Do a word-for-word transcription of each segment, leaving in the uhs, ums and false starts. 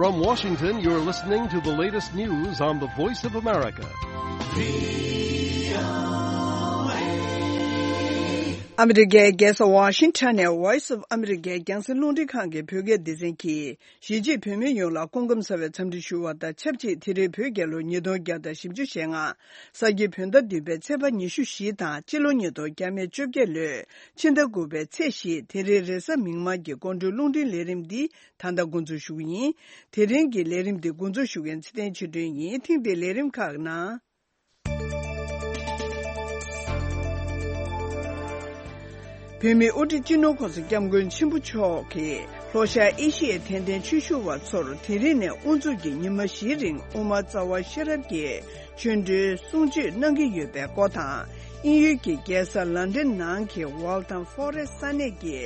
From Washington, you're listening to the latest news on the Voice of America. ཨ་མི་རི་ཀའི་རྒྱལ་ས་ཝ་ཤིང་ཊོན་ནས་Voice of America རྒྱང་སྲིང་རླུང་འཕྲིན་ཁང་གི་བོད་སྐད་སྡེ་ཚན་གྱིས། གཞིས་བྱེས་བོད་མི་ཡོངས་ལ་སྐུ་ཁམས་བཟང་བའི་འཚམས་འདྲི་ཞུ་བ་དང་ཆབས་ཅིག་དེ་རིང་བོད་རྒྱལ་ལོ་ཉིས་སྟོང་བརྒྱ་དང་བཞི་བཅུ་ཞེ་ལྔ། ས་ཁྱི་བོད་ཟླ་བདུན་པའི་ཚེས་པ་ཉི་ཤུ་བཞི་དང་སྤྱི་ལོ་ཉིས་སྟོང་བརྒྱ་མེད་བཅོ་བརྒྱད་ལོའི་ཕྱི་ཟླ་དགུ་པའི་ཚེས་བཞི་དེ་རིང་རེས་གཟའ་མིག་དམར་གྱི་སྐུ་མགྲོན་རླུང་འཕྲིན་ལས་རིམ་འདི་ད་ལྟ་འགོ་འཛུགས་ཞུ་གི་ཡིན། དེ་རིང་གི་ལས་རིམ་འདི་འགོ་འཛུགས་ཞུ་མཁན་ཚེ་བརྟན་ཆོས་སྒྲོན་ཡིན། ཐེངས་འདིའི་ལས་རིམ་ཁག་ནང་། བོད་མིའི་དབུ་ཁྲིད་སྤྱི་ནོར་༸གོང་ས་༸སྐྱབས་མགོན་ཆེན་པོ་མཆོག་གིས་ལྷོ་ཤར་ཨེ་ཤི་ཡའི་དད་ལྡན་ཆོས་ཞུ་བ་ཚོར་དེ་རིང་ནས་དབུ་འཛུགས་ཀྱིས་ཉི་མ་བཞིའི་རིང་དབུ་མ་རྩ་བ་ཤེས་རབ་ཀྱི་ཆོ་འཕྲུལ་གསུང་ཆོས་གནང་གི་ཡོད་པའི་སྐོར་དང་། དབྱིན་ཡུལ་གྱི་རྒྱལ་ས་ལན་ཌན་ནང་གི་Waltham Forest ས་གནས་ཀྱི་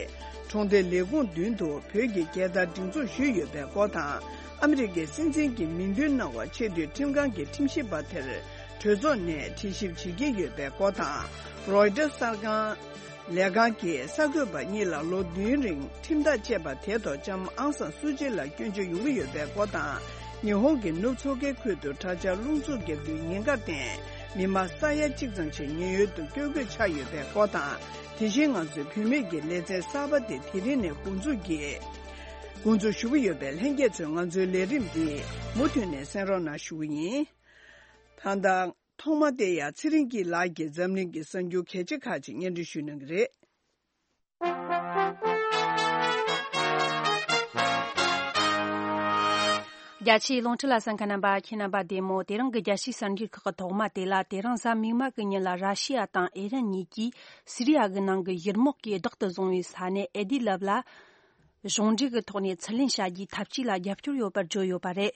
གྲོང་སྡེ་ལས་ཁུངས་མདུན་དུ་བོད་ཀྱི་རྒྱལ་དར་སྒྲེང་འཛུགས་ཞུས་ཡོད་པའི་སྐོར་དང་། ཨ་མི་རི་ཀའི་སྲིད་འཛིན་གྱི་མིང་འདོན་གནང་བ་ཆེས་མཐོའི་ཁྲིམས་ཁང་གི་ཁྲིམས་ཞིབ་པ་དེར་གྲོས་ཚོགས་ནས་དྲི་ཞིབ་བྱེད་ཀྱི་ཡོད་པའི་སྐོར་དང་། Reuters གསར་ཁང་ལས་ཁང་གི་གསར་འགོད་པ་གཉིས་ལ་ལོ་བདུན་རིང་ཁྲིམས་ཐག་བཅད་པ་དེ་ཐོག་ལྕམ་ཨང་སང་སུའུ་ཅི་ལ་སྐྱོན་བརྗོད་ཡོང་གི་ཡོད་པའི་སྐོར་དང་། ཉི་ཧོང་གི་ནུབ་མཚོ་ཁའི་ཁུལ་དུ་དྲག་ཆར་རླུང་འཚུབ་བརྒྱབ་དུས་ཉེན་ཁར་བརྟེན་མི་མང་ས་ཡ་གཅིག་ཙམ་ཞིག་ཉེན་གཡོལ་དུ་བསྐྱོད་དགོས་ཆགས་ཡོད་པའི་སྐོར་དང་། དེ་བཞིན་ང་ཚོའི་བུད་མེད་ཀྱི་ལེ་ཚན་གསར་པ་དེ་དེ་རིང་ནས་འགོ་འཛུགས་ཀྱིས་འགོ་འཛུགས་ཞུ་གི་ཡོད་པས། ལྷན་རྒྱས་ཚོས་ང་ཚོའི་ལས་རིམ་འདི་མུ་མཐུད་ནས་གསན་རོགས་གནང་ཞུ་གི་ཡིན། ད་ལྟ་ཐོག་མ་དེ་ཡང་ཚེ་རིང་སྐྱིད་ལགས་ཀྱིས་འཛམ་གླིང་གི་གསར་འགྱུར་གལ་ཆེ་ཁག་ཅིག་སྙན་སྒྲོན་ཞུ་གནང་གི་རེད། རྒྱ་ཆེའི་རླུང་འཕྲིན་ལ་གསན་མཁན་རྣམ་པ་ཁྱེད་རྣམ་པ་བདེ་མོ། དེ་རིང་གི་རྒྱལ་སྤྱིའི་གསར་འགྱུར་ཁག་གི་ཐོག་མ་དེ་ལ། དེ་རིང་གཟའ་མིག་དམར་གྱི་ཉིན་ལ་ར་ཤི་ཡ་དང་ཨི་རན་གཉིས་ཀྱིས་སི་རི་ཡ་གི་ནང་གི་ཡུལ་དམག་གིས་བདག་ཏུ་བཟུང་བའི་ས་གནས་ཨེ་དི་ལབ་ལ། གཞུང་འབྲེལ་གྱི་ཐོག་ནས་ཚུར་ལེན་བྱ་རྒྱུའི་འཐབ་ཇུས་ལ་རྒྱབ་སྐྱོར་ཡོད་པར་བརྗོད་ཡོད་པ་རེད།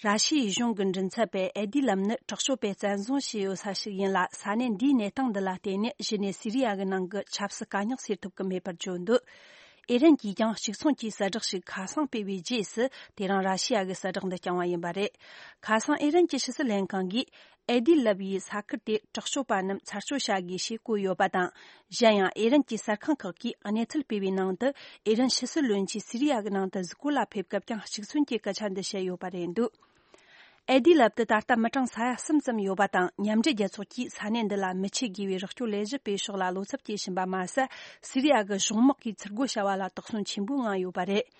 ར་ཤི་ཡའི་གཞུང་གི་མགྲིན་ཚབ་པས་ཨེ་དི་ལམ་ནི་དྲག་སྤྱོད་པས་བཙན་བཟུང་བྱས་ཡོད་ས་ཞིག་ཡིན་ལ། ས་གནས་འདིའི་གནས་སྟངས་འདི་ལ་བརྟེན་ནས་གཞི་ནས་སི་རི་ཡ་གི་ནང་གི་ཆབ་སྲིད་དཀའ་རྙོག་སེལ་ཐུབ་ཀྱི་མེད་པར་བརྗོད་འདུག་ཨི་རན་གྱིས་ཀྱང་གཅིག་མཚུངས་ཀྱི་གསལ་བསྒྲགས་ཤིག་ཁ་སང་སྤེལ་བའི་རྗེས་སུ། དེ་རིང་ར་ཤི་ཡ་གི་གསལ་བསྒྲགས་འདི་བསྐྱངས་པ་ཡིན་པ་རེད། ཁ་སང་ཨི་རན་གྱི་ཕྱི་སྲིད་ལྷན་ཁང་གིས། ཨེ་དི་ལབ་ཡི་ས་ཁུལ་དེ་དྲག་སྤྱོད་པ་རྣམས་ཚར་གཅོད་བྱ་དགོས་ཞེས་བཀོད་ཡོད་པ་དང་། གཞན་ཡང་ཨི་རན་གྱི་གསར་ཁང་ཁག་གིས་གནས་ཚུལ་སྤེལ་བའི་ནང་དུ། ཨི་རན་ཕྱི་སྲིད་བློན་ཆེན་སི་རི་ཡ་གི་ནང་དུ་གཟིགས་སྐོར་ལ་ཕེབས་སྐབས་ཀྱང་གཅིག་མཚུངས་ཀྱི་སྐད་ཆ་འདི་བཤད་ཡོད་པ་རེད་འདུག་ཨེ་དི་ལབ་ཏུ་ད་ལྟ་མི་གྲངས་ས་ཡ་གསུམ་ཙམ་ཡོད་པ་དང་། མཉམ་འབྲེལ་རྒྱལ་ཚོགས་ཀྱིས་ས་གནས་འདི་ལ་མི་ཆེད་དགོས་པའི་རོགས་སྐྱོར་ལས་གཞི་སྤེལ་ཕྱོགས་ལ་བློ་འཚབ་སྐྱེ་བཞིན་པ་མ་ཟད། སི་རི་ཡ་གི་གཞུང་དམག་གིས་ཚུར་རྒོལ་བྱ་བ་ལ་དོགས་ཟོན་ཆེན་པོའི་ངང་ཡོད་པ་རེད།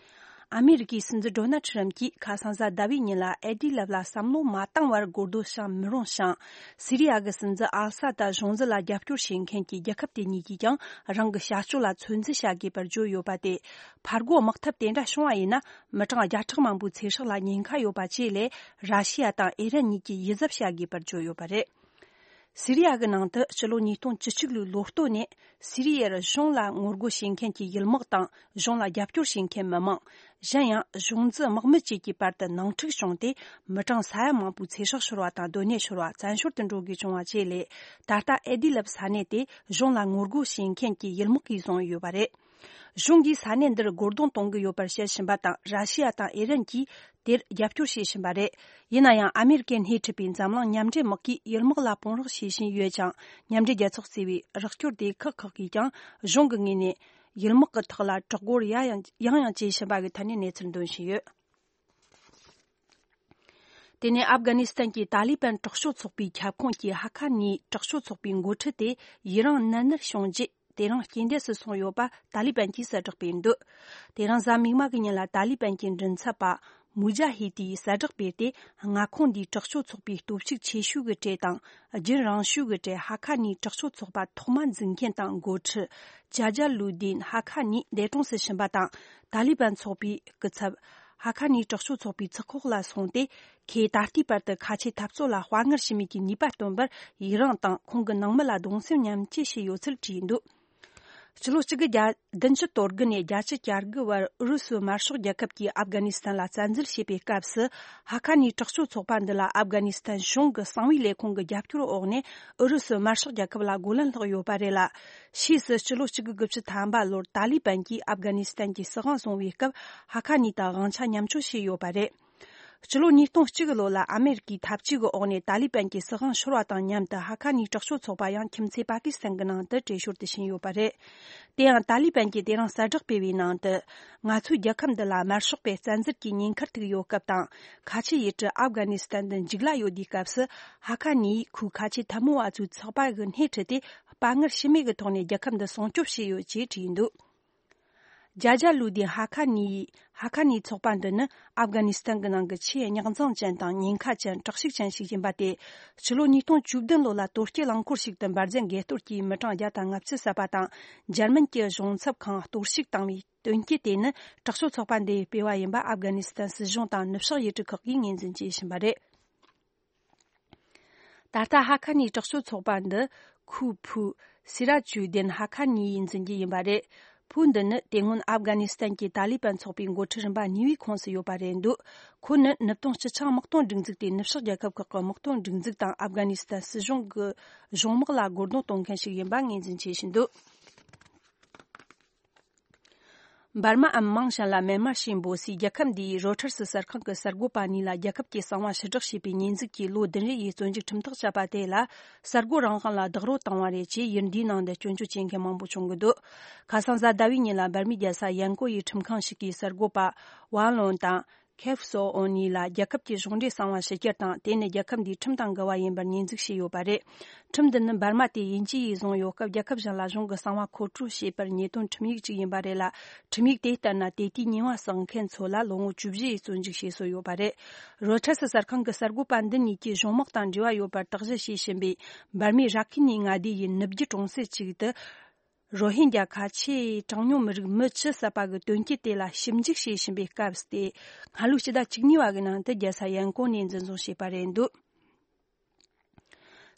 ཨ་མེ་རི་ཀའི་སྲིད་འཛིན་ཌོ་ནལ་ཁྲི་རམ་གྱིས་ཁ་སང་གཟའ་ཟླ་བའི་ཉིན་ལ་ཨེ་དི་ལབ་ལ་བསམ་བློ་མ་བཏང་བར་སྒོ་རྡོ་བཤམས་མི་རུང་ཞིང་། སི་རི་ཡ་གི་སྲིད་འཛིན་ཨལ་ས་ད་གཞུང་འཛིན་ལ་རྒྱབ་སྐྱོར་བྱེད་མཁན་གྱི་རྒྱལ་ཁབ་དེ་གཉིས་ཀྱིས་ཀྱང་རང་གི་བྱ་སྤྱོད་ལ་ཚོད་འཛིན་བྱ་དགོས་པར་བརྗོད་ཡོད་པ་དེ། ཕར་རྒོལ་དམག་འཐབ་དེ་འདྲ་བྱུང་བ་ཡིན་ན། མི་གྲངས་བརྒྱ་ཕྲག་མང་པོའི་ཚེ་སྲོག་ལ་ཉེན་ཁ་ཡོད་པ་བཅས་ལས། ར་ཤི་ཡ་དང་ཨི་རན་གཉིས་ཀྱིས་ཡིད་གཟབ་བྱ་དགོས་པར་བརྗོད་ཡོད་པ་རེད། སི་རི་ཡ་གི་ནང་དུ་ཕྱི་ལོ་ཉིས་སྟོང་བཅུ་གཅིག་ལོའི་ལོ་སྟོད་ནས་སི་རི་ཡར་གཞུང་ལ་ངོ་རྒོལ་བྱེད་མཁན་གྱི་ཡུལ་དམག་དང་། གཞུང་ལ་རྒྱབ་སྐྱོར་བྱེད་མཁན་མི་མང་། གཞན་ཡང་གཞུང་འཛིན་དམག་མི་བཅས་ཀྱི་བར་དུ་ནང་འཁྲུག་བྱུང་སྟེ། མི་གྲངས་ས་ཡ་མང་པོའི་ཚེ་སྲོག་ཤོར་བ་དང་། སྡོད་གནས་ཤོར་བ། བཙན་བྱོལ་དུ་འགྲོ་དགོས་བྱུང་བ་བཅས་ལས། ད་ལྟ་ཨེ་དི་ལབ་ས་གནས་དེ་གཞུང་ལ་ངོ་རྒོལ་བྱེད་མཁན་གྱི་ཡུལ་དམག་གིས་བཟུང་ཡོད་པ་རེད། གཞུང་གིས་ས་གནས་འདིར་རྒོལ་རྡུང་གཏོང་གི་ཡོད་པར་བཤད་བཞིན་པ་དང་། ར་ཤི་ཡ་དང་ཨི་རན་གྱིས་དེར་རྒྱབ་སྐྱོར་བྱེད་བཞིན་པ་རེད། ཡིན་ན་ཡང་ཨ་མེ་རི་ཀས་སྣེ་ཁྲིད་པའི་འཛམ་གླིང་མཉམ་འབྲེལ་དམག་གིས་ཡུལ་དམག་ལ་དཔུང་རོགས་བྱེད་བཞིན་ཡོད་ཅིང་། མཉམ་འབྲེལ་རྒྱལ་ཚོགས་གཙོས་པའི་རོགས་སྐྱོར་སྡེ་ཁག་ཁག་གིས་ཀྱང་གཞུང་གི་ངོས་ནས་ཡུལ་དམག་གི་ཐོག་ལ་དྲག་རྒོལ་ཡང་ཡང་ཡང་ཡང་བྱེད་བཞིན་པ་གི་ཐད་ནས་གནས་ཚུལ་འདོན་བཞིན་ཡོད། དེ་ནས་ཨབ་གྷ་ནི་སི་ཐན་གྱི་ཏཱ་ལི་བན་དྲག་སྤྱོད་ཚོགས་པའི་ཁྱབ་ཁོངས་ཀྱི་ཧ་ཁ་ནིའི་དྲག་སྤྱོད་ཚོགས་པའི་འགོ་ཁྲིད་དེ་ཡུན་རིང་ནད་མནར་བྱུང་རྗེས། དེ་རིང་རྐྱེན་འདས་སུ་སོང་ཡོད་པ་ཏཱ་ལི་བན་གྱིས་གསལ་བསྒྲགས་སྤེལ་འདུག་དེ་རིང་གཟའ་མིག་དམར་གྱི་ཉིན་ལ་ཏཱ་ལི་བན་གྱི་མགྲིན་ཚབ་པ་མུ་ཇ་ཧི་ཏིས་གསལ་བསྒྲགས་སྤེལ་ཏེ། མངའ་ཁོངས་འདིའི་དྲག་སྤྱོད་ཚོགས་པའི་སྟོབས་ཤུགས་ཆེ་ཤོས་ཀྱི་གྲས་དང་། རྒྱུན་རིང་ཤོས་ཀྱི་གྲས་ཧ་ཁ་ནིའི་དྲག་སྤྱོད་ཚོགས་པ་ཐོག་མ་འཛིན་མཁན་དང་འགོ་ཁྲིད་ཇཱ་ཇཱ་ལུ་དིན་ཧ་ཁ་ནིའི་འདས་གྲོངས་སུ་ཕྱིན་པ་དང་། ཏཱ་ལི་བན་ཚོགས་པའི་སྐུ་ཚབ་ཧ་ཁ་ནིའི་དྲག་སྤྱོད་ཚོགས་པའི་ཚོགས་ཁག་ལ་སོང་སྟེ། ཁོས་ད་ལྟའི་བར་དུ་ཁ་ཆེའི་འཐབ་རྩོད་ལ་དཔའ་ངར་ཞུམ་མེད་ཀྱི་ནུས་པ་སྟོན་པར་ཡི་རངས་དང་། ཁོང་གི་ནང་མི་ལ་གདུང་སེམས་མཉམ་སྐྱེད་བྱས་ཡོད་ཚུལ་བྲིས་འདུག་སྤྱི་ལོ་གཅིག་དགུ་བརྒྱ་བདུན་ཅུ་དོན་དགུ་ནས་བརྒྱད་ཅུ་གྱ་དགུ་བར་ཨུ་རུ་སུའི་དམར་ཤོག་རྒྱལ་ཁབ་ཀྱིས་ཨབ་གྷ་ནི་སི་ཐན་ལ་བཙན་འཛུལ་བྱས་པའི་སྐབས་སུ། ཧ་ཁ་ནིའི་དྲག་སྤྱོད་ཚོགས་པ་འདི་ལ་ཨབ་གྷ་ནི་སི་ཐན་གཞུང་གི་གསང་བའི་ལས་ཁུངས་ཀྱི་རྒྱབ་སྐྱོར་འོག་ནས་ཨུ་རུ་སུའི་དམར་ཤོག་རྒྱལ་ཁབ་ལ་རྒོལ་ལན་སློག་ཡོད་པ་རེད་ལ། ཕྱིས་སུ་སྤྱི་ལོ་གཅིག་དགུ་དགུ་བཅུ་ཐམ་པ་ལོར་ཏཱ་ལི་བན་གྱིས་ཨབ་གྷ་ནི་སི་ཐན་གྱི་སྲིད་དབང་བཟུང་བའི་སྐབས། ཧ་ཁ་ནི་དང་དབང་ཆ་མཉམ་སྤྱོད་བྱས་ཡོད་པ་རེད། ཕྱི་ལོ་ཉིས་སྟོང་གཅིག་གི་ལོ་ལ་ཨ་མེ་རི་ཀའི་འཐབ་ཇུས་ཀྱི་འོག་ནས་ཏཱ་ལི་པན་གྱི་སྲིད་དབང་ཤོར་བ་དང་མཉམ་དུ་ཧ་ཁ་ནིའི་དྲག་སྤྱོད་ཚོགས་པ་ཡང་ཁྱིམ་མཚེས་པ་ཀི་སི་ཐན་གྱི་ནང་དུ་བྲོས་ཤོར་དུ་ཕྱིན་ཡོད་པ་རེད། དེ་ཡང་ཏཱ་ལི་པན་གྱིས་དེ་རིང་གསལ་བསྒྲགས་སྤེལ་བའི་ནང་དུ། ང་ཚོའི་རྒྱལ་ཁབ་འདི་ལ་དམར་ཤོག་པའི་བཙན་འཛུལ་གྱི་ཉེན་ཁར་ཐུག་ཡོད་སྐབས་དང་། ཁ་ཆེའི་ཡུལ་གྲུ་ཨབ་གྷ་ནི་སི་ཐན་དུ་འཇིགས་སླ་ཡོད་དུས་སྐབས་སུ། ཧ་ཁ་ནིའི་ཁུལ་ཁ་ཆེ་འཐབ་མོ་བ་ཚོའི་ཚོགས་པ་གི་སྣེ་ཁྲིད་དེ། དཔའ་ངར་ཞུམ་མེད་ཀྱི་ཐོག་ནས་རྒྱལ་ཁབ་འདི་སྲུང་སྐྱོབ་བྱས་ཡོད་ཅེས་བྲིས་འདུག་ཇཱ་ཇཱ་ལུ་དིན་ཧ་ཁ་ནི། ཧ་ཁ་ནི་ཚོགས་པ་འདི་ནི་ཨབ་གྷ་ནི་སི་ཐན་གྱི་ནང་གི་ཆེས་རྙོག་འཛིང་ཅན་དང་ཉེན་ཁ་ཅན། དྲག་ཤུགས་ཅན་ཞིག་ཡིན་པ་སྟེ། ཕྱི་ལོ་ཉིས་སྟོང་བཅུ་བདུན་ལོ་ལ་དོལ་རྒྱལ་རླངས་འཁོར་ཞིག་ཏུ་འབར་འཛིང་འགས་གཏོར་གྱིས་མི་གྲངས་བརྒྱ་དང་ལྔ་བཅུ་བསད་པ་དང་། འཇར་མན་གྱི་གཞུང་ཚབ་ཁང་གཏོར་བཤིག་བཏང་བའི་དོན་རྐྱེན་དེ་ནི། དྲག་སྤྱོད་ཚོགས་པ་འདིས་སྤེལ་བ་ཡིན་པ་ཨབ་གྷ་ནི་སི་ཐན་སྲིད་གཞུང་དང་ནུབ་ཕྱོགས་ཡུལ་གྲུ་ཁག་གིས་ངོས་འཛིན་བྱས་ཟིན་པ་རེད། ད་ལྟ་ཧ་ཁ་ནིའི་དྲག་སྤྱོད་ཚོགས་པ་འདི་ཁུའུ་ཕུའུ་སི་ར་ཇུ་དིན་ཧ་ཁ་ནི་ཡིས་འཛིན་རྒྱུ་ཡིན་པ་རེད། ཕུའུ་འདི་ནི་དེ་སྔོན་ཨབ་གྷ་ནི་སི་ཐན་གྱི་ཏཱ་ལི་པན་ཚོགས་པའི་འགོ་ཁྲིད་རིམ་པ་གཉིས་པའི་ཁོངས་སུ་ཡོད་པ་རེད་འདུག་ཁོ་ནི་ནུབ་སྟོང་སྤྱི་ཆིངས་དམག་དོན་སྒྲིག་འཛུགས་དེ་ནུབ་ཕྱོགས་རྒྱལ་ཁབ་ཁག་གི་དམག་དོན་སྒྲིག་འཛུགས་དང་ཨབ་གྷ་ནི་སི་ཐན་སྲིད་གཞུང་གི་གཞུང་དམག་ལ་རྒོལ་རྡུང་གཏོང་མཁན་ཞིག་ཡིན་པ་ངོས་འཛིན་བྱེད་བཞིན་འདུག་འབར་མའམ་མིང་གཞན་ལ་མེན་མར་ཞེས་འབོད་སའི་རྒྱལ་ཁབ་འདིའི་རོའི་ཊར་སི་གསར་ཁང་གི་གསར་འགོད་པ་གཉིས་ལ་རྒྱལ་ཁབ་ཀྱི་གསང་བ་ཕྱིར་བསྒྲགས་བྱས་པའི་ཉེས་འཛུགས་ཀྱིས་ལོ་བདུན་རེ་ཡི་བཙོན་འཇུག་ཁྲིམས་ཐག་བཅད་པ་དེ་ལ། གསར་འགོད་རང་དབང་ལ་རྡོག་རོལ་བཏང་བ་རེད་ཅེས་ཡུལ་འདིའི་ནང་དུ་སྐྱོན་བརྗོད་བྱེད་མཁན་མང་པོ་བྱུང་གི་འདུག་ཁ་སང་གཟའ་ཟླ་བའི་ཉིན་ལ་འབར་མའི་རྒྱལ་ས་ཡན་ཀོ་ཡི་ཁྲིམས་ཁང་ཞིག་གིས་གསར་འགོད་པ་ཝང་ལོན་དང་། ཁེབ་སོ་ཨོ་གཉིས་ལ་རྒྱལ་ཁབ་ཀྱི་གཞུང་འབྲེལ་གསང་བ་ཕྱི་གྱར་དང་། དེ་ནི་རྒྱལ་ཁབ་འདིའི་ཁྲིམས་དང་འགལ་བ་ཡིན་པར་ཉེས་འཛུགས་བྱས་ཡོད་པ་རེད། ཁྲིམས་འདི་ནི་འབར་མ་དེ་དབྱིན་ཇི་ཡིས་བཟུང་ཡོད་སྐབས། རྒྱལ་ཁབ་གཞན་ལ་གཞུང་གི་གསང་བ་མཁོ་སྤྲོད་བྱེད་པར་ཉེས་དོན་ཁྲིམས་ཡིག་ཅིག་ཡིན་པ་རེད་ལ། ཁྲིམས་ཡིག་དེ་ལྟར་ན། དེ་དུས་ཉེས་པ་བསགས་མཁན་ཚོ་ལ་ལོ་ངོ་བཅུ་བཞི་ཡི་བཙོན་འཇུག་བྱེད་སྲོལ་ཡོད་པ་རེད། རོའི་ཊར་སི་གསར་ཁང་གི་གསར་འགོད་པ་འདི་གཉིས་ཀྱིས་གཞུང་དམག་དང་འབྲེལ་བ་ཡོད་པར་དག་གཞི་བྱེད་བཞིན་པའི་འབར་མའི་ར་ཁིན་ནི་མངའ་སྡེ་ཡི་ནུབ་རྒྱུད་གྲོང་གསེབ་ཅིག་ཏུ། རོ་ཧིན་རྒྱ་ཁ་ཆེའི་གྲངས་ཉུང་མི་རིགས་མི་བཅུ་བསད་པ་གི་དོན་རྐྱེན་དེ་ལ་ཞིབ་འཇུག་བྱེད་བཞིན་པའི་སྐབས་ཏེ། སྔ་ལོའི་ཕྱི་ཟླ་བཅུ་གཉིས་པ་གི་ནང་དུ་རྒྱལ་ས་ཡན་ཀོང་ནས་འཛིན་བཟུང་བྱས་པ་རེད་འདུག་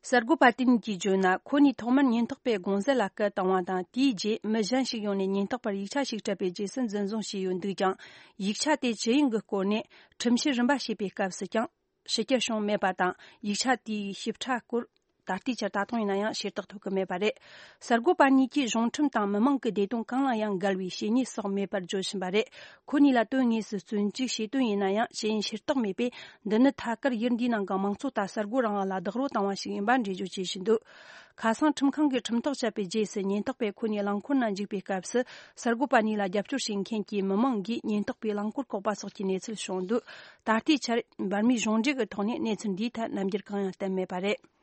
གསར་འགོད་པ་དེ་གཉིས་ཀྱིས་བརྗོད་ན། ཁོ་གཉིས་ཐོག་མར་ཉེན་རྟོག་པའི་དགོང་ཟས་ལ་སྐད་བཏང་བ་དང་། དེའི་རྗེས་མི་གཞན་ཞིག་ཡོང་ནས་ཉེན་རྟོག་པར་ཡིག་ཆ་ཞིག་སྤྲད་པའི་རྗེས་སུ་འཛིན་བཟུང་བྱས་ཡོད་འདུག་ཀྱང་། ཡིག་ཆ་དེ་ཇི་ཡིན་གྱི་སྐོར་ནས་ཁྲིམས་བཤེར་རིམ་པ་བྱས་པའི་སྐབས་སུ་ཀྱང་། ཕྱི་གྱར་བྱུང་མེད་པ་དང་། ཡིག་ཆ་དེའི་ཞིབ་ཕྲ་སྐོར་ད་ལྟའི་ཆར་ད་དུང་ཡིན་ན་ཡང་ཤེས་རྟོགས་ཐུབ་ཀྱི་མེད་པ་རེད། གསར་འགོད་པ་གཉིས་ཀྱིས་གཞུང་ཁྲིམས་དང་མི་མང་གི་བདེ་དོན་གང་ལ་ཡང་འགལ་བའི་བྱས་ཉེས་བསགས་མེད་པར་བརྗོད་བཞིན་པ་རེད། ཁོ་གཉིས་ལ་དོན་དངོས་སུ་བཙོན་འཇུག་བྱས་དོན་ཡིན་ན་ཡང་ཇི་ཡིན་ཤེས་རྟོགས་མེད་པས། འདི་ནི་ཐད་ཀར་ཡུལ་འདིའི་ནང་གི་དམངས་གཙོ་དང་གསར་འགོད་རང་དབང་ལ་རྡོག་རོལ་བཏང་བ་ཞིག་ཡིན་པ་འགྲེལ་བརྗོད་བྱེད་བཞིན་འདུག་ཁ་སང་ཁྲིམས་ཁང་གིས་ཁྲིམས་ཐག་བཅད་པའི་རྗེས་སུ་ཉེན་རྟོག་པས་ཁོ་གཉིས་རླངས་འཁོར་ནང་འཇུག་པའི་སྐབས་སུ། གསར་འགོད་པ་གཉིས་ལ་རྒྱབ་སྐྱོར་བྱེད་མཁན་གྱི་མི་མང་གིས་ཉེན་རྟོག་པའི་རླངས་འཁོར་བཀོག་པ་སོགས་ཀྱི་གནས་ཚུལ་བྱུང་འདུག་ད་ལྟའི་ཆར་འབར་མའི་གཞུང་འབྲེལ་གྱི་ཐོག་ནས་གནས་ཚུལ་འདིའི་ཐད་རྣམ་འགྱུར་གང་ཡང་བསྟན་མེད་པ་རེད།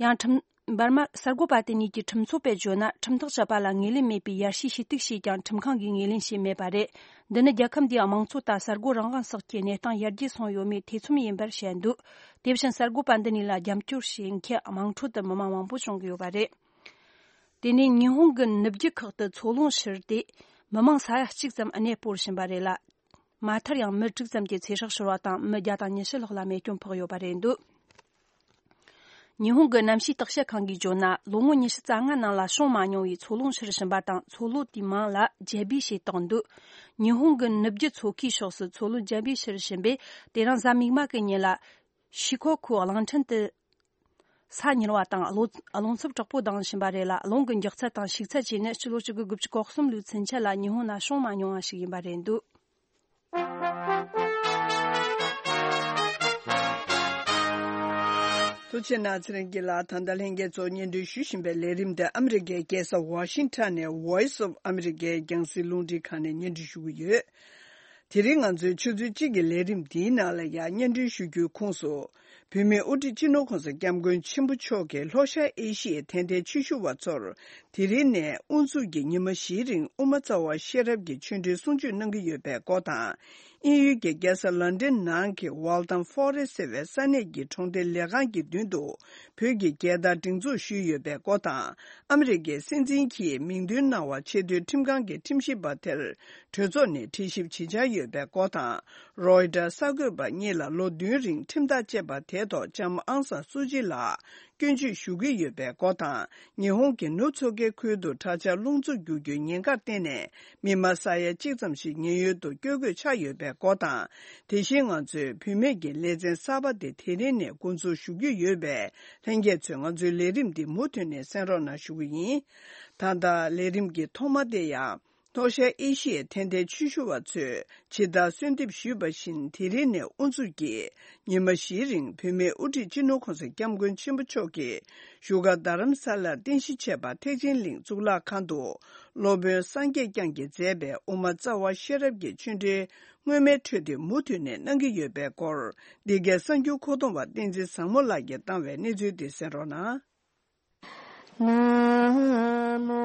ཡང་ཁྲིམས། འབར་མ་གསར་འགོད་པ་དེ་གཉིས་ཀྱི་ཁྲིམས་ཚོགས་པས་བརྗོད་ན། ཁྲིམས་ཐག་བཅད་པ་ལ་ངོས་ལེན་མེད་པའི་ཡར་ཞུའི་ཞུ་གཏུག་བྱས་ཀྱང་ཁྲིམས་ཁང་གིས་ངོས་ལེན་བྱས་མེད་པ་རེད། འདི་ནི་རྒྱལ་ཁབ་འདིའི་དམངས་གཙོ་དང་གསར་འགོད་རང་དབང་སོགས་ཀྱི་གནས་སྟངས་ཡར་རྒྱས་སོང་ཡོད་མེད་ཐེ་ཚོམ་ཡིན་པར་བཤད་འདུག་དེ་བཞིན་གསར་འགོད་པ་འདི་གཉིས་ལ་རྒྱབ་སྐྱོར་བྱེད་མཁན་དམངས་ཁྲོད་དུ་མི་མང་མང་པོ་བྱུང་གི་ཡོད་པ་རེད། དེ་ནས་ཉི་ཧོང་གི་ནུབ་རྒྱུད་ཁག་ཏུ་མཚོ་རླུང་ཤོར་ཏེ། མི་མང་ས་ཡ་གཅིག་ཙམ་གནས་སྤོར་བཞིན་པ་རེད་ལ། མ་མཐར་ཡང་མི་དྲུག་ཙམ་གྱི་ཚེ་སྲོག་ཤོར་བ་དང་། མི་བརྒྱ་དང་ཉི་ཤུ་ལྷག་ལ་རྨས་སྐྱོན་ཕོག་ཡོད་པ་རེད་འདུག་ཉི་ཧོང་གི་གནམ་གཤིས་བརྟག་དཔྱད་ཁང་གིས་བརྗོད་ན། ལོ་ངོ་ཉི་ཤུ་རྩ་ལྔ་ནང་ལ་བྱུང་མ་མྱོང་བའི་མཚོ་རླུང་ཤོར་བཞིན་པ་དང་། མཚོ་ལོ་དེའི་མིང་ལ་ཇེ་བི་ཞེས་བཏགས་འདུག་ཉི་ཧོང་གི་ནུབ་རྒྱུད་མཚོ་ཁའི་ཕྱོགས་སུ་མཚོ་རླུང་ཇེ་བི་ཤོར་བཞིན་པས། དེ་རིང་གཟའ་མིག་དམར་གྱི་ཉིན་ལ། ཤི་ཁོ་ཁོའི་གླིང་ཕྲན་དུ། ས་ཉིལ་བ་དང་རླུང་རླུང་འཚུབ་དྲག་པོ་ལྡང་བཞིན་པ་རེད་ལ། རླུང་གི་མགྱོགས་ཚད་དང་ཤུགས་ཚད་བཅས་ནི་ཕྱི་ལོ་ཆིག་སྟོང་དགུ་བརྒྱ་དགུ་ལོའི་ཚུན་ཆད་ལ་ཉི་ཧོང་ན་བྱུང་མ་མྱོང་བ་ཞིག་ཡིན་པ་རེད་འདུག་ཐུགས་རྗེ་གནང་། ཚེ་རིང་སྐྱིད་ལགས། ད་ལྟ་ལྷན་རྒྱས་ཚོ་སྙན་སྒྲོན་ཞུ་བཞིན་པའི་ལས་རིམ་དེ་ཨ་མི་རི་ཀའི་རྒྱལ་ས་ཝ་ཤིང་ཊོན་ནས་Voice of America རྒྱང་སྲིང་རླུང་འཕྲིན་ཁང་ནས་སྙན་སྒྲོན་ཞུ་གི་ཡོད། དེ་རིང་ང་ཚོའི་ཆུ་ཚོད་གཅིག་གི་ལས་རིམ་འདིའི་ནང་ལ་ཡང་སྙན་སྒྲོན་ཞུ་རྒྱུའི་ཁོངས་སུ། བོད་མིའི་དབུ་ཁྲིད་སྤྱི་ནོར་གོང་ས་སྐྱབས་མགོན་ཆེན་པོ་མཆོག་གིས་ལྷོ་ཤར་ཨེ་ཤི་ཡའི་དད་ལྡན་ཆོས་ཞུ་བ་ཚོར། དེ་རིང་ནས་དབུ་འཛུགས་ཀྱི་ཉི་མ་བཞིའི་རིང་དབུ་མ་རྩ་བ་ཤེས་རབ་ཀྱི་ཆོས་འབྲེལ་གསུང་ཆོས་གནང་གི་ཡོད་པའི་སྐོར་དང་། དབྱིན་ཡུལ་གྱི་རྒྱལ་ས་ལན་ཌན་ནང་གི་Waltham Forest ཟེར་བའི་ས་གནས་ཀྱི་གྲོང་སྡེ་ལས་ཁང་གི་མདུན་དུ། བོད་ཀྱི་རྒྱལ་དར་སྒྲེང་འཛུགས་ཞུས་ཡོད་པའི་སྐོར་དང་། ཨ་མི་རི་ཀའི་སྲིད་འཛིན་གྱིས་མིང་འདོན་གནང་བ་ཆེས་མཐོའི་ཁྲིམས་ཁང་གི་ཁྲིམས་ཞིབ་པ་དེར་གྲོས་ཚོགས་ནས་དྲི་ཞིབ་བྱེད་འཆར་ཡོད་པའི་སྐོར་དང་། རོའི་ཊར་གསར་འགོད་པ་གཉིས་ལ་ལོ་བདུན་རིང་ཁྲིམས་ཐག་བཅད་པ་དེའི་ཐོག་ལྕམ་ཨང་སང་སུ་ཅི་ལགས་སྐྱོན་བརྗོད་ཞུ་གི་ཡོད་པའི་སྐོར་དང་། ཉི་ཧོང་གི་ནུབ་མཚོ་ཁའི་ཁུལ་དུ་དྲག་ཆར་རླུང་འཚུབ་རྒྱུག་རྒྱུའི་ཉེན་ཁར་བརྟེན་ནས། མི་མང་ས་ཡ་གཅིག་ཙམ་ཞིག་ཉེན་གཡོལ་དུ་བསྐྱོད་དགོས་ཆགས་ཡོད་པའི་སྐོར་དང་། དེ་བཞིན་ང་ཚོའི་བུད་མེད་ཀྱི་ལེ་ཚན་གསར་པ་དེ་དེ་རིང་ནས་འགོ་འཛུགས་ཞུ་རྒྱུ་ཡོད་པས། ལྷན་རྒྱས་ཚོས་ང་ཚོའི་ལས་རིམ་འདི་མུ་མཐུད་ནས་གསན་རོགས་གནང་ཞུ་གི་ཡིན། ད་ལྟ་ལས་རིམ་གྱི་ཐོག་མ་དེ་ཡང་། ལྷོ་ཤར་ཨེ་ཤི་ཡའི་དད་ལྡན་ཆོས་ཞུ་བ་ཚོས་ཇི་ལྟར་གསོལ་འདེབས་ཞུས་པ་བཞིན། དེ་རིང་ནས་དབུ་འཛུགས་ཀྱིས་ཉི་མ་བཞིའི་རིང་བོད་མིའི་དབུ་ཁྲིད་སྤྱི་ནོར་༸གོང་ས་༸སྐྱབས་མགོན་ཆེན་པོ་མཆོག་གིས་བཞུགས་སྒར་རྡ་རམ་ས་ལར་རྟེན་གཞི་བྱས་པ་ཐེག་ཆེན་གླིང་གཙུག་ལག་ཁང་དུ། སློབ་དཔོན་སངས་རྒྱས་བསྐྱངས་ཀྱིས་མཛད་པའི་དབུ་མ་རྩ་བ་ཤེས་རབ་ཀྱི་ཆོས་འབྲེལ་སྔོན་མའི་འཕྲོས་དེ་མུ་མཐུད་ནས་གནང་གི་ཡོད་པའི་སྐོར། འདི་གའི་གསར་འགྱུར་མཁོ་གཏོང་བ་བསྟན་འཛིན་བཟང་མོ་ལགས་ཀྱིས་བཏང་བའི་གནས་ཚུལ་དེ་གསན་རོགས་གནང་། ན་མོ།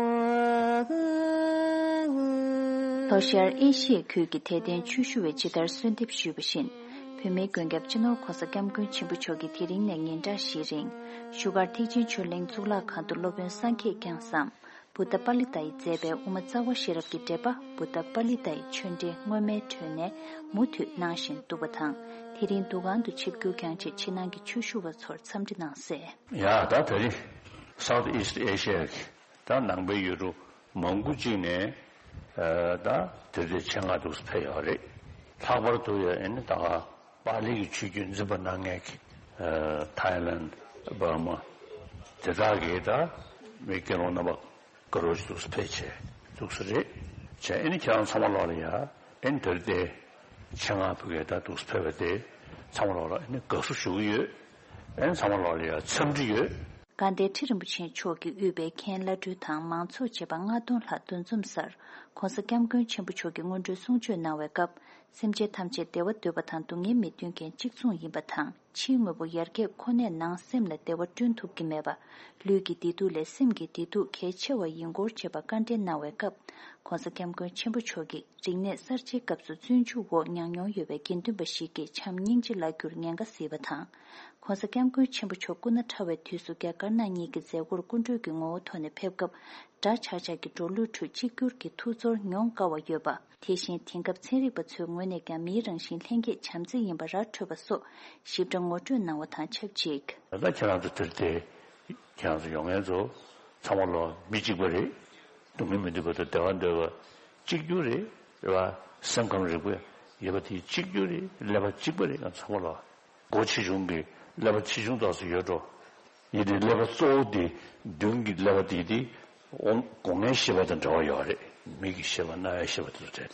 ལྷོ་ཤར་ཨེ་ཤི་ཡའི་ཁུལ་གྱི་དད་ལྡན་ཆོས་ཞུ་བས་ཇི་ལྟར་གསོལ་འདེབས་ཞུས་པ་བཞིན། བོད་མིའི་མགོན་སྐྱབས་སྤྱི་ནོར་༸གོང་ས་༸སྐྱབས་མགོན་ཆེན་པོ་མཆོག་གིས་དེ་རིང་ནས་ཉིན་གྲངས་བཞིའི་རིང་བཞུགས་སྒར་ཐེག་ཆེན་ཆོས་གླིང་གཙུག་ལག་ཁང་དུ་སློབ་དཔོན་སངས་རྒྱས་བསྐྱངས་སམ། བུདྡྷ་པཱ་ལི་ཏ་ཡིས་མཛད་པའི་དབུ་མ་རྩ་བ་ཤེས་རབ་ཀྱི་འགྲེལ་པ་བུདྡྷ་པཱ་ལི་ཏ་ཡི་ཆོས་འབྲེལ་སྔོན་མའི་འཕྲོས་ནས་མུ་མཐུད་གནང་བཞིན་འདུག་པ་དང་། དེ་རིང་འདུ་ཁང་དུ་ཆིབས་བསྒྱུར་བསྐྱངས་རྗེས་ཕྱི་ནང་གི་ཆོས་ཞུ་བ་ཚོར་འཚམས་འདྲི་གནང་གསལ། ཡ་ད་ད་རེས་South East Asia གི་ད་ནང་པའི་ཡུལ་གྲུ་མང་པོ་ཅིག་ནས་ད་དེ་རེས་ཆེད་མངགས་འདུག་སེ་ཕེབས་ཡོད་རེད། ལྷག་པར་དུ་ཡ་ཨེ་ནི་ད་ག་པཱ་ལི་གི་ཆོས་བརྒྱུད་འཛིན་པ་གནང་མཁན་གྱི་ཐའི་ལན། འབར་མ། དེ་དག་གིས་ད་མི་དགེ་སློང་རྣམ་པ་དགའ་རབ་ཅིག་འདུག་སེ་ཕེབས་བྱས་འདུག་སེ་རེད་བྱས། ཨེ་ནི་ཁྱེད་རང་ཚང་མ་ལོག་ལ་ཡ་ཨེ་ནི་དེ་རེས་དེ་ཆེད་མངགས་ཕུལ་མཁན་ད་འདུག་སེ་ཕེབས་པ་དེ་ཚང་མ་ལོག་ལ་ཨེ་ནི་དགའ་བསུ་ཞུ་གི་ཡོད། ཨེ་ནི་ཚང་མ་ལོག་ལ་ཡ་འཚམས་འདྲི་ཡོད། དགའ་ལྡན་ཁྲི་རིན་པོ་ཆེ་མཆོག་གིས་དབུས་པའི་མཁན་བླ་སྤྲུལ་དང་མང་ཚོགས་བཅས་པ་ལྔ་སྟོང་ལྷག་འདུ་འཛོམས་སར་༸གོང་ས་༸སྐྱབས་མགོན་ཆེན་པོ་མཆོག་གིས་སྔོན་འགྲོའི་གསུང་ཆོས་གནང་བའི་སྐབས། སེམས་ཅན་ཐམས་ཅད་བདེ་བ་འདོད་པ་དང་སྡུག་བསྔལ་མི་འདོད་མཁན་གཅིག་མཚུངས་ཡིན་པ་དང་། ཕྱིའི་དངོས་པོ་ཡར་རྒྱས་ཁོ་ནས་ནང་སེམས་ལ་བདེ་བ་བསྐྲུན་ཐུབ་ཀྱི་མེད་པ། ལུས་ཀྱི་བདེ་སྡུག་ལས་སེམས་ཀྱི་བདེ་སྡུག་གལ་ཆེ་བ་ཡིན་སྐོར་བཅས་པ་བཀའ་འདྲི་གནང་བའི་སྐབས། ༸གོང་ས་༸སྐྱབས་མགོན་ཆེན་པོ་མཆོག་གིས་རིག་གནས་གསར་བརྗེའི་སྐབས་སུ་བཙོན་འཇུག་འོག་མྱངས་མྱོང་ཡོད་པའི་དགེ་འདུན་པ་ཞིག་གིས་བྱམས་སྙིང་རྗེ་བརླག་རྒྱུར་ཉེན་ཁ་གཟིགས་པ་དང་། ༸གོང་ས་༸སྐྱབས་མགོན་ཆེན་པོ་མཆོག་སྐུ་ན་ཕྲ་བའི་དུས་སུ་རྒྱ་དཀར་ནག་གཉིས་ཀྱི་མཛད་སྒོར་སྐུ་མགྲོན་གྱི་ངོ་བོ་ཐོག་ནས་ཕེབས་སྐབས། འདྲ་ཆགས་ཆགས་ཀྱི་འགྲོ་ལུགས་ཁྲོད་གཅིག་གྱུར་གྱི་ཐུགས་ཚོར་མྱོང་དཀའ་བ་ཡོད་པ། དེ་བཞིན་དེང་སྐབས་ཚན་རིག་པ་ཚོའི་ངོས་ནས་ཀྱང་མིའི་རང་བཞིན་ལྷན་སྐྱེས་བྱམས་བརྩེ་ཡིན་པ་ར་འཕྲོད་པ་སོགས་ཞིབ་ཕྲ་ངོ་སྤྲོད་གནང་བ་དང་ཆབས་ཅིག་ད་ལྟ་ཁྱེད་རང་ཚོ་དེར་དེ་ཁྱེད་རང་ཚོ་ཡོང་མཁན་ཚོ་ཚང་མ་ལོ་མི་གཅིག་པ་རེད། སྡུག་བསྔལ་མི་འདོད་པ་དང་བདེ་བ་འདོད་པ་གཅིག་གྱུར་རེད། རེད་བ། སེམས་ཁམས་རིག་པ་ཡོད་པ་དེ་གཅིག་གྱུར་རེད། ཀླད་པ་གཅིག་པ་རེད། ང་ཚང་མ་ལོ་སྒོ་ཆེ་ཆུང་གི་ཀླད་པ་ཆེ་ཆུང་དག་སུ་ཡོད་འགྲོ། ཡིན་དེ་ཀླད་པ་གཙོ་བོ་དེ་མདུན་གྱི་ཀླད་པ་དེ་དེ་སྒོ་ལྔའི་ཤེས་པ་དང་འབྲེལ་བ་ཡོད་རེད། མིག་གི་ཤེས་པ་རྣ་བའི་ཤེས་པ་དེ་ཚོ་བྲལ་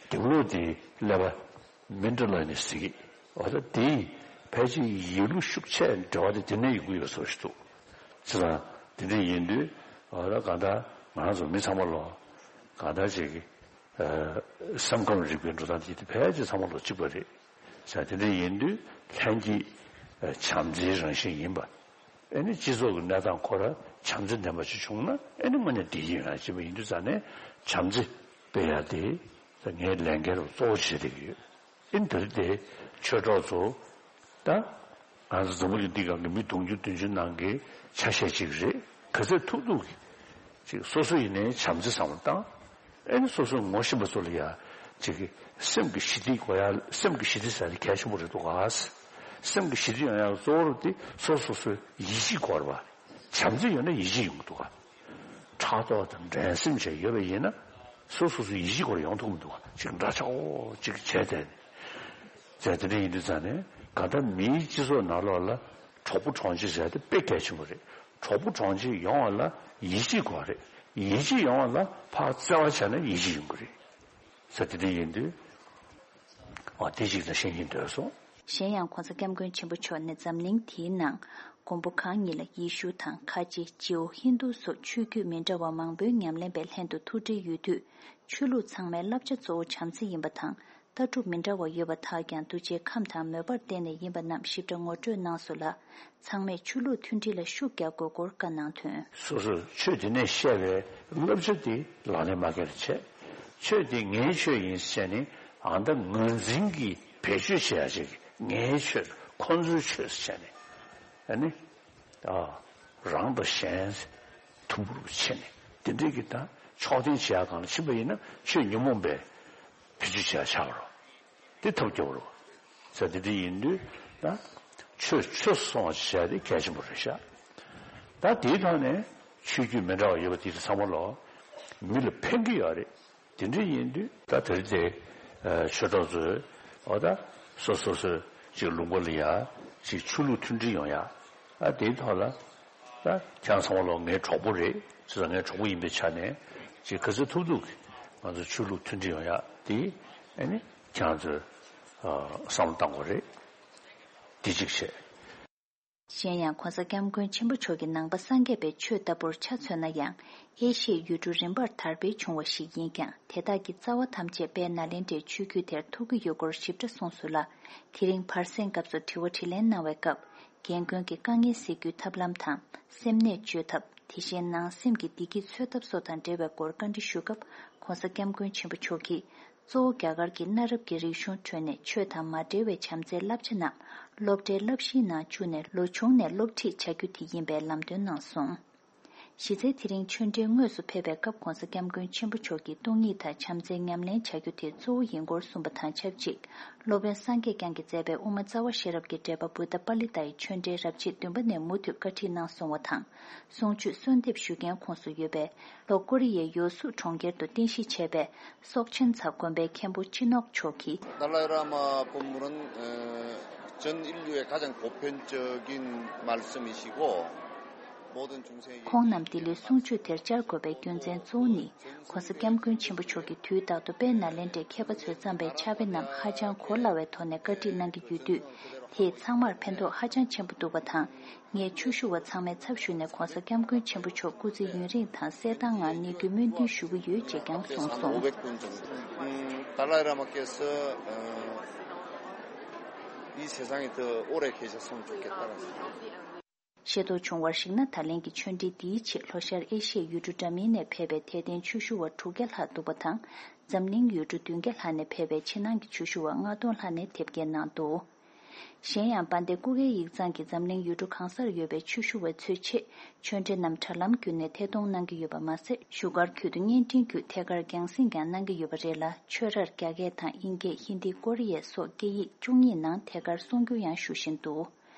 ཏེ། དེ་ལོ་དེ་ཀླད་པ་མི་འདྲ་ལ་ནས་ཟེར་གི། འོ་ད་དེ་ཕལ་ཆེར་ཡིད་ལུས་ཤུགས་ཆེ་འབྲེལ་བ་དེ་དེ་ནས་ཡོང་གི་ཡོད་ཟེར་བ་ཞིག་འདུག་བྱས་ཙང་དེ་འདྲ་ཡིན་དུས་འོ་ད་གང་ལྟར་ང་རང་ཚོ་མི་ཚང་མ་ལོ་གང་ལྟར་ཅིག་གི་སེམས་ཁམས་རིག་པའི་འགྲོ་སྟངས་དེ་དེ་ཕལ་ཆེར་ཚང་མ་ལོ་གཅིག་པ་རེད། བྱས་དེ་འདྲ་ཡིན་དུས་ལྷན་སྐྱེས་བྱམས་བརྩེའི་རང་བཞིན་ཡིན་པ། ཨེ་ནི་སྤྱི་ཚོགས་ཀྱི་གནས་སྟངས་ཁོ་ར་བྱམས་བརྩེ་ལྡན་པ་ཞིག་བྱུང་ན་ཨེ་ནི་དངོས་གནས་བདེ་སྐྱིད་ཡོང་ཡ་ཅིག་ཡིན་དུས་ཙང་ནས་བྱམས་བརྩེ་སྤེལ་ཡ་དེ་ངའི་ལས་འགན་རུ་གཙོ་བོ་བྱེད་བསྡད་ཀྱི་ཡོད། ཨེ་ནི་དེ་རེད་དེ་ཆོས་གྲོགས་ཚོ་ད་ང་ཚོ་འཛམ་བུ་གླིང་འདི་སྒང་གི་མི་དུང་ཕྱུར་བདུན་ཅུ་ནང་གི་ཆ་ཤས་ཅིག་རེད། ག་ཚོད་ཐུབ་ཐུབ་ཀྱིས་ཅིག་སོ་སོ་ཡིན་ནའི་བྱམས་བརྩེ་བསམ་བློ་བཏང་། ཨེ་ནི་སོ་སོའི་ངོ་ཤེས་པ་ཚོ་ལ་ཡ་ཅིག་གི་སེམས་ཀྱི་ཞི་བདེ་དགོས་ཡ། སེམས་ཀྱི་ཞི་བདེ་ཟེར་ཡ་གལ་ཆེན་པོ་རེད་འདུག་ག། སེམས་ཀྱི་ཞི་བདེ་ཡོང་ཡ་གཙོ་བོ་རུ་དེ་སོ་སོ་སོའི་ཡིད་ཆེས་དགོས་རེད་པ། བྱམས་བརྩེ་ཡོད་ན་ཡིད་ཆེས་ཡོང་གི་འདུག་ག། ཕྲག་དོག་དང་འགྲན་སེམས་བཅས་ཡོད་པ་ཡིན་ན་སོ་སོ་སོའི་ཡིད་ཆེས་སྐོར་ཡོང་ཐུབ་མི་འདུག་ག། ཅིག་འདྲ་ཆགས་འོ་ཅིག་བྱས་ཏེ། བྱས་དེ་འདྲ་ཡིན་དུས་ཙང་ནས་གང་ལྟར་མིའི་སྤྱི་ཚོགས་ནང་ལོགས་ལ་གྲོགས་པོ་གྲོགས་མཆེད་ཟེར་ཡ་དེ་དཔེ་གལ་ཆེན་པོ་རེད། གྲོགས་པོ་གྲོགས་མཆེད་ཡོང་བ་ལ་ཡིད་ཆེས་དགོས་རེད། ཡིད་ཆེས་ཡོང་བ་ལ་ཕར་བརྩེ་བ་བྱས་ན་ཡིད་ཆེས་ཡོང་གི་རེད། ཟེར་དེ་འདྲ་ཡིན་དུས། འོ་དེ་ཅིག་ལ་ཤེས་ཀྱིན་སྡོད་སོང་། གཞན་ཡང་༸གོང་ས་༸སྐྱབས་མགོན་ཆེན་པོ་མཆོག་ནས་འཛམ་གླིང་འདིའི་ནང་མགོན་པོ་གང་ཉིད་ལ་ཡེ་ཤུ་དང་ཁ་ཆེ་ཇིའུ་ཧིན་དུ་སོགས་ཆོས་བརྒྱུད་མི་འདྲ་བ་མང་པོའི་ཉམས་ལེན་པའི་ལྷན་དུ་ཐུགས་འབྲེལ་ཡོད་དུས། ཆོས་ལུགས་ཚང་མའི་བསླབ་བྱ་གཙོ་བོ་བྱམས་བརྩེ་ཡིན་པ་དང་། ལྟ་གྲུབ་མི་འདྲ་བ་ཡོད་པ་དག་ཀྱང་གདུལ་བྱའི་ཁམས་དང་མོས་པར་བརྟེན་ནས་ཡིན་པ་རྣམས་ཞིབ་ཕྲ་ངོ་སྤྲོད་གནང་སོང་ལ། ཚང་མས་ཆོས་ལུགས་མཐུན་སྒྲིལ་ལ་ཤུགས་རྒྱག་དགོས་སྐོར་བཀའ་གནང་དོན། སོ་སོས་ཆོས་དེ་ནས་བཤད་པའི་བསླབ་བྱ་དེ་ལག་ལེན་མ་འཁེལ་བ་བྱས། ཆོས་དེ་ངའི་ཆོས་ཡིན་ཟེར་ནས་ཨ་མདའ་ངར་འཛིན་གྱིས་བེད་སྤྱོད་བྱེད་ཡ་ཅིག་ངའི་ཆོས་ཁོ་ཚོའི་ཆོས་ཟེར་བྱས་ནས་ཨ་ནི། ཨ། རང་དང་གཞན་མཐུན་པོར་ཕྱེ་ནས་དེ་འདྲའི་གི་ད་ཕྱོགས་འཐེན་བྱེད་ཡ་སྒང་ལ་ཕྱིན་པ་ཡིན་ན་ཆོས་ཉོན་མོངས་པའི་བེད་སྤྱོད་བྱེད་ཡ་ཆགས་པ་རེད། དེ་ཐབས་སྐྱོ་བོ་རེད། ཟེར་དེ་འདྲ་ཡིན་དུས་ད་ཆོས་ཆོས་སུ་སོང་བ་བྱེད་ཡ་དེ་གལ་ཆེན་པོ་རེད་ཤག་ད་དེའི་ཐོག་ནས་ཆོས་བརྒྱུད་མི་འདྲ་བ་ཡོད་པ་དེ་ཚོ་ཚང་མ་ལོ་མི་ལ་ཕན་གྱི་ཡོད་རེད། དེ་འདྲ་ཡིན་དུས་ད་དེ་རིང་དེ་ཆོས་གྲོགས་ཚོས་འོ་ད་སོ་སོ་སོའི་ཅིག་ལུང་པ་ལ་ཡ་ཅིག་ཆོས་ལུགས་མཐུན་སྒྲིལ་ཡོང་ཡ། ཨ་དེའི་ཐོག་ལ་ད་ཁྱེད་རང་ཚང་མ་ལོ་ངའི་གྲོགས་པོ་རེད། ཅེས་ངའི་གྲོགས་པོ་ཡིན་པའི་ཆ་ནས་ཅིག་ག་ཚོད་ཐུབ་ཐུབ་ ང་ཚོ་ཆོས་ལུགས་མཐུན་སྒྲིལ་ཡོང་ཡ་དེ་ཨ་ནི་ཁྱེད་རང་ཚོས་ཨ་བསམ་བློ་བཏང་དགོས་རེད། དེ་གཅིག་བྱས། གཞན་ཡང་༸གོང་ས་༸སྐྱབས་མགོན་ཆེན་པོ་མཆོག་གིས་ནང་པ་སངས་རྒྱས་པའི་ཆོས་ལྟ་བུར་ཆ་མཚོན་ན་ཡང་། ཨེ་ཤི་ཡའི་ཡུལ་གྲུ་རིམ་པར་དར་འཕེལ་བྱུང་བ་ཞིག་ཡིན་ཀྱང་། དེ་དག་གི་རྩ་བ་ཐམས་ཅད་དཔལ་ནཱ་ལེནྡྲའི་ཆོས་བརྒྱུད་དེར་ཐུག་གི་ཡོད་སྐོར་ཞིབ་ཕྲ་གསུངས་སོང་ལ། དེ་རིང་བར་གསེང་སྐབས་སུ་དྲི་བ་དྲིས་ལན་གནང་བའི་སྐབས། རྒན་རྒོན་གྱི་དཀའ་ངལ་སེལ་རྒྱུའི་ཐབས་ལམ་དང་། སེམས་ནད་བཅོས་ཐབས། དེ་བཞིན་ནང་སེམས་ཀྱི་བདེ་སྐྱིད་འཚོལ་ཐབས་སོགས་དང་འབྲེལ་བའི་སྐོར་བཀའ་འདྲི་ཞུ་སྐབས།༸གོང་ས་༸སྐྱབས་མགོན་ཆེན་པོ་མཆོག་གིས། གཙོ་བོ་རྒྱ་གར་གྱི་གནའ་རབས་ཀྱི་རིག་གཞུང་ཁྲོད་ནས་ཆོས་དང་མ་འབྲེལ་བའི་བྱམས་བརྩེའི་བསླབ་བྱ་རྣམས་སློབ་གྲྭའི་བསླབ་གཞིའི་ནང་བཅུག་ནས་ལོ་ཆུང་ནས་སློབ་ཁྲིད་བྱ་རྒྱུ་དེ་ཡིན་པའི་ལམ་སྟོན་གནང་སོང་། གཞི་རྩའི་དེ་རིང་ཆོས་འབྲེལ་དངོས་སུ་ཕེབས་པའི་སྐབས་༸གོང་ས་༸སྐྱབས་མགོན་ཆེན་པོ་མཆོག་གིས་སྟོང་ཉིད་དང་བྱམས་བརྩེ་ཉམས་ལེན་བྱ་རྒྱུ་དེ་གཙོ་བོ་ཡིན་སྐོར་གསུངས་པ་དང་ཆབས་ཅིག་སློབ་དཔོན་སངས་རྒྱས་བསྐྱངས་ཀྱིས་མཛད་པའི་དབུ་མ་རྩ་བ་ཤེས་རབ་ཀྱི་འགྲེལ་པ་བུདྡྷ་པཱ་ལི་ཏཱ་ཡི་ཆོས་འབྲེལ་རབ་བྱེད་བདུན་པ་ནས་མུ་མཐུད་བཀའ་ཁྲིད་གནང་སོང་བ་དང་། གསུང་ཆོས་གསོལ་འདེབས་ཞུ་མཁན་ཁོངས་སུ་ཡོད་པའི་ལྷོ་ཀོ་རི་ཡའི་ཡོ་སུ་གྲོང་ཁྱེར་དུ་རྟེན་གཞི་བྱས་པའི་སོག་ཆེན་ཚ་དགོན་པའི་མཁན་པོ་སྤྱི་ནོར་མཆོག་གིས། 达赖喇嘛本人，呃，真因为他讲国偏这个말씀이시고 모든 중생에게 ཁོང་རྣམས་འདི་ལོའི་གསུང་ཆོས་དེར་བཅར་དགོས་པའི་རྒྱུ་མཚན་གཙོ་བོ་ནི། ༸གོང་ས་༸སྐྱབས་མགོན་ཆེན་པོ་མཆོག་གིས་དུས་རྟག་ཏུ་དཔལ་ནཱ་ལེནྡྲའི་མཁས་པ་ཚོས་བརྩམས་པའི་ཕྱག་དཔེ་རྣམས་ཧ་ཅང་གོ་སླ་བའི་ཐོག་ནས་བཀའ་ཁྲིད་གནང་གི་ཡོད་དུས། དེས་ཚང་མར་ཕན་ཐོགས་ཧ་ཅང་ཆེན་པོ་འདུག་པ་དང་། ངས་ཆོས་ཞུ་བ་ཚང་མའི་ཚབ་ཞུས་ནས་༸གོང་ས་༸སྐྱབས་མགོན་ཆེན་པོ་མཆོག་སྐུ་ཚེ་ཡུན་རིང་དང་གསལ་ཐང་ངང་གནས་རྒྱུའི་སྨོན་འདུན་ཞུ་གི་ཡོད་ཅེས་ཀྱང་གསུངས་སོང་། 오백 분 정도. 음, 달라이 라마께서 어, 이 세상에 더 오래 계셨으면 좋겠다는 생각. ཤེས་རྟོགས་བྱུང་བར་གཞིགས་ན། ད་ལན་གྱི་ཆོས་འབྲེལ་འདིའི་ཆེད་ལྷོ་ཤར་ཨེ་ཤི་ཡའི་ཡུལ་གྲུ་འདྲ་མིན་ནས་ཕེབས་པའི་དད་ལྡན་ཆོས་ཞུ་བ་དྲུག་བརྒྱ་ལྷག་འདུག་པ་དང་། འཛམ་གླིང་ཡུལ་གྲུ་བདུན་བརྒྱ་ལྷག་ནས་ཕེབས་པའི་ཕྱི་ནང་གི་ཆོས་ཞུ་བ་ལྔ་སྟོང་ལྷག་ནས་དེབ་སྐྱེལ་གནང་འདུག་གཞན་ཡང་། དཔལ་ལྡན་སྐུ་སྒེར་ཡིག་ཚང་གིས་འཛམ་གླིང་ཡུལ་གྲུ་གང་སར་ཡོད་པའི་ཆོས་ཞུ་བ་ཚོའི་ཆེད་ཆོས་འབྲེལ་རྣམས་དྲ་ལམ་བརྒྱུད་ནས་ཐད་གཏོང་གནང་གི་ཡོད་པ་མ་ཟད། བཞུགས་སྒར་ཁུལ་དུ་བརྙན་འཕྲིན་བརྒྱུད་ཐད་ཀར་རྒྱང་སྲིང་ཀྱང་གནང་གི་ཡོད་པ་རེད་ལ། ཆོས་རར་རྒྱ་སྐད་དང་དབྱིན་སྐད། ཧིན་དི། ཀོ་རི་ཡ་སོགས་སྐད་ཡིག་བཅུ་གཉིས་ནང་ཐད་ཀར་གསུང་སྒྱུར་ཡང་ཞུ་བཞིན་འདུག་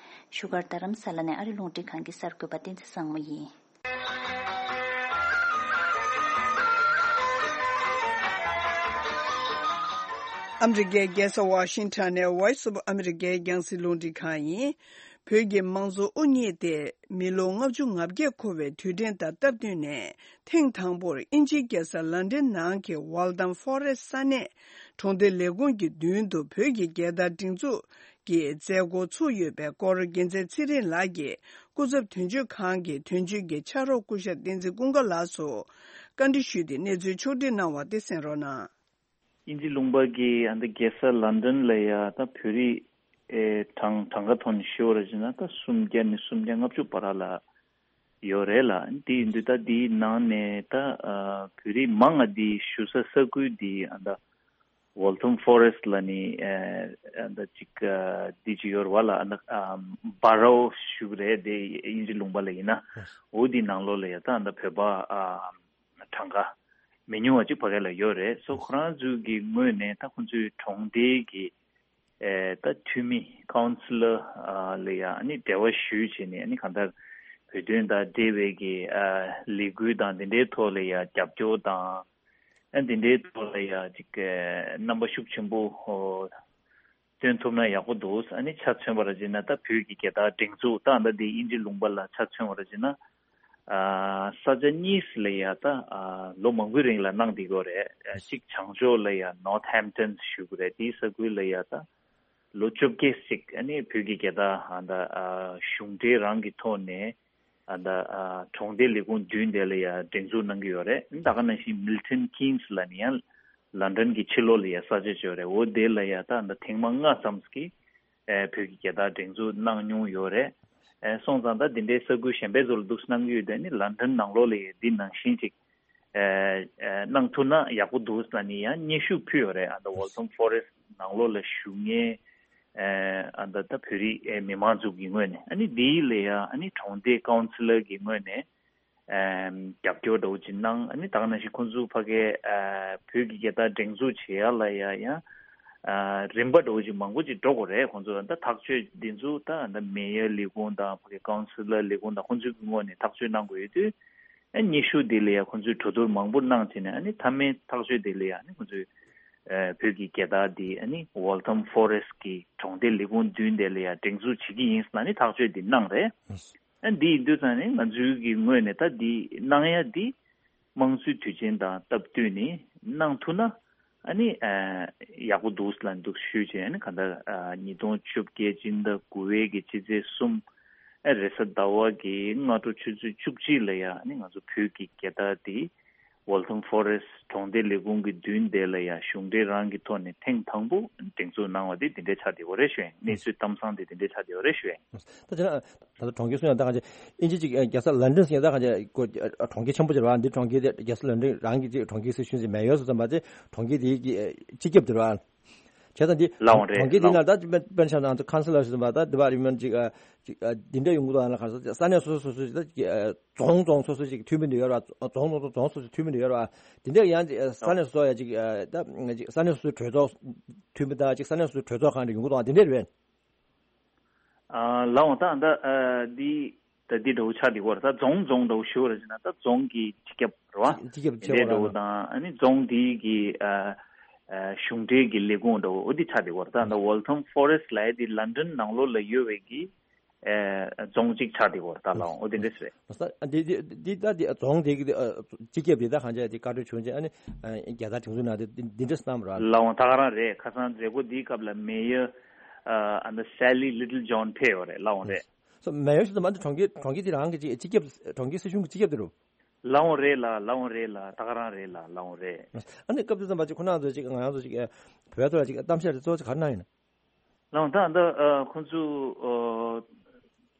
བཞུགས་སྒར་རྡ་རམ་ས་ལ་ནས་ཨ་རི་རླུང་འཕྲིན་ཁང་གི་གསར་འགོད་པ་བསྟན་འཛིན་བཟང་མོ་ཡིན། ཨ་མི་རི་ཀའི་རྒྱལ་ས་ཝ་ཤིང་ཊོན་ནས་Voice of America་རྒྱང་སྲིང་རླུང་འཕྲིན་ཁང་ཡིན། བོད་ཀྱི་དམངས་གཙོ་དབུ་བརྙེས་ཏེ་མི་ལོ་ལྔ་བཅུ་ང་བརྒྱད་འཁོར་བའི་དུས་དྲན་དང་སྟབས་བསྟུན་ནས། ཐེངས་དང་པོར་དབྱིན་ཇིའི་རྒྱལ་ས་ལན་ཌན་ནང་གི་Waltham Forest་ས་གནས་གྲོང་སྡེ་ལས་ཁུངས་ཀྱི་མདུན་དུ་བོད་ཀྱི་རྒྱལ་དར་སྒྲེང་འཛུགས་ཀྱི་མཛད་སྒོ་ཚུགས་ཡོད་པའི་སྐོར། རྒྱལ་མཚན་ཚེ་རིང་ལགས་ཀྱིས་སྐུ་ཚབ་དོན་གཅོད་ཁང་གི་དོན་གཅོད་ཀྱི་ཕྱག་རོགས་སྐུ་ཞབས་བསྟན་འཛིན་ཀུན་དགའ་ལགས་སུ་བཀའ་འདྲི་ཞུས་ཏེ་གནས་ཚུལ་ཕྱོགས་སྒྲིག་གནང་བ་དེ་གསན་རོགས་གནང་། དབྱིན་ཇི་ལུང་པ་གི་ཨ་ནི་རྒྱལ་ས་ལན་ཌན་ལ་ཡ་ད་བོད་རིགས་ཨེ་གྲངས་གྲངས་ཀ་ཐོག་ནས་ཞུ་བ་ར་བྱས་ན་ད་སུམ་བརྒྱ་ནས་སུམ་བརྒྱ་ལྔ་བཅུ་བར་ལ་ཡོད་རེད་ལ། དེ་ཡིན་དུས་ད་དེའི་ནང་ནས་ད་ཨ་བོད་རིགས་མང་ང་དེ་བཞུགས་ས་ས་ཁུལ་དེ་ཨ་ད་Waltham Forest་ལ་ནི་ཨ་ད་ཅིག་ཨ་དེ་ཅིག་ཡོད་རེད་བ་ལ། ཨ་ད་ཨ་Borough་ཞུ་གི་རེད། དེ་དབྱིན་ཇི་ལུང་པ་ལ་ཡིན་ན། འོ་དེའི་ནང་ལོགས་ལ་ཡ་ད་ཨ་ད་བོད་པ་ཨ་གྲངས་ཀ་མི་ཉུང་བ་ཅིག་ཕ་གི་ལ་ཡོད་རེད། སོ་ཁོ་རང་ཚོའི་གི་ངོས་ནས་ད་ཁོ་ཚོའི་གྲོང་སྡེའི་གི་ཨེ་ད་འཐུས་མི་ཀའུན་སི་ལར་ཨ་ལ་ཡ་ཨ་ནི་འབྲེལ་བ་ཞུས་བྱས་ནས། ཨ་ནི་གང་ལྟར་བོད་དོན་དང་འབྲེལ་བའི་གི་ཨ་ལས་འགུལ་དང་དེ་འདྲའི་ཐོག་ལ་ཡ་རྒྱབ་སྐྱོར་དང་། ཨ་དེ་འདྲའི་ཐོག་ལ་ཡ་ཅིག་ཨེ་རྣམ་པ་ཤུགས་ཆེན་པོ་ཨོ་སྟོན་ཐུབ་ན་ཡག་པོ་འདུག་ཨ་ནི་ཆ་མཚོན་པ་ར་བྱས་ན་ད་བོད་ཀྱི་རྒྱལ་དར་སྒྲེང་འཛུགས་ད་ཨ་ད་འདི་དབྱིན་ཇི་ལུང་པ་ལ་ཆ་མཚོན་པ་ར་བྱས་ན། ཨ་ས་ཆ་གཉིས་ལ་ཡ་ད་ཨ་ལོ་མང་པོའི་རིང་ལ་གནང་བསྡད་ཀྱི་ཡོད་རེད། ཨ་གཅིག་བྱང་ཕྱོགས་ལ་ཡ་Northampton་ཞུ་གི་རེད། དེའི་ས་ཁུལ་ལ་ཡ་ད་ལོ་བཅོ་བརྒྱད་ཅིག་ཨ་ནི་བོད་ཀྱི་རྒྱལ་དར་ཨ་ད་ཨ་གཞུང་འབྲེལ་རང་གི་ཐོག་ནས་ཨ་ད་ཨ་གྲོང་སྡེ་ལས་ཁུངས་བདུན་དེ་ལ་ཡ་སྒྲེང་འཛུགས་གནང་གི་ཡོད་རེད། ད་ག་ནང་བཞིན་Milton Keynes་ལ་ནི་ཡང་ལན་ཌན་གྱི་ཕྱི་ལོགས་ལ་ཡ་ས་ཆ་ཅིག་ཡོད་རེད། འོ་དེ་ལ་ཡ་ད་ཨ་ད་ཐེངས་མ་ལྔ་ཙམ་གྱི་ཨེ་བོད་ཀྱི་རྒྱལ་དར་སྒྲེང་འཛུགས་གནང་མྱོང་ཡོད་རེད། ཨེ་སོང་ཙང་ད་འདི་འདྲའི་ས་ཁུལ་གཞན་པའི་ཚོ་ལ་འདུག་གནང་གི་ཡོད་དེ། ཨ་ནི་ལན་ཌན་ནང་ལོགས་ལ་ཡ་འདི་ནང་བཞིན་ཅིག་ཨེ་ཨེ་གནང་ཐུབ་ན་ཡག་པོ་འདུག་ལབ་ནི་ཡང་སྙན་ཞུ་ཕུལ་ཡོད་རེད། ཨ་ད་Waltham Forest་ནང་ལོགས་ལ་བཞུགས་མཁན་ཨེ་ཨ་ད་ད་བོད་རིགས་ཨེ་མི་མང་ཚོ་གི་ངོས་ནས། ཨ་ནི་འདི་ལ་ཡ་ཨ་ནི་གྲོང་སྡེ་ཀའུན་སི་ལར་གི་ངོས་ནས་ཨེམ་རྒྱབ་སྐྱོར་འདྲ་བོ་ཅིག་གནང་། ཨ་ནི་ད་ག་ནང་བཞིན་ཁོང་ཚོ་ཕ་གིའི་ཨ་བོད་ཀྱི་རྒྱལ་དར་སྒྲེང་འཛུགས་བྱེད་ཡ་ལ་ཡ་ཡང་ཨ་རིམ་པ་འདྲ་བོ་ཅིག་མང་པོ་ཅིག་འགྲོ་དགོས་རེད། ཁོང་ཚོ་ད་ཐག་གཅོད་འདི་ཚོ་ད་ད་མེ་ཡར་ལས་ཁུངས་དང་ཕ་གི་ཀའུན་སི་ལར་ལས་ཁུངས་དང་ཁོང་ཚོའི་ངོས་ནས་ཐག་གཅོད་གནང་དགོས་ཡོད་དུས། ཨ་སྙན་ཞུ་འདི་ལ་ཡ་ཁོང་ཚོས་གྲོས་བསྡུར་མང་པོ་གནང་བྱས་ནས། ཨ་ནི་མཐའ་མའི་ཐག་གཅོད་འདི་ལ་ཡ་ཨ་ནི་ཁོང་ཚོས་ཨ་བོད་ཀྱི་རྒྱལ་དར་འདི་ཨ་ནི་Waltham Forest་གི་གྲོང་སྡེ་ལས་ཁུངས་བདུན་དེ་ལ་ཡ་སྒྲེང་འཛུགས་བྱེད་ཀྱི་ཡིན་ཟེར་ནས་ཨ་ནི་ཐག་གཅོད་འདི་གནང་རེད། ཨ་འདི་ཡིན་དུས་ཙང་ནས་ང་ཚོའི་གི་ངོས་ནས་ད་འདི་གནང་ཡ་འདི་དམངས་གཙོའི་དུས་ཆེན་དང་སྟབས་བསྟུན་ནས་ གནང་ཐུབ་ན་ཨ་ནི་ཡག་པོ་འདུག་ལབ་འདུག་ཞུས་བྱས། ཨ་ནི་ག་ད་ཉིས་སྟོང་བཅོ་བརྒྱད་སྤྱི་ཟླ་དགུ་པའི་གི་སྤྱི་ཚེས་གསུམ། ཨ་རེས་གཟའ་ཟླ་བ་གི་སྔ་དྲོ་ཆུ་ཚོད་བཅུ་གཅིག་ལ་ཡ་ཨ་ནི་ང་ཚོ་བོད་ཀྱི་རྒྱལ་དར་དེ་Waltham Forest གྲོང་སྡེ་ལས་ཁུངས་ཀྱི་མདུན་དེ་ལ་ཡ་གཞུང་འབྲེལ་རང་གི་ཐོག་ནས་ཐེངས་དང་པོ་སྒྲེང་འཛུགས་གནང་བ་དེ་འདི་འདྲའི་ཆགས་བསྡད་ཡོད་རེད་ཞུ་ཡིན། གནས་ཚུལ་གཏམ་བཟང་དེ་འདི་འདྲའི་ཆགས་བསྡད་ཡོད་རེད་ཞུ་ཡིན། ད་དེ་ན་ད་ལྟ་གྲོང་ཁྱེར་སུ་ཡང་ད་གང་ཅི་ཨིན་ཇི་ཅིག་རྒྱལ་ས་ལན་ཌན་ཟེར་ད་གང་ཅི་ཀོ་གྲོང་ཁྱེར་ཆེན་པོ་ཅིག་རེད་བ། འདི་གྲོང་ཁྱེར་དེ་རྒྱལ་ས་ལན་ཌན་རང་གི་ཅིག་གྲོང་ཁྱེར་སྲིད་གཞུང་ཅིག་མེད་ཡོད་སུ་ཙམ་པ་དེ་གྲོང་ཁྱེར་དེའི་གི་སྤྱི་ཁྱབ་དེ་རེད་བ། བྱས་ཙང་འདི་ལའོ་རེད་གྲོང་ཁྱེར་དེའི་ལའོ། ནང་ད་དཔེར་ན་ཆ་ན་ང་ཚོ་ཁང་སི་ལར་ཟེར་ཙམ་པ་ད་འདི་བ་རིམ་ཅིག་ཅིག་འདི་འདྲ་ཡོང་གི་འདུག་ལ་ག་རེ་ཟེར་ས་གནས་སོ་སོ་སོ་སོ་ད་རྫོང་རྫོང་སོ་སོ་ཅིག་འཐུས་མི་འདི་ཡོད་རེད་བ། རྫོང་རྫོང་རྫོང་སོ་སོ་འཐུས་མི་འདི་ཡོད་རེད་བ། འདི་འདྲ་ཡང་ཅིག་ས་གནས་སོ་སོ་ཡ་ཅིག་ད་ཅིག་ས་གནས་སོ་སོའི་གྲོས་ཚོགས་འཐུས་མི་ད་ཅིག་ས་གནས་སོ་སོའི་གྲོས་ཚོགས་ཁང་འདྲ་ཡོང་གི་འདུག་འདི་འདྲ་རེད། ཨ་ལའོ་ད་ད་ཨ་འདི་ད་འདི་འདྲ་བོ་ཆགས་འདི་བར་ད་རྫོང་རྫོང་འདྲ་བོ་ཞུ་བར་ཟེར་ན་ད་རྫོང་གི་སྤྱི་ཁྱབ་རེད་བ། སྤྱི་ཁྱབ་ཆེ་འདི་བ་འདྲ་བོ་ར་དང་ཨ་ནི་རྫོང་འདི་གི་ཨ་ཨ་གཞུང་འབྲེལ་གྱི་ལས་ཁུངས་འདྲ་བོ་འོ་འདི་ཆགས་འདི་བར་ད་ད་Waltham Forest ལབ་ཡ་འདི་London ནང་ལོགས་ལ་ཡོད་པའི་གི་ཨ་རྫོང་གཅིག་ཆགས་འདི་བར་ད་ལའོ་འོ་འདི་འདྲ་ཟེར། འདི་འདི་འདི་ད་འདི་རྫོང་འདི་གི་སྤྱི་ཁྱབ་འདི་ད་གང་ཅི་འདི་བཀའ་འཁྲོལ་བྱུང་རྗེས་ཨ་ནི་རྒྱལ་དར་དེ་ཚོ་ནང་འདི་འདི་འདྲ་བསྣམས་ར། ལའོ་ད་ག་རང་རེད། ཁ་སང་མཛད་སྒོ་འདིའི་སྐབས་ལ་Mayor ཨ་ད་Sally Littlejohn ཕེབས་ཡོད་རེད། ལའོ་རེད། སོ་མེ་ཡོ་ཞིག་ཏུ་མ་འདི་གྲོང་ཁྱེར་གྲོང་ཁྱེར་དེ་རང་གི་ཅིག་སྤྱི་ཁྱབ་གྲོང་ཁྱེར་སྲིད་གཞུང་གི་སྤྱི་ཁྱབ་དེ་རུ། ལའོ་རེད་ལ་ལའོ་རེད་ལ་ད་ག་རང་རེད་ལ་ལའོ་རེད། ཨ་ནི་སྐབས་དེ་ཙམ་པ་ཅིག་ཁོ་རང་ཚོ་ཅིག་ང་རང་ཚོ་ཅིག་བོད་ཐོག་ལ་ཅིག་གཏམ་བཤད་དེ་གཙོ་བོ་ཅིག་ག་རེ་གནང་ཡིན་ན། ལའོ་ད་ད་ཁོ་ཚོ་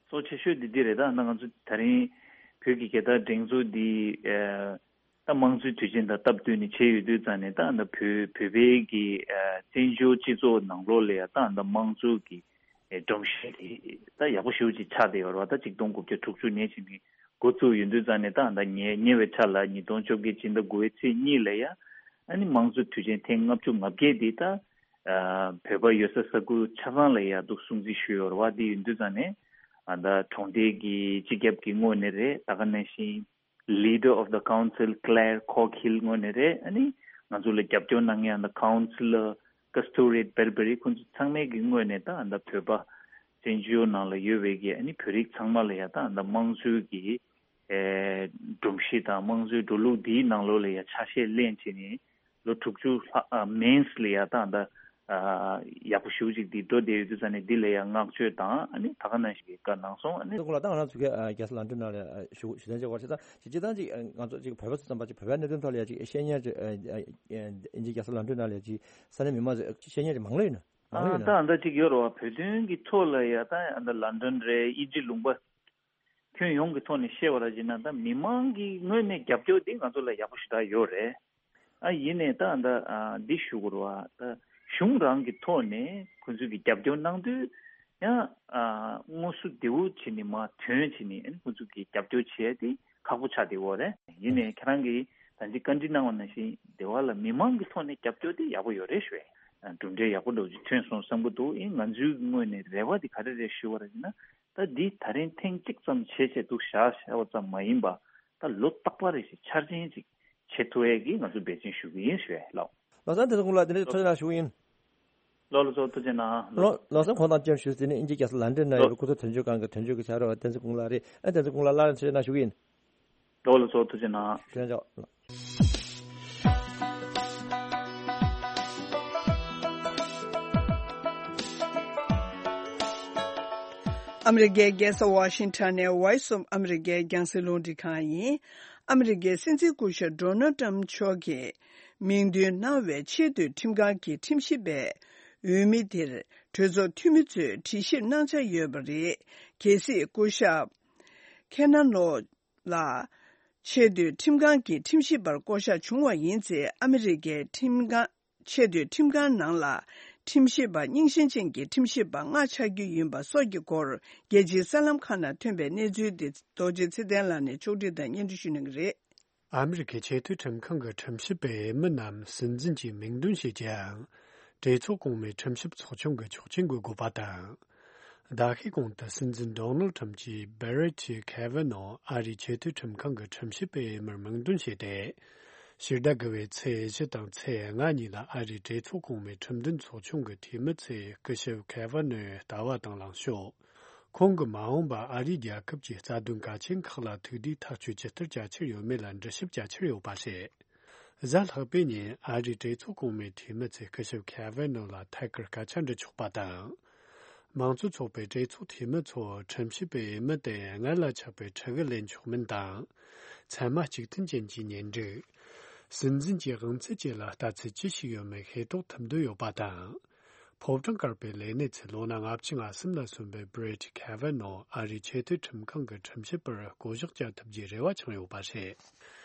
གཙོ་ཆེ་ཤོས་འདི་འདི་རེད། ད་ང་ཚོ་ད་རིང་བོད་ཀྱི་རྒྱལ་དར་སྒྲེང་འཛུགས་འདི་ད་དམངས་གཙོའི་དུས་ཆེན་དང་སྟབས་བསྟུན་ནས་བྱས་ཡོད་དུས་ཙང་ནས་ད་ད་བོད་བོད་པའི་གི་བཙན་བྱོལ་སྤྱི་ཚོགས་ནང་ལོགས་ལ་ཡ་ད་ད་དམངས་གཙོ་གི་སྒྲོམ་གཞི་དེ་ད་ཡག་པོ་ཞེ་པོ་ཅིག་ཆགས་བསྡད་ཡོད་རེད་བ། ད་ཆིག་སྟོང་དགུ་བརྒྱ་དྲུག་ཅུ་ནས་བྱས་ནས་འགོ་བཙུགས་ཡོད་དུས་ཙང་ནས་ད་ད་ཉེ་ཉེ་བའི་ཆར་ལ་ཉིས་སྟོང་བཅོ་བརྒྱད་སྤྱི་ཟླ་དགུ་པའི་ཚེས་གཉིས་ལ་ཡ་ཨ་ནི་དམངས་གཙོ་དུས་ཆེན་ཐེངས་ལྔ་བཅུ་ང་བརྒྱད་འདི་ད་ཨ་བོད་པ་ཡོད་ས་ས་ཁུལ་ཆ་ཚང་ལ་ཡ་འདུག་སྲུང་བརྩི་ཞུས་ཡོད་རེད་བ། འདི་ཡིན་དུས་ཙང་ནས་ཨ་ད་གྲོང་སྡེ་གི་སྤྱི་ཁྱབ་ཀྱི་ངོས་ནས་རེད། ད་ག་ནང་བཞིན་Leader of the Council Claire Coghill ངོས་ནས་རེད། ཨ་ནི་ང་ཚོ་ལ་རྒྱབ་སྐྱོར་གནང་མཁན་ཨ་ད་Councillor Kasturiat Berberi ཁོང་ཚོ་ཚང་མའི་གི་ངོས་ནས་ད་ཨ་ད་བོད་པ་བཙན་བྱོལ་ནང་ལ་ཡོད་པའི་གི་ཨ་ནི་བོད་རིགས་ཚང་མ་ལ་ཡ་ད་ཨ་ད་དམངས་གཙོའི་གི་ཨེ་སྒྲོམ་གཞི་དང་དམངས་གཙོའི་འགྲོ་ལུགས་འདིའི་ནང་ལོགས་ལ་ཡ་ཆ་ཤས་ལེན་བྱས་ནས་ལོ་དྲུག་ཅུ་ལྷག་ཨ་མིན་ལ་ཡ་ད་ད་ཨ་ཡག་པོ་ཞེ་པོ་ཅིག་འདི་འགྲོ་བསྡད་ཡོད་དུས་ཙང་ནས་འདི་ལ་ཡ་བསྔགས་བརྗོད་དང་ཨ་ནི་ད་ག་ནང་བཞིན་གྱི་བཀའ་གནང་སོང་། ཨ་ནི་ད་ཁོང་ལ་ད་ང་རང་ཚོ་གི་རྒྱལ་ས་ལན་ཌན་ནང་ལ་ཞུ་ཞུ་དོན་བྱེད་པར་བྱེད་སྟངས་ཅིག་སྤྱིར་བཏང་ཅིག་ང་ཚོ་ཅིག་བོད་པ་ཚོ་ཙམ་པ་ཅིག་བོད་པའི་གནད་དོན་ཐོག་ལ་ཡ་ཅིག་བཤད་མཁན་ཅིག་ཨིན་ཇི་རྒྱལ་ས་ལན་ཌན་ནང་ལ་ཡ་ཅིག་ས་གནས་མི་མང་ཚོས་བཤད་མཁན་ཅིག་མང་ལོས་ཡིན་ན་མང་ལོས་ཡིན་ན། ད་ད་ཅིག་ཡོད་རེད་བ། བོད་དོན་གྱི་ཐོག་ལ་ཡ་ད་ད་ལན་ཌན་རེད། ཨིན་ཇི་ལུང་པ་ཁྱོན་ཡོངས་ཀྱི་ཐོག་ནས་བཤད་པ་ར་བྱས་ན་ད་མི་མང་གི་ངོས་ནས་རྒྱབ་སྐྱོར་འདི་ང་ཚོ་ལ་ཡག་པོ་ཞེ་དྲག་ཡོད་རེད། ཨ་ཡིན་ནའི་ད་ད་ཨ་འདི་ཞུ་དགོས་རེད་བ། ད་གཞུང་རང་གི་ཐོག་ནས་ཁོ་ཚོས་ཀྱི་རྒྱབ་སྐྱོར་གནང་དུས་ཡང་ཨ་དངོས་སུ་བདེ་བོ་བྱས་ནས་མར་ཐོན་བྱས་ནས་ཨ་ནི་ཁོ་ཚོས་ཀྱི་རྒྱབ་སྐྱོར་བྱེད་ཡ་དེ་ཁག་པོ་ཆགས་བསྡད་ཡོད་རེད། ཡིན་ནའི་ཁྱེད་རང་གིས་ད་ཅི་བཀའ་འདྲི་གནང་བ་ནང་བཞིན་སྡེ་བ་ལ་མི་མང་གི་ཐོག་ནས་རྒྱབ་སྐྱོར་དེ་ཡག་པོ་ཡོད་རེད་ཞུ་ཡ། གྲུབ་འབྲས་ཡག་པོ་འདྲ་བོ་ཅིག་ཐོན་སོང་བསམ་གྱི་འདུག་ཡིན་ང་ཚོའི་ངོས་ནས་རེ་བ་དེ་ག་རེ་རེད་ཞུ་བ་རེད་ན། ད་འདི་ད་རིང་ཐེངས་གཅིག་ཙམ་བྱས་བྱས་འདུག་བཞག་བཞག་པ་ཙམ་མ་ཡིན་པ། ད་ལོ་རྟག་པར་རེ་བཞིན་འཆར་ཅན་ཅིག་བྱེད་ཐུབ་ཡས་ཀྱི་ང་ཚོ་འབད་བརྩོན་ཞུ་གི་ཡིན་ཞུ་ཡས་ལགས། ལོ་གསར་དེ་ཚོ་ཀུན་ལ་དེ་འདྲའི་ཐུགས་རྗེ་གནང་ཞུ་གི་ཡིན། ལོ་ལོ་ཚོ་ཐུགས་རྗེ་གནང་། ལོ་ལོ་གསར་ཁོང་དང་བཅར་ཞུས་ཟིན་ནས་ཨིན་ཇི་རྒྱལ་ས་ལན་ཌན་ན་ཡོད་པའི་སྐུ་ཚབ་དོན་གཅོད་ཁང་གི་དོན་གཅོད་ཀྱི་ཕྱག་རོགས་བསྟན་འཛིན་ཀུན་ལགས་རེད། ཨ་བསྟན་འཛིན་ཀུན་ལགས་སླར་ཡང་ཐུགས་རྗེ་གནང་ཞུ་གི་ཡིན། ལོ་ལོ་ཚོ་ཐུགས་རྗེ་གནང་། ཐུགས་རྗེ་གནང་། ཨ་མི་རི་ཀའི་རྒྱལ་ས་ཝ་ཤིང་ཊོན་ནས་Voice of America རྒྱང་སྲིང་རླུང་འཕྲིན་ཁང་ཡིན། ཨ་མི་རི་ཀའི་སྲིད་འཛིན་སྐུ་ཞབས་ཌོ་ནལ་ཊམ་མཆོག་གིས་མིང་འདོན་གནང་བའི་ཆེས་མཐོའི་ཁྲིམས་ཁང་གི་ཁྲིམས་ཞིབ་པའི་འོས་མི་དེར་གྲོས་ཚོགས་འཐུས་མི་ཚོས་དྲི་ཞིབ་གནང་འཆར་ཡོད་པ་རེད། གལ་སྲིད་སྐུ་ཞབས་ཁེ་ན་ལོ་ལ་ཆེས་མཐོའི་ཁྲིམས་ཁང་གི་ཁྲིམས་ཞིབ་པར་བསྐོ་གཞག་བྱུང་བ་ཡིན་ཚེ། ཨ་མི་རི་ཀའི་ཁྲིམས་ཁང་ཆེས་མཐོའི་ཁྲིམས་ཁང་ནང་ལ་ཁྲིམས་ཞིབ་པ་རྙིང་ཞེན་ཅན་གྱི་ཁྲིམས་ཞིབ་པ་ལྔ་ཆགས་རྒྱུ་ཡིན་པ་སོགས་ཀྱི་སྐོར་རྒྱལ་སྤྱིའི་གསར་ལམ་ཁག་ནང་ཐོན་པའི་གནས་ཚུལ་དེ་རྡོ་རྗེ་ཚེ་བརྟན་ལགས་ནས་ཕྱོགས་སྒྲིག་དང་སྙན་སྒྲོན་ཞུ་གནང་གི་རེད། ཨ་མི་རི་ཀའི་ཆེས་མཐོའི་ཁྲིམས་ཁང་གི་ཁྲིམས་ཞིབ་པའི་མི་རྣམས་སྲིད་འཛིན་གྱིས་མིང་འདོན་བྱེད་ཀྱང་། གྲོས་ཚོགས་གོང་མའི་ཁྲིམས་ཞིབ་ཚོགས་ཆུང་གི་ཆོག་མཆན་དགོས་དགོས་པ་དང་། ཟླ་ཤས་གོང་དུ་སྲིད་འཛིན་ཌོ་ནལ་ཁྲམ་གྱིས་Brett Kavanaugh ཨ་རིའི་ཆེས་མཐོའི་ཁྲིམས་ཁང་གི་ཁྲིམས་ཞིབ་པའི་མིར་མིང་འདོན་བྱས་ཏེ། ཕྱི་ཟླ་དགུ་པའི་ཚེས་བཞི་དང་ཚེས་ལྔ་གཉིས་ལ་ཨ་རིའི་གྲོས་ཚོགས་གོང་མའི་ཁྲིམས་འདོན་ཚོགས་ཆུང་གི་འཐུས་མི་ཚོས་སྐུ་ཞབས་Kavanaugh ལྟ་བ་དང་ལངས་ཕྱོགས། ཁོང་གིས་མ་འོངས་པར་ཨ་རིའི་རྒྱལ་ཁབ་ཀྱི་རྩ་དོན་གལ་ཆེན་ཁག་ལ་ཐུགས་བདེའི་ཐག་གཅོད་ཇི་ལྟར་བྱ་འཆར་ཡོད་མེད་ལ་འདྲི་ཞིབ་བྱ་འཆར་ཡོད་པ་རེད། གཟའ་ལྷག་པའི་ཉིན་ཨ་རིའི་གྲོས་ཚོགས་གོང་མའི་འཐུས་མི་ཚོས་སྐུ་ཞབས་ཁེ་ཝེ་ནོ་ལ་ཐད་ཀར་སྐད་ཆ་འདྲི་ཆོག་པ་དང་། མང་གཙོ་ཚོགས་པའི་གྲོས་ཚོགས་འཐུས་མི་ཚོ་ཁྲིམས་ཞིབ་པའི་འོས་མི་དེ་སྔར་ལ་ཆགས་པའི་ཁྲི་གུ་ལེན་ཆོག་མིན་དང་། ཚད་མ་གཅིག་མཐུན་ཅན་གྱི་གཉེན་སྒྲིག་སྲིད་འཛིན་གྱི་དབང་ཚད་བཅས་ལ་ལྟ་ཚུལ་ཅི་ཞིག་ཡོད་མེད་ཤེས་རྟོགས་ཐུབ་འདོད་ཡོད་པ་དང་། ཕོ་བྲང་དཀར་པོའི་ལས་གནས་ཚུད་ལོ་ན་ལྔ་བཅུ་ང་གསུམ་ལ་སོན་པའི་བྷི་རེད་ཁེ་ཝེ་ནོ་ཨ་རིའི་ཆེས་མཐོའི་ཁྲིམས་ཁང་གི་ཁྲིམས་ཞིབ་པར་བསྐོ་གཞག་བྱ་ཐུབ་རྒྱུའི་རེ་བ་འཆང་ཡོད་པ་རེད།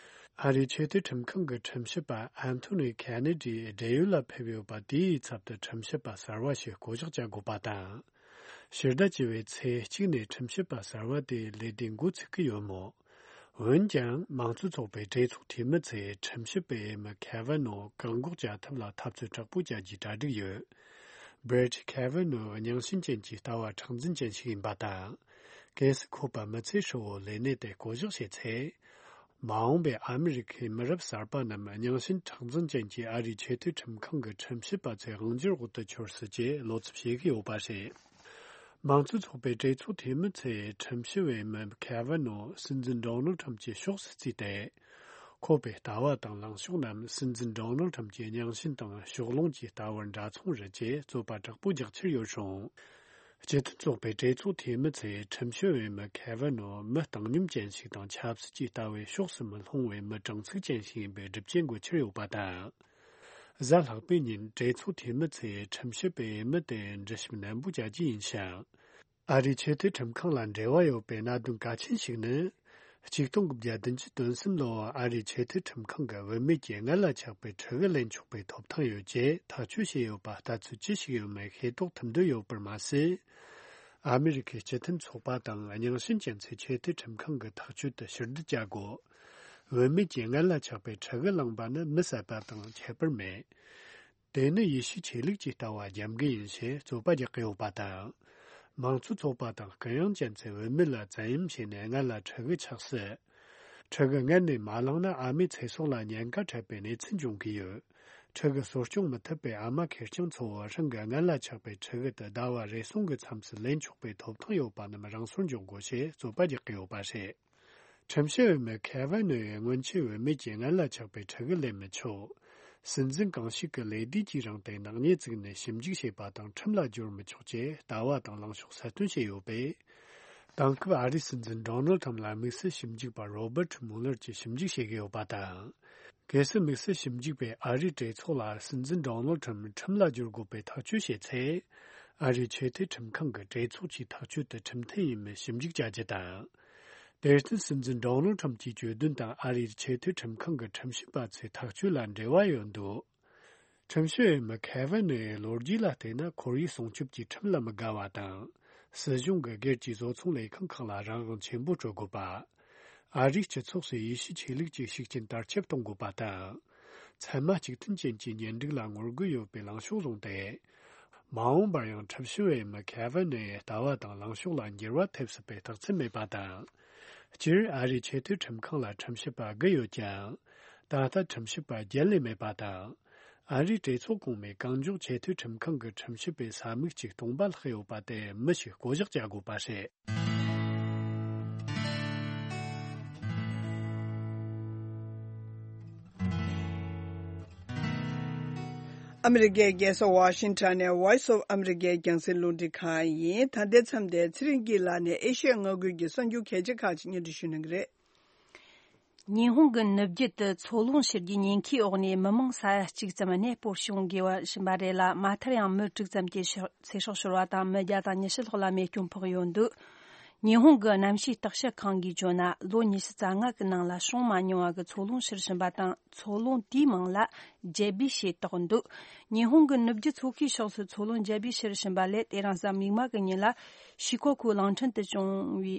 ཨ་རིའི་ཆེས་མཐོའི་ཁྲིམས་ཁང་གི་ཁྲིམས་ཞིབ་པ་ཨན་ཐོ་ནི་ཁེ་ནེ་ཌི་བགྲེས་ཡོལ་ལ་ཕེབས་ཡོད་པ་དེའི་ཚབ་ཏུ་ཁྲིམས་ཞིབ་པ་གསར་བ་ཞིག་བསྐོ་གཞག་བྱ་དགོས་པ་དང་། ཕྱི་ཟླ་བཅུ་བའི་ཚེས་གཅིག་ནས་ཁྲིམས་ཞིབ་པ་གསར་བ་དེའི་ལས་དུས་འགོ་ཚུགས་ཀྱི་ཡོད་མོད། འོན་ཀྱང་མང་གཙོ་ཚོགས་པའི་གྲོས་ཚོགས་འཐུས་མི་ཚོས་ཁྲིམས་ཞིབ་པའི་འོས་མི་ཁེ་ཝེ་ནོ་བཀག་འགོག་བྱ་ཐབས་ལ་འཐབ་རྩོད་དྲག་པོ་བྱ་རྒྱུའི་གྲ་སྒྲིག་ཡོད། བྷི་རེད་ཁེ་ཝེ་ནོ་རྙིང་ཞེན་ཅན་གྱི་ལྟ་བ་མཁྲེགས་འཛིན་ཅན་ཞིག་ཡིན་པ་དང་། གལ་སྲིད་ཁོ་པ་མི་ཚེ་ཧྲིལ་བོ་ལས་གནས་དེ་བསྐོ་གཞག་བྱས་ཚེ། མ་འོངས་པའི་ཨ་མི་རི་ཁའི་མི་རབས་གསར་པ་རྣམས་རྙིང་ཞེན་མཁྲེགས་འཛིན་ཅན་གྱི་ཨ་རིའི་ཆེས་མཐོའི་ཁྲིམས་ཁང་གི་ཁྲིམས་ཞིབ་པ་ཚོའི་དབང་སྒྱུར་འོག་ཏུ་འཁྱོར་སྲིད་ཅེས་བློ་འཚབ་བྱེད་ཀྱི་ཡོད་པ་རེད། མང་གཙོ་ཚོགས་པའི་གྲོས་ཚོགས་འཐུས་མི་ཚོས་ཁྲིམས་ཞིབ་པའི་འོས་མི་ཁེ་ཝེ་ནོ་སྲིད་འཛིན་ཌོ་ནལ་ཁྲམ་གྱི་ཕྱོགས་སུ་བརྩིས་ཏེ། ཁོ་པའི་ལྟ་བ་དང་ལངས་ཕྱོགས་རྣམས་སྲིད་འཛིན་ཌོ་ནལ་ཁྲམ་གྱི་རྙིང་ཞེན་དང་ཕྱོགས་ལྷུང་གི་ལྟ་བར་འདྲ་མཚུངས་རེད་ཅེས་རྩོད་པ་དྲག་པོ་རྒྱག་འཆར་ཡོད་རུང་། སྤྱི་མཐུན་ཚོགས་པའི་གྲོས་ཚོགས་འཐུས་མི་ཚོས་ཁྲིམས་ཞིབ་པའི་འོས་མི་ཁེ་ཝེ་ནོ་མི་བཏང་སྙོམས་ཅན་ཞིག་དང་ཆབ་སྲིད་ཀྱི་ལྟ་བའི་ཕྱོགས་སུ་མི་ལྷུང་བའི་མི་དྲང་ཚུགས་ཅན་ཞིག་ཡིན་པའི་སྒྲུབ་བྱེད་འགོད་འཆར་ཡོད་པ་དང་། གཟའ་ལྷག་པའི་ཉིན་གྲོས་ཚོགས་འཐུས་མི་ཚོས་ཁྲིམས་ཞིབ་པའི་འོས་མི་དེ་འདྲི་ཞིབ་ནན་པོ་བྱ་རྒྱུ་ཡིན་ཞིང་། ཨ་རིའི་ཆེས་མཐོའི་ཁྲིམས་ཁང་ལ་འབྲེལ་བ་ཡོད་པའི་གནད་དོན་གལ་ཆེན་ཞིག་ནི། ཆིག་སྟོང་དགུ་བརྒྱ་བདུན་ཅུ་དོན་གསུམ་ལོར་ཨ་རིའི་ཆེས་མཐོའི་ཁྲིམས་ཁང་གི་འོས་མི་གྱིས་སྔར་ལ་ཆགས་པའི་ཁྲི་གུ་ལེན་ཆོག་པའི་ཐོབ་ཐང་ཡོད་ཅེས་ཐག་གཅོད་བྱས་ཡོད་པ་ལྟ་ཚུལ་ཅི་ཞིག་ཡོད་མེད་ཤེས་རྟོགས་ཐུབ་འདོད་ཡོད་པར་མ་ཟད། ཨ་མི་རི་ཁའི་སྤྱི་མཐུན་ཚོགས་པ་དང་རྙིང་ཞེན་ཅན་ཚོས་ཆེས་མཐོའི་ཁྲིམས་ཁང་གི་ཐག་གཅོད་དེ་ཕྱིར་བསྡུ་བྱ་དགོས། འོས་མི་གྱིས་སྔར་ལ་ཆགས་པའི་ཁྲི་གུ་བླངས་པ་ནི་མི་བསད་པ་དང་ཁྱད་པར་མེད། དེ་ནི་ཡེ་ཤུ་ཆོས་ལུགས་ཀྱི་ལྟ་བ་རྒྱབ་འགལ་ཡིན་ཞེས་རྩོད་པ་རྒྱག་གི་ཡོད་པ་དང་། མང་གཙོ་ཚོགས་པ་དང་གུ་ཡངས་ཅན་ཚོས་འོས་མི་ལ་བཙན་གཡེམ་བྱས་ནས་སྔར་ལ་ཁྲི་གུ་ཆགས་སྲིད། ཁྲི་གུ་སྔར་ནས་མ་བླངས་ན་ཨ་མའི་ཚེ་སྲོག་ལ་ཉེན་ཁ་འཕྲད་པའི་གནས་ཚུལ་འབྱུང་གི་ཡོད། ཁྲི་གུ་གསོ་སྐྱོང་མི་ཐུབ་པའི་ཨ་མ་ཁེར་རྐྱང་ཚོ་བོ་རང་གི་སྔར་ལ་ཆགས་པའི་ཁྲི་གུ་དེ་ཟླ་བ་རེ་ཟུང་གི་མཚམས་སུ་ལེན་ཆོག་པའི་ཐོབ་ཐང་ཡོད་པ་རྣམས་རང་སོར་འཇོག་དགོས་ཞེས་རྩོད་པ་རྒྱག་གི་ཡོད་པ་རེད། ཁྲིམས་ཞིབ་འོས་མི་ཁེ་ཝེ་ནོ་ཡིས་སྔོན་ཆད་འོས་མི་གྱིས་སྔར་ལ་ཆགས་པའི་ཁྲི་གུ་ལེན་མི་ཆོག། སྲིད་འཛིན་གང་ཞིག་གི་ལས་དུས་ཀྱི་རིང་དུ་ནག་ཉེས་བཙུགས་ནས་ཞིབ་འཇུག་བྱས་པ་དང་ཁྲིམས་ལ་སྦྱོར་མི་ཆོག་ཅེས་ལྟ་བ་དང་ལངས་ཕྱོགས་གསལ་སྟོན་བྱས་ཡོད་པས། དེང་སྐབས་ཨ་རིའི་སྲིད་འཛིན་ཌོ་ནལ་ཁྲམ་ལ་དམིགས་བསལ་ཞིབ་འཇུག་པ་རོ་བར་ཊི་མུ་ལར་གྱིས་ཞིབ་འཇུག་བྱེད་ཀྱི་ཡོད་པ་དང་། གལ་སྲིད་དམིགས་བསལ་ཞིབ་འཇུག་པས་ཨ་རིའི་གྲོས་ཚོགས་ལ་སྲིད་འཛིན་ཌོ་ནལ་ཁྲམ་ཁྲིམས་ལ་སྦྱོར་དགོས་པའི་ཐག་གཅོད་བྱས་ཚེ། ཨ་རིའི་ཆེས་མཐོའི་ཁྲིམས་ཁང་གི་གྲོས་ཚོགས་ཀྱི་ཐག་གཅོད་དེ་ཁྲིམས་མཐུན་ཡིན་མིན་ཞིབ་འཇུག་བྱ་རྒྱུ་དང་། དེར་བརྟེན་སྲིད་འཛིན་ཌོ་ནལ་ཁྲམ་གྱི་གྱོད་དོན་དང་ཨ་རིའི་ཆེས་མཐོའི་ཁྲིམས་ཁང་གི་ཁྲིམས་ཞིབ་པ་ཚོའི་ཐག་གཅོད་ལ་འབྲེལ་བ་ཡོད་འདུག། ཁྲིམས་ཞིབ་འོས་མི་ཁེ་ཝེ་ནོའི་ལོ་རྒྱུས་ལ་བལྟས་ན། ཁོར་ཡུག་སྲུང་སྐྱོབ་ཀྱི་ཁྲིམས་ལ་མི་དགའ་བ་དང་། སྲིད་གཞུང་གི་སྒེར་གྱི་བཟོ་ཚོང་ལས་ཁང་ཁག་ལ་རང་དབང་ཆེན་པོ་སྤྲོད་དགོས་པ། ཨ་རིའི་སྤྱི་ཚོགས་སུ་ཡེ་ཤུ་ཆོས་ལུགས་ཀྱི་ཤུགས་རྐྱེན་དར་ཁྱབ་གཏོང་དགོས་པ་དང་། ཚད་མ་གཅིག་མཐུན་ཅན་གྱི་གཉེན་སྒྲིག་ལ་ངོ་རྒོལ་ཡོད་པའི་ལངས་ཕྱོགས་བཟུང་སྟེ། མ་འོངས་པར་ཡང་ཁྲིམས་ཞིབ་འོས་མི་ཁེ་ཝེ་ནོའི་ལྟ་བ་དང་ལངས་ཕྱོགས་ལ་འགྱུར་བ་ཐེབས་སྲིད་པའི་རྟགས་མཚན་མེད་པ་དང་། སྤྱིར་ཨ་རིའི་ཆེས་མཐོའི་ཁྲིམས་ཁང་ལ་ཁྲིམས་ཞིབ་པ་དགུ་ཡོད་ཀྱང་། ད་ལྟ་ཁྲིམས་ཞིབ་པ་བརྒྱད་ལས་མེད་པ་དང་། ཨ་རིའི་གྲོས་ཚོགས་གོང་མའི་གང་མགྱོགས་ཆེས་མཐོའི་ཁྲིམས་ཁང་གི་ཁྲིམས་ཞིབ་པའི་ས་མིག་ཅིག་སྟོང་པ་ལྷག་ཡོད་པ་དེ་མི་ཞིག་བསྐོ་གཞག་བྱ་དགོས་པ་རེད། ཨ་མི་རི་ཀའི་རྒྱལ་ས་ཝ་ཤིང་ཊོན་ནས་Voice of America རྒྱང་སྲིང་རླུང་འཕྲིན་ཁང་ཡིན། ད་ལྟའི་མཚམས་དེ་ཚེ་རིང་སྐྱིད་ལགས་ནས་ཨེ་ཤི་ཡ་མངའ་ཁུལ་གྱི་གསར་འགྱུར་གལ་ཆེ་ཁག་ཅིག་སྙན་སྒྲོན་ཞུ་གནང་གི་རེད། ཉི་ཧོང་གི་ནུབ་རྒྱུད་དུ་མཚོ་རླུང་གཤེར་རྒྱུའི་ཉེན་ཁའི་འོག་ནས་མི་མང་ས་ཡ་གཅིག་ཙམ་གནས་སྤོར་བྱུང་དགོས་པ་བཞིན་པ་རེད་ལ། མ་མཐར་ཡང་མི་དྲུག་ཙམ་གྱི་ཤི་ཚེ་སྲོག་ཤོར་བ་དང་། མི་བརྒྱ་དང་ཉི་ཤུ་ལྷག་ལ་རྨས་སྐྱོན་ཕོག་ཡོད་འདུག། ཉི་ཧོང་གི་གནམ་གཤིས་བརྟག་དཔྱད་ཁང་གིས་བརྗོད་ན། ལོ་ཉི་ཤུ་རྩ་ལྔ་གི་ནང་ལ་བྱུང་མ་མྱོང་བ་གི་མཚོ་རླུང་གཤེར་བཞིན་པ་དང་། མཚོ་རླུང་དེའི་མིང་ལ་ཇེ་བི་ཞེས་བཏགས་འདུག། ཉི་ཧོང་གི་ནུབ་རྒྱུད་མཚོ་ཁའི་ཕྱོགས་སུ་མཚོ་རླུང་ཇེ་བི་གཤེར་བཞིན་པ་ལས། དེ་རིང་གཟའ་མིག་དམར་གྱི་ཉིན་ལ་ཤི་ཁོ་ཁུའུ་གླིང་ཕྲན་དུ་བྱུང་བའི་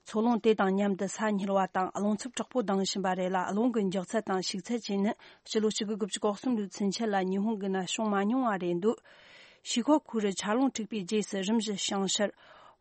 མཚོ་རླུང་དེ་དང་མཉམ་དུ་ས་སྙིལ་བ་དང་རླུང་འཚུབ་དྲག་པོ་ལྡང་བཞིན་པ་རེད་ལ། རླུང་གི་མགྱོགས་ཚད་དང་ཤུགས་ཚད་བཅས་ནི་ཕྱི་ལོ་ཆིག་སྟོང་དགུ་བརྒྱ་གོ་གསུམ་ལོའི་ཚུན་ཆད་ལ་ཉི་ཧོང་གི་ནང་བྱུང་མ་མྱོང་བ་རེད་འདུག། ཤི་ཁོ་ཁུའུ་རུ་ཆར་རླུང་འཁྲིགས་པའི་རྗེས་སུ་རིམ་བཞིན་བྱང་ཤར་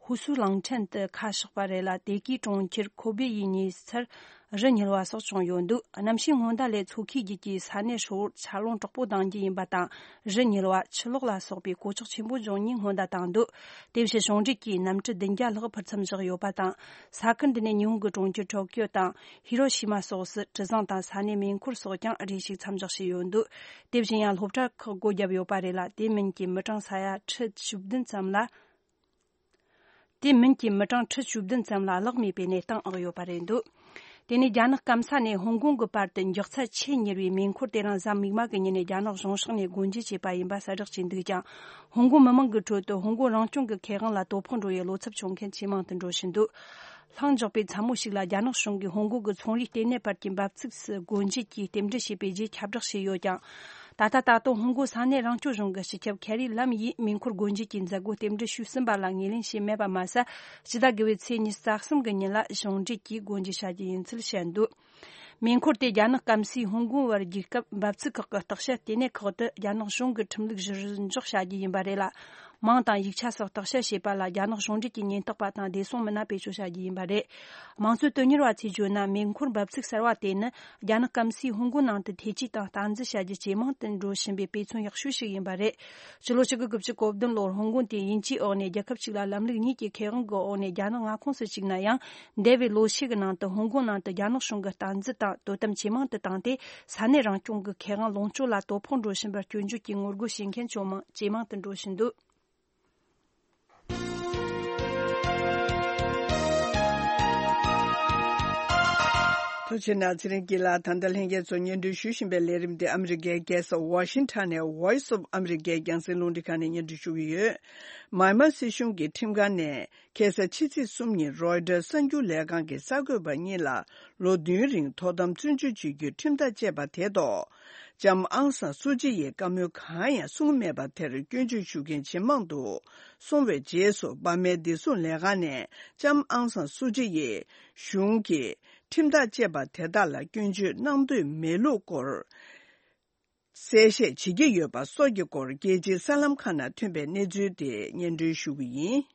ཧུ་སུའུ་གླིང་ཕྲན་དུ་ཁ་ཕྱོགས་པ་རེད་ལ། དེ་གའི་གྲོང་ཁྱེར་ཁོ་བེ་ཡི་ཉེ་སར་ རི་ཉིལ་བ་སོགས་བྱུང་ཡོད་འདུག་གནམ་གཤིས་སྔོན་བརྡ་ལས་མཚོ་ཁའི་རྒྱུད་ཀྱི་ས་གནས་ཧྲིལ་བོར་ཆར་རླུང་དྲག་པོ་ལྡང་རྒྱུ་ཡིན་པ་དང་། རི་ཉིལ་བ། ཆུ་ལོག་ལ་སོགས་པའི་གོད་ཆག་ཆེན་པོ་འབྱུང་ཉེན་སྔོན་བརྡ་བཏང་འདུག་དེ་བཞིན་གཞུང་འབྲེལ་གྱིས་གནམ་གྲུ་བདུན་བརྒྱ་ལྷག་འཕུར་མཚམས་བཞག་ཡོད་པ་དང་། ས་ཁུལ་འདི་ནས་ཉི་ཧོང་གི་གྲོང་ཁྱེར་ཊོ་ཀིའོ་དང་ཧི་རོ་ཤི་མ་སོགས་སུ་གྲུ་གཟིངས་དང་ས་གནས་མེ་འཁོར་སོགས་ཀྱང་རེ་ཞིག་མཚམས་འཇོག་བྱས་ཡོད་འདུག་དེ་བཞིན་ཡང་སློབ་གྲྭ་ཁག་སྒོ་བརྒྱབ་ཡོད་པ་རེད་ལ། དེ་མིན་གྱི་མི་གྲངས་ས་ཡ་ཁྲི་བཅུ་བདུན་ཙམ་ལ། དེ་མིན་གྱི་མི་གྲངས་ཁྲི་བཅུ་བདུན་ཙམ་ལ་གླགས་མེད་པའི་གནས་སྟངས་ཨང་ཡོད་པ་རེད་འདུག་དེ་ནས་རྒྱ་ནག་སྐམ་ས་ནས་ཧོང་ཀོང་གི་བར་དུ་མགྱོགས་ཚད་ཆེས་མྱུར་བའི་མེ་འཁོར་དེ་རིང་གཟའ་མིག་དམར་གྱི་ཉིན་ནས་རྒྱ་ནག་གཞུང་ཕྱོགས་ནས་སྒོ་འབྱེད་བྱས་པ་ཡིན་པ་གསལ་བསྒྲགས་བྱས་འདུག་ཀྱང་། ཧོང་ཀོང་མི་མང་གི་ཁྲོད་དུ་ཧོང་ཀོང་རང་སྐྱོང་གི་ཁེ་དབང་ལ་དོ་ཕོག་འགྲོ་བའི་བློ་འཚབ་བྱུང་མཁན་ཇེ་མང་དུ་འགྲོ་བཞིན་འདུག་ལྷིང་འཇགས་པའི་མཚན་མོ་ཞིག་ལ་རྒྱ་ནག་གཞུང་གིས་ཧོང་ཀོང་གི་ཚོང་རའི་ལྟེ་གནས་བར་གྱི་འབབ་ཚིགས་སུ་སྒོ་འབྱེད་ཀྱིས་རྟེན་འབྲེལ་བྱས་པའི་རྗེས་ཁྱབ་བསྒྲགས་བྱས་ཡོད་ཀྱང་། ད་ལྟ་ད་དུང་ཧོང་ཀོང་ས་གནས་རང་སྐྱོང་གཞུང་གི་སྤྱི་ཁྱབ་ཁེ་རི་ལམ་ཡིས་མེ་འཁོར་སྒོ་འབྱེད་ཀྱི་མཛད་སྒོ་རྟེན་འབྲེལ་ཞུས་ཟིན་པ་ལ་ངོས་ལེན་བྱས་མེད་པ་མ་ཟད། ཕྱི་ཟླ་དགུ་པའི་ཚེས་ཉི་ཤུ་རྩ་གསུམ་གྱི་ཉིན་ལ་གཞུང་འབྲེལ་གྱིས་སྒོ་འབྱེད་བྱ་རྒྱུ་ཡིན་ཚུལ་བཤད་འདུག་མེ་འཁོར་དེ་རྒྱ་ནག་སྐམ་སའི་ཧོང་ཀོང་བར་རྒྱུད་སྐབས་འབབ་ཚིགས་ཁག་གི་བརྟག་དཔྱད་ལྟེ་གནས་ཁག་ཏུ་རྒྱ་ནག་གཞུང་གི་ཁྲིམས་ལུགས་གཞིར་འཇོག་བྱ་རྒྱུ་ཡིན་པ་རེད་ལ། མིང་དང་ཡིག་ཆ་སོགས་བརྟག་དཔྱད་བྱས་པ་ལ་རྒྱ་ནག་གཞུང་འབྲེལ་གྱི་ཉེན་རྟོག་པ་དང་བདེ་སྲུང་མི་སྣ་བེད་སྤྱོད་བྱ་རྒྱུ་ཡིན་པ་རེད། དམངས་གཙོའི་དོན་གཉེར་བ་ཚོས་བརྗོད་ན། མེ་འཁོར་འབབ་ཚིགས་གསར་བ་དེ་ནི་རྒྱ་ནག་སྐམ་སའི་ཧོང་ཀོང་ནང་དུ་ཐེ་ཇུས་དང་སྟངས་འཛིན་བྱ་རྒྱུ་ཇེ་མང་དུ་འགྲོ་བཞིན་པའི་དཔེ་མཚོན་ཡག་ཤོས་ཤིག་ཡིན་པ་རེད། ཕྱི་ལོ་ཆིག་སྟོང་དགུ་བརྒྱ་གོ་བདུན་ལོར་ཧོང་ཀོང་དེ་དབྱིན་ཇིའི་འོག་ནས་རྒྱལ་ཁབ་གཅིག་ལ་ལམ་ལུགས་གཉིས་ཀྱི་ཁེ་དབང་གི་འོག་ནས་རྒྱ་ནག་མངའ་ཁོངས་སུ་བཅུག་ན་ཡང་། འདས་པའི་ལོ་ཤས་ཀྱི་ནང་དུ་ཧོང་ཀོང་ནང་དུ་རྒྱ་ནག་གཞུང་གི་སྟངས་འཛིན་དང་དོ་དམ་ཇེ་མང་དུ་བཏང་སྟེ། ས་གནས་རང་སྐྱོང་གི་ཁེ་དབང་ལོངས་སྤྱོད་ལ་དོ་ཕོག་འགྲོ་བཞིན་པར་སྐྱོན་བརྗོད་ཀྱི་ངོ་རྒོལ་བྱེད་མཁན་ཇེ་མང་ཇེ་མང་དུ་འགྲོ་བཞིན་འདུག་ཐུགས་རྗེ་གནང་། ཚེ་རིང་སྐྱིད་ལགས། ད་ལྟ་ལྷན་རྒྱས་ཚོ་སྙན་སྒྲོན་ཞུ་བཞིན་པའི་ལས་རིམ་འདི་ཨ་མི་རི་ཀའི་རྒྱལ་ས་ཝ་ཤིང་ཊོན་ནས་Voice of America རྒྱང་སྲིང་རླུང་འཕྲིན་ཁང་ནས་སྙན་སྒྲོན་ཞུ་གི་ཡོད། མཱི་མཱ་སྲིད་གཞུང་གི་ཁྲིམས་ཁང་ནས་ཁ་སང་ཕྱི་ཚེས་གསུམ་ཉིན་རོའི་ཊར་གསར་འགྱུར་ལས་ཁང་གི་གསར་འགོད་པ་གཉིས་ལ་ལོ་བདུན་རིང་ཐོག་དམ་བཙོན་འཇུག་བྱེད་རྒྱུའི་ཁྲིམས་ཐག་བཅད་པ་དེ་ཐོག་ལྕམ་ཨང་སང་སུ་ཅི་ཡིས་བཀའ་མོལ་གང་ཡང་གསུངས་མེད་པ་དེར་སྐྱོན་བརྗོད་ཞུ་མཁན་ཇེ་མང་དུ་སོང་བའི་རྗེས་སུ། འབར་མའི་བདེ་སྲུང་ལས་ཁང་ནས་ལྕམ་ཨང་སང་སུ་ཅི་ཡིས་གཞུང་གིས་ཁྲིམས་ཐག་བཅད་པ་དེ་དག་ལ་སྐྱོན་བརྗོད་གནང་འདོད་མེད་ལུགས་སྐོར་གསལ་བཤད་བྱེད་ཀྱི་ཡོད་པ་སོགས་ཀྱི་སྐོར་རྒྱལ་སྤྱིའི་གསར་ལམ་ཁག་ནང་ཐོན་པའི་གནས་ཚུལ་དེ་སྙན་སྒྲོན་ཞུ་གི་ཡིན།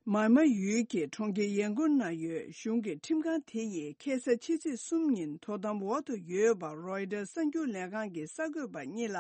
མཱི་མཱ་ཡུལ་གྱི་གྲོང་ཁྱེར་ཡན་ཀུན་ན་ཡོད་གཞུང་གི་ཁྲིམས་ཁང་དེ་ཡིས་ཁ་སང་ཕྱི་ཚེས་གསུམ་ཉིན་དོ་དམ་འོག་ཏུ་ཡོད་པ་རོའི་ཊར་གསར་འགྱུར་ལས་ཁང་གི་གསར་འགོད་པ་གཉིས་ལ་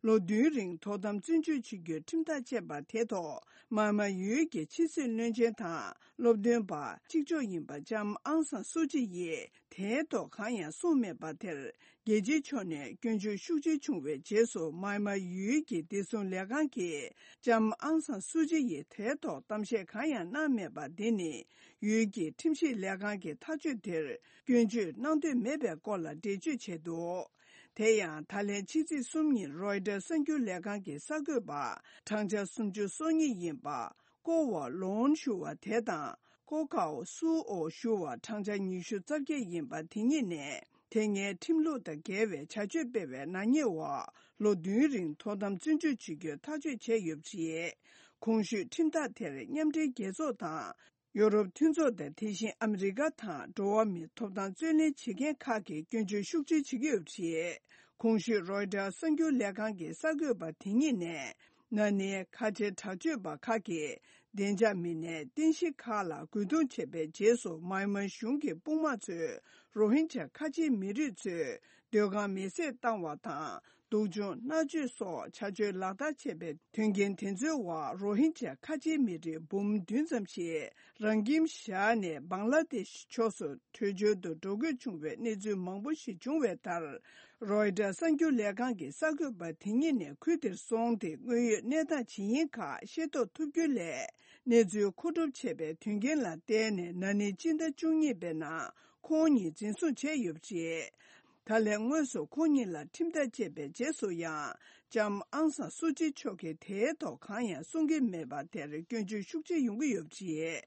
ལོ་བདུན་རིང་དོ་དམ་བཙོན་འཇུག་བྱེད་རྒྱུའི་ཁྲིམས་ཐག་བཅད་པ་དེ་ཐོག་མཱི་མཱ་ཡུལ་གྱི་ཕྱི་སྲིད་བློན་ཆེན་དང་སློབ་སྟོན་པ་གཅིག་ལྕོགས་ཡིན་པ་ལྕམ་ཨང་སང་སུ་ཅི་ཡིས་དེའི་ཐོག་གང་ཡང་གསུངས་མེད་པ་དེར། རྒྱལ་སྤྱིའི་ཕྱོགས་ནས་སྐྱོན་བརྗོད་ཤུགས་ཆེ་བྱུང་བའི་རྗེས་སུ། མཱི་མཱ་ཡུལ་གྱི་བདེ་སྲུང་ལས་ཁང་གིས་ལྕམ་ཨང་སང་སུ་ཅི་ཡི་དེའི་ཐོག་གཏམ་བཤད་གང་ཡང་གནང་མེད་པ་འདི་ནི། ཡུལ་གྱི་ཁྲིམས་ཞིབ་ལས་ཁང་གི་ཐག་གཅོད་དེར་སྐྱོན་བརྗོད་གནང་འདོད་མེད་པའི་སྐོར་ལ་འགྲེལ་བརྗོད་བྱས་འདུག་དེ་ཡང་། ད་ལན་ཕྱི་ཚེས་གསུམ་ཉིན་རོའི་ཊར་གསར་འགྱུར་ལས་ཁང་གི་གསར་འགོད་པ་བགྲང་བྱ་སུམ་ཅུ་སོ་གཉིས་ཡིན་པ། ཀོ་ཝ་ལོན་ཞུ་བ་དེ་དང་། ཀོ་ཀའོ་སུའོ་ཞུ་བ་བགྲང་བྱ་ཉི་ཤུ་རྩ་བརྒྱད་ཡིན་པ་དེ་གཉིས་ནས། དེ་སྔའི་ཁྲིམས་ལུགས་དང་འགལ་བའི་བྱ་སྤྱོད་སྤེལ་བའི་ནག་ཉེས་འོག་ལོ་བདུན་རིང་དོ་དམ་བཙོན་འཇུག་བྱེད་རྒྱུའི་ཐག་གཅོད་བྱས་ཡོད་པ་རེད། གོང་ཞུས་ཁྲིམས་ཐག་དེར་མཉམ་འབྲེལ་རྒྱལ་ཚོགས་དང་། ཡོ་རོབ་མཐུན་ཚོགས་དང་། དེ་བཞིན་ཨ་མི་རི་ཀ་དང་འགྲོ་བ་མིའི་ཐོབ་ཐང་རྩོད་ལེན་བྱེད་མཁན་ཁག་གིས་སྐྱོན་བརྗོད་ཤུགས་ཆེ་བྱེད་ཀྱི་ཡོད་པ་རེད། གོང་ཞུས་རོའི་ཊར་གསར་འགྱུར་ལས་ཁང་གི་གསར་འགོད་པ་དེ་གཉིས་ནས། ན་ནིང་ཁ་བྲལ་དྲག་སྤྱོད་པ་ཁག་གིས་བདེ་འཇགས་མི་སྣའི་རྟེན་གཞི་ཁག་ལ་རྒོལ་རྡུང་བྱས་པའི་རྗེས་སུ། མཱི་མཱ་གཞུང་གི་དཔུང་དམག་ཚོས་རོ་ཧིན་ཇཱ་ཁ་ཆེའི་མི་རིགས་ཚོའི་སྡོད་ཁང་མེ་བསྲེགས་བཏང་བ་དང་། སྡུག་སྦྱོང་མནར་གཅོད་སོགས་བྱ་སྤྱོད་ལག་བསྟར་བྱས་པའི་དོན་རྐྱེན་དེ་ཚོའི་འོག་རོ་ཧིན་ཇཱ་ཁ་ཆེའི་མི་རིགས་འབུམ་བདུན་ཙམ་ཞིག་རང་ཁྱིམ་བཞག་ནས་བང་ལ་དེ་ཤི་ཕྱོགས་སུ་བྲོས་བྱོལ་དུ་འགྲོ་དགོས་བྱུང་བའི་གནས་ཚུལ་མང་པོ་ཞིག་བྱུང་བའི་མཐར། རོའི་ཊར་གསར་འགྱུར་ལས་ཁང་གི་གསར་འགོད་པ་དེ་གཉིས་ནས་ཁུལ་དེར་སོང་སྟེ། དངོས་ཡོད་གནས་སྟངས་ཇི་ཡིན་ཁག་ཤེས་རྟོགས་ཐུབ་རྒྱུ་ལས། གནས་ཚུལ་མཁོ་སྒྲུབ་བྱས་པའི་དོན་རྐྱེན་ལ་བརྟེན་ནས། ན་ནིང་སྤྱི་ཟླ་བཅུ་གཉིས་པའི་ནང་ཁོང་གཉིས་འཛིན་བཟུང་བྱས་ཡོད་པ་རེད། ད་ལན་དངོས་སུ་ཁོང་གཉིས་ལ་ཁྲིམས་ཐག་བཅད་པའི་རྗེས་སུ་ཡང་། ལྕམ་ཨང་སང་སུ་ཅི་མཆོག་གིས་དེའི་ཐོག་གང་ཡང་གསུང་གི་མེད་པ་དེར་སྐྱོན་བརྗོད་ཤུགས་ཆེ་ཡོང་གི་ཡོད་པ་རེད།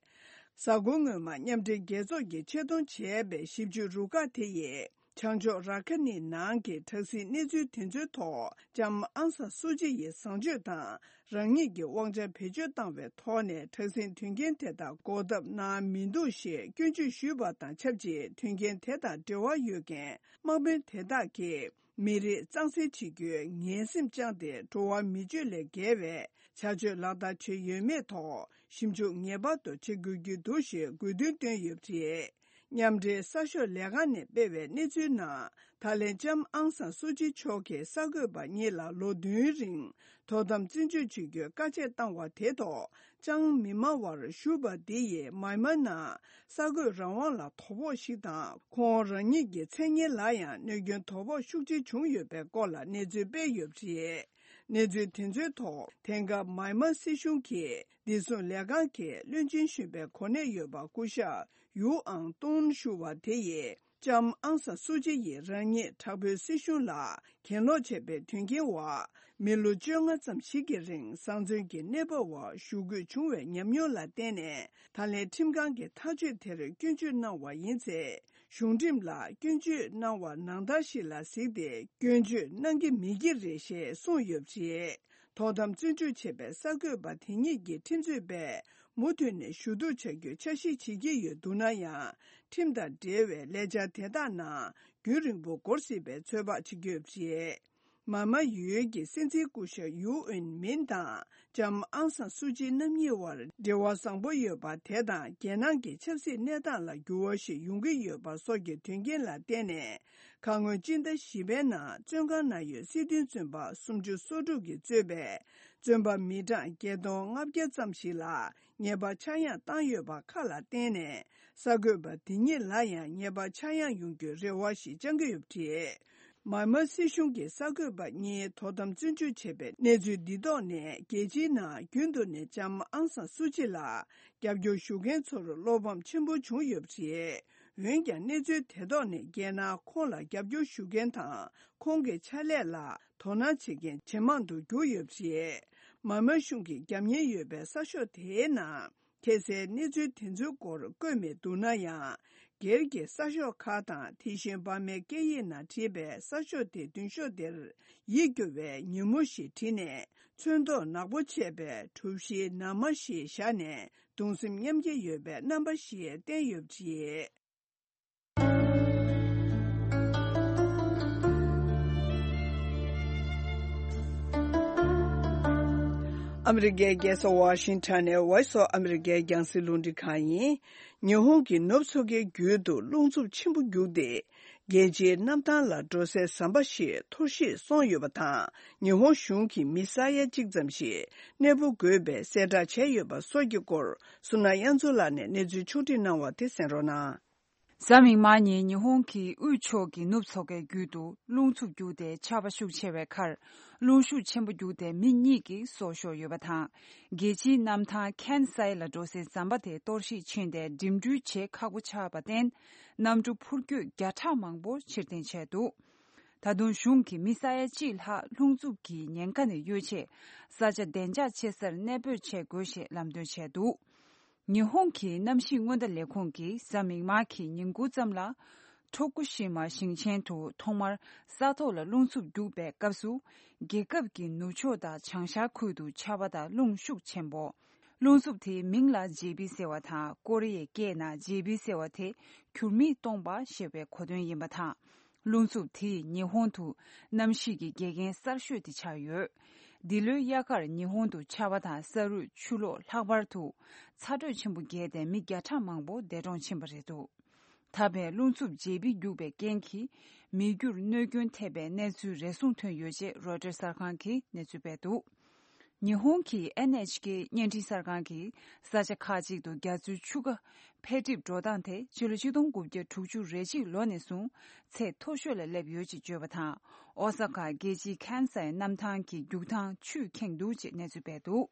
གཟའ་འཁོར་སྔོན་མ་མཉམ་འབྲེལ་རྒྱལ་ཚོགས་ཀྱིས་ཆེད་གཏོང་བྱས་པའི་ཞིབ་དཔྱོད་རུ་ཁག་དེ་ཡིས། བྱང་ཕྱོགས་ར་ཁ་ནི་ནང་གི་དྲག་ཟིང་གནས་ཚུལ་དེ་ཚོའི་ཐོག་ལྕམ་ཨང་སང་སུ་ཅི་ཡི་བཟང་སྤྱོད་དང་། རང་ཉིད་ཀྱི་དབང་ཆ་བེད་སྤྱོད་བཏང་བའི་ཐོག་ནས་དྲག་ཟིང་དོན་རྐྱེན་དེ་དག་འགོག་ཐབས་གནང་མི་འདུག་ཞེས་སྐྱོན་བརྗོད་ཞུས་པ་དང་ཆབས་ཅིག་དོན་རྐྱེན་དེ་དང་འབྲེལ་བ་ཡོད་མཁན་དམག་དཔོན་དེ་དག་གིས། མི་རིགས་གཙང་སེལ་བྱེད་རྒྱུའི་ངན་སེམས་བཅངས་ཏེ། འགྲོ་བ་མི་སྤྱོད་ལས་བརྒལ་བའི་བྱ་སྤྱོད་ལག་བསྟར་བྱས་ཡོད་མེད་ཐོག་ཞིབ་འཇུག་ངེས་པར་དུ་བྱེད་དགོས་ཀྱི་འདུག་ཞེས་དགོས་འདུན་བཏོན་ཡོད་པ་རེད། མཉམ་འབྲེལ་གསར་ཤོག་ལས་ཁང་ནས་སྤེལ་བའི་གནས་ཚུལ་ནང་། ད་ལན་ལྕམ་ཨང་སང་སུ་ཅི་མཆོག་གིས་གསར་འགོད་པ་གཉིས་ལ་ལོ་བདུན་རིང་དོ་དམ་བཙོན་འཇུག་བྱེད་རྒྱུའི་བཀའ་ཆད་བཏང་བ་དེ་ཐོག་ཅང་མི་སྨྲ་བར་བཞུགས་པ་འདི་ཡིས་མཱི་མཱ་ནང་གསར་འགོད་རང་དབང་ལ་དོ་ཕོག་ཞིག་དང་། ཁོང་རང་ཉིད་ཀྱི་མཚན་སྙན་ལ་ཡང་གནོད་སྐྱོན་དོ་ཕོག་ཤུགས་ཆེ་བྱུང་ཡོད་པའི་སྐོར་ལ་གནས་ཚུལ་སྤེལ་ཡོད་པ་རེད། གནས་ཚུལ་དེ་ཚོའི་ཐོག་དེང་སྐབས་མཱི་མཱ་སྲིད་གཞུང་གིས་བདེ་སྲུང་ལས་ཁང་གི་བློན་ཆེན་གཞོན་པའི་གོ་གནས་ཡོད་པ་སྐུ་ཞབས་ཡུའུ་ཨང་ཏུང་ཞུ་བ་དེ་ཡིས། ལྕམ་ཨང་སང་སུ་ཅི་ཡིས་རང་ཉིད་དྲག་པོའི་སྲིད་གཞུང་ལ་གྱེན་ལོག་བྱས་པའི་དོན་རྐྱེན་འོག་མི་ལོ་བཅོ་ལྔ་ཙམ་ཞིག་གི་རིང་བཟང་བཙོན་གྱི་གནས་བབ་འོག་བཞུགས་དགོས་བྱུང་བའི་ཉམས་མྱོང་ལ་བརྟེན་ནས། ད་ལན་ཁྲིམས་ཁང་གི་ཐག་གཅོད་དེར་སྐྱོན་བརྗོད་གནང་བ་ཡིན་ཚེ། གཞུང་ཁྲིམས་ལ་སྐྱོན་བརྗོད་གནང་བ་ནང་ལྟར་ཞིག་ལ་གཟིགས་ཏེ་སྐྱོན་བརྗོད་གནང་གི་མེད་ཀྱི་རེད་ཞེས་གསུངས་ཡོད་པ་རེད། དོ་དམ་བཙོན་འཇུག་བྱས་པའི་གསར་འགོད་པ་དེ་ཉིད་ཀྱིས་ཁྲིམས་རྩོད་པས་མུ་མཐུད་ནས་ཞུ་གཏུག་བྱ་རྒྱུའི་འཆར་གཞི་བྱེད་ཀྱི་ཡོད་འདུག་ན་ཡང་། ཁྲིམས་དང་འབྲེལ་བའི་ལས་འཆར་དེ་དག་ནང་རྒྱུན་རིང་པོ་འགོར་སྲིད་པའི་ཚོད་དཔག་བྱེད་ཀྱི་ཡོད་པ་རེད། མཱི་མཱ་ཡུལ་གྱི་སྲིད་འཛིན་སྐུ་ཞབས་ཡུའུ་ཨིན་མིན་དང་ལྕམ་ཨང་སང་སུ་ཅི་རྣམ་གཉིས་དབར་འབྲེལ་བ་བཟང་པོ་ཡོད་པ་དེ་དང་། རྒྱལ་ནང་གི་ཆབ་སྲིད་གནས་སྟངས་ལ་འགྱུར་བ་ཞིག་ཡོང་གི་ཡོད་པ་སོགས་ཀྱི་དོན་རྐྱེན་ལ་བརྟེན་ནས། ཁ་སྔོན་སྤྱི་ཟླ་བཞི་པའི་ནང་བཙོན་ཁང་ནང་ཡོད་སྲིད་དོན་བཙོན་པ་སུམ་ཅུ་སོ་དྲུག་གིས་གཙོས་པའི་བཙོན་པ་མི་གྲངས་བརྒྱད་སྟོང་ལྔ་བརྒྱ་ཙམ་ཞིག་ལ་ཉེས་པ་ཆག་ཡང་བཏང་ཡོད་པ་ཁག་ལ་བརྟེན་ནས། གསར་འགོད་པ་འདི་ཉིད་ལ་ཡང་ཉེས་པ་ཆག་ཡང་ཡོང་རྒྱུའི་རེ་བ་ཞིག་བཅང་གི་ཡོད་པ་རེད། མཱི་མཱ་སྲིད་གཞུང་གིས་གསར་འགོད་པ་གཉིས་དོ་དམ་བཙོན་འཇུག་བྱས་པའི་གནས་ཚུལ་འདི་ཐོག་ནས། རྒྱལ་སྤྱིའི་ནང་རྒྱུན་དུ་ནས་ལྕམ་ཨང་སང་སུ་ཅི་ལ་རྒྱབ་སྐྱོར་ཞུ་མཁན་ཚོར་བློ་ཕམ་ཆེན་པོ་བྱུང་ཡོད་པ་རེད། འོན་ཀྱང་། གནས་ཚུལ་དེ་ཐོག་ནས་རྒྱལ་ནང་ཁོང་ལ་རྒྱབ་སྐྱོར་ཞུ་མཁན་དང་། ཁོང་གི་ཕྱག་ལས་ལ་དོ་སྣང་བྱེད་མཁན་ཇེ་མང་དུ་གྱུར་ཡོད་པ་རེད། མཱི་མཱ་གཞུང་གིས་རྒྱབ་གཉེར་ཡོད་པའི་གསར་ཤོག་དེའི་ནང་། ཁ་གསལ་གནས་ཚུལ་དེ་ཚོའི་སྐོར་བཀོད་མི་འདུག་ན་ཡང་། སྒེར་གྱི་གསར་ཤོག་ཁག་དང་། དེ་བཞིན་འབར་མའི་སྐད་ཡིག་ནང་བྲིས་པའི་གསར་ཤོག་དེའི་མདུན་ཤོག་དེར་ཡིད་སྐྱོ་བའི་ཉིན་མོ་ཞེས་བྲིས་ནས། ཚོན་མདོག་ནག་པོ་ཆད་པའི་གྲུ་བཞིའི་ནར་མ་ཞིག་བཞག་ནས། གདུང་སེམས་མཉམ་སྐྱེད་ཡོད་པའི་རྣམ་པ་ཞིག་བསྟན་ཡོད་པ་རེད། ཨ་མི་རི་ཀའི་རྒྱལ་ས་ཝ་ཤིང་ཊོན་ནས་Voice of America རྒྱང་སྲིང་རླུང་འཕྲིན་ཁང་ཡིན། ཉི་ཧོང་གི་ནུབ་མཚོ་ཁའི་རྒྱུད་དུ་རླུང་འཚུབ་ཆེན་པོ་རྒྱུག་སྟེ། རྒྱལ་སྤྱིའི་གནམ་ཐང་ལ་འགྲོ་སའི་ཟམ་པ་ཞིག་འཐོར་བཤིག་སོང་ཡོད་པ་དང་། ཉི་ཧོང་གཞུང་གིས་མི་ས་ཡ་གཅིག་ཙམ་ཞིག་གནས་སྤོ་དགོས་པའི་གསལ་བསྒྲགས་བྱས་ཡོད་པ་སོགས་ཀྱི་སྐོར། སུ་ན་དབྱངས་མཚོ་ལགས་ནས་གནས་ཚུལ་ཕྱོགས་སྒྲིག་གནང་བ་དེ་གསན་རོགས་གནང་། གཟའ་མིག་དམར་ཉིན་ཉི་ཧོང་གི་དབུས་ཕྱོགས་ཀྱི་ནུབ་མཚོ་ཁའི་རྒྱུད་དུ་རླུང་འཚུབ་རྒྱུག་སྟེ་ཆར་པ་ཤུགས་ཆེ་བའི་ཁར། རླུང་ཤུགས་ཆེན་པོ་རྒྱུག་སྟེ་མི་གཉིས་ཀྱིས་སྲོག་ཤོར་ཡོད་པ་དང་། རྒྱལ་སྤྱིའི་གནམ་ཐང་ཁན་སའི་ལ་འགྲོ་སའི་ཟམ་པ་དེ་གཏོར་བཤིག་ཕྱིན་ཏེ། འགྲིམ་འགྲུལ་བྱེད་ཁག་པོ་ཆགས་པར་བརྟེན། གནམ་གྲུ་འཕུར་སྐྱོད་བརྒྱ་ཕྲག་མང་པོ་ཕྱིར་འཐེན་བྱས་འདུག་ད་དུང་གཞུང་གིས་མི་ས་ཡ་གཅིག་ལྷག་རླུང་འཚུབ་ཀྱི་ཉེན་ཁ་ནས་གཡོལ་ཆེད། ས་ཆ་བདེ་འཇགས་ཆེ་སར་གནས་སྤོས་བྱེད་དགོས་ཞེས་ལམ་སྟོན་བྱས་འདུག་ཉི་ཧོང་གི་གནམ་གཤིས་སྔོན་བརྡ་ལས་ཁུངས་ཀྱིས་གཟའ་མིག་དམར་གྱི་ཉིན་གུང་ཙམ་ལ། ཐོ་ཀུ་ཤི་མ་ཞིང་ཆེན་དུ་ཐོག་མར་ས་ཐོག་ལ་རླུང་འཚུབ་རྒྱུག་པའི་སྐབས་སུ། རྒྱལ་ཁབ་ཀྱི་ནུབ་ཕྱོགས་དང་བྱང་ཤར་ཁུལ་དུ་ཆར་པ་དང་རླུང་ཤུགས་ཆེན་པོ། རླུང་འཚུབ་དེའི་མིང་ལ་ཇེ་བི་ཟེར་བ་དང་། ཀོ་རི་ཡའི་སྐད་ནང་ཇེ་བི་ཟེར་བ་དེ་འགྱུར་མེད་སྟོང་པ་ཞེས་པའི་གོ་དོན་ཡིན་པ་དང་། རླུང་འཚུབ་དེས་ཉི་ཧོང་དུ་གནམ་གཤིས་ཀྱི་འགལ་རྐྱེན་གསར་ཤོས་དེ་ཆགས་ཡོད། འདི་ལོའི་དབྱར་ཁར་ཉི་ཧོང་དུ་ཆར་པ་དང་ས་རུད་ཆུ་ལོག་ལྷག་པར་དུ་ཚ་དྲོད་ཆེན་པོ་བརྒྱབ་སྟེ་མི་བརྒྱ་ཕྲག་མང་པོ་འདས་གྲོངས་ཕྱིན་པ་རེད་འདུག་ད་ཕན་རླུང་འཚུབ་ཇེ་བི་རྒྱུག་པའི་རྐྱེན་གྱིས་མི་རྒྱུར་གནོད་སྐྱོན་ཐེབས་པའི་གནས་ཚུལ་རེ་ཟུང་ཐོན་ཡོད་ཅེས་རོའི་ཊར་གསར་ཁང་གིས་གནས་ཚུལ་སྤེལ་འདུག་ཉི་ཧོང་གི་ཨེན་ཨེཆ་ཀེ་བརྙན་འཕྲིན་གསར་ཁང་གིས་ས་ཆ་ཁག་ཅིག་ཏུ་རྒྱ་མཚོའི་ཆུ་ཁ་འཕེལ་འགྲིབ་འགྲོ་སྟངས་དེ་ཕྱི་ལོ་ཆིག་སྟོང་དགུ་བརྒྱ་དྲུག་ཅུ་རེ་གཅིག་ལོ་ནས་བཟུང་ཚད་མཐོ་ཤོས་ལ་སླེབས་ཡོད་ཅེས་བརྗོད་པ་དང་། ཨོ་ས་ཀ་རྒྱལ་སྤྱིའི་ཁན་སའི་གནམ་ཐང་གི་རྒྱུག་ཐང་ཆུས་ཁེངས་འདུག་ཅེས་གནས་ཚུལ་སྤེལ་འདུག་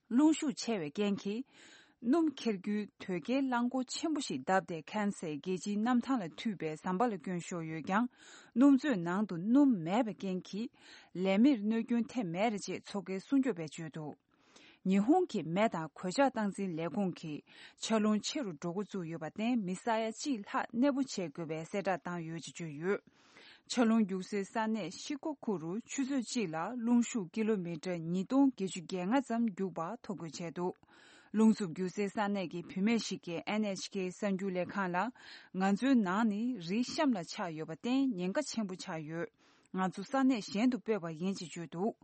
རླུང་ཤུགས་ཆེ་བའི་རྐྱེན་གྱིས། སྣུམ་འཁྱེར་རྒྱུའི་དོས་སྐྱེལ་རླངས་འཁོར་ཆེན་པོ་ཞིག་བརྡབས་ཏེ་ཁན་སའི་རྒྱལ་སྤྱིའི་གནམ་ཐང་ལ་མཐུད་པའི་ཟམ་པ་ལ་སྐྱོན་ཤོར་ཡོད་ཀྱང་། སྣུམ་མཛོད་ནང་དུ་སྣུམ་མེད་པའི་རྐྱེན་གྱིས། ལས་མིར་གནོད་སྐྱོན་ཐེབས་མེད་རེད་ཅེས་མཚོ་ཁའི་སྲུང་སྐྱོབ་པས་བརྗོད་འདུག་ཉི་ཧོང་གི་མེ་དང་གོད་ཆག་སྟངས་འཛིན་ལས་ཁུངས་ཀྱིས་ཆར་རླུང་ཆེ་རུ་འགྲོ་འགོ་བཙུགས་ཡོད་པར་བརྟེན། མི་ས་ཡ་གཅིག་ལྷག་གནས་སྤོ་བྱེད་དགོས་པའི་གསལ་བསྒྲགས་བཏང་ཡོད་ཅེས་བརྗོད་ཡོད། ཆར་རླུང་རྒྱུག་སའི་ས་གནས་ཤི་ཀོ་ཁུ་རུ་ཆུ་ཚོད་གཅིག་ལ་རླུང་ཤུགས་ཀི་ལོ་མི་ཊར་ཉིས་སྟོང་བརྒྱད་ཅུ་གྱ་ལྔ་ཙམ་རྒྱུག་པ་ཐོ་འགོད་བྱས་འདུག་རླུང་འཚུབ་རྒྱུག་སའི་ས་གནས་ཀྱི་བུད་མེད་ཞིག་གིས་ཨེན་ཨེཆ་ཀེ་གསར་འགྱུར་ལས་ཁང་ལ། ང་ཚོའི་ནང་ནི་རི་གཤམ་ལ་ཆགས་ཡོད་པར་བརྟེན་ཉེན་ཁ་ཆེན་པོ་ཆགས་ཡོད། ང་ཚོ་ས་གནས་གཞན་དུ་སྤོས་པ་ཡིན་ཅེས་བརྗོད་འདུག་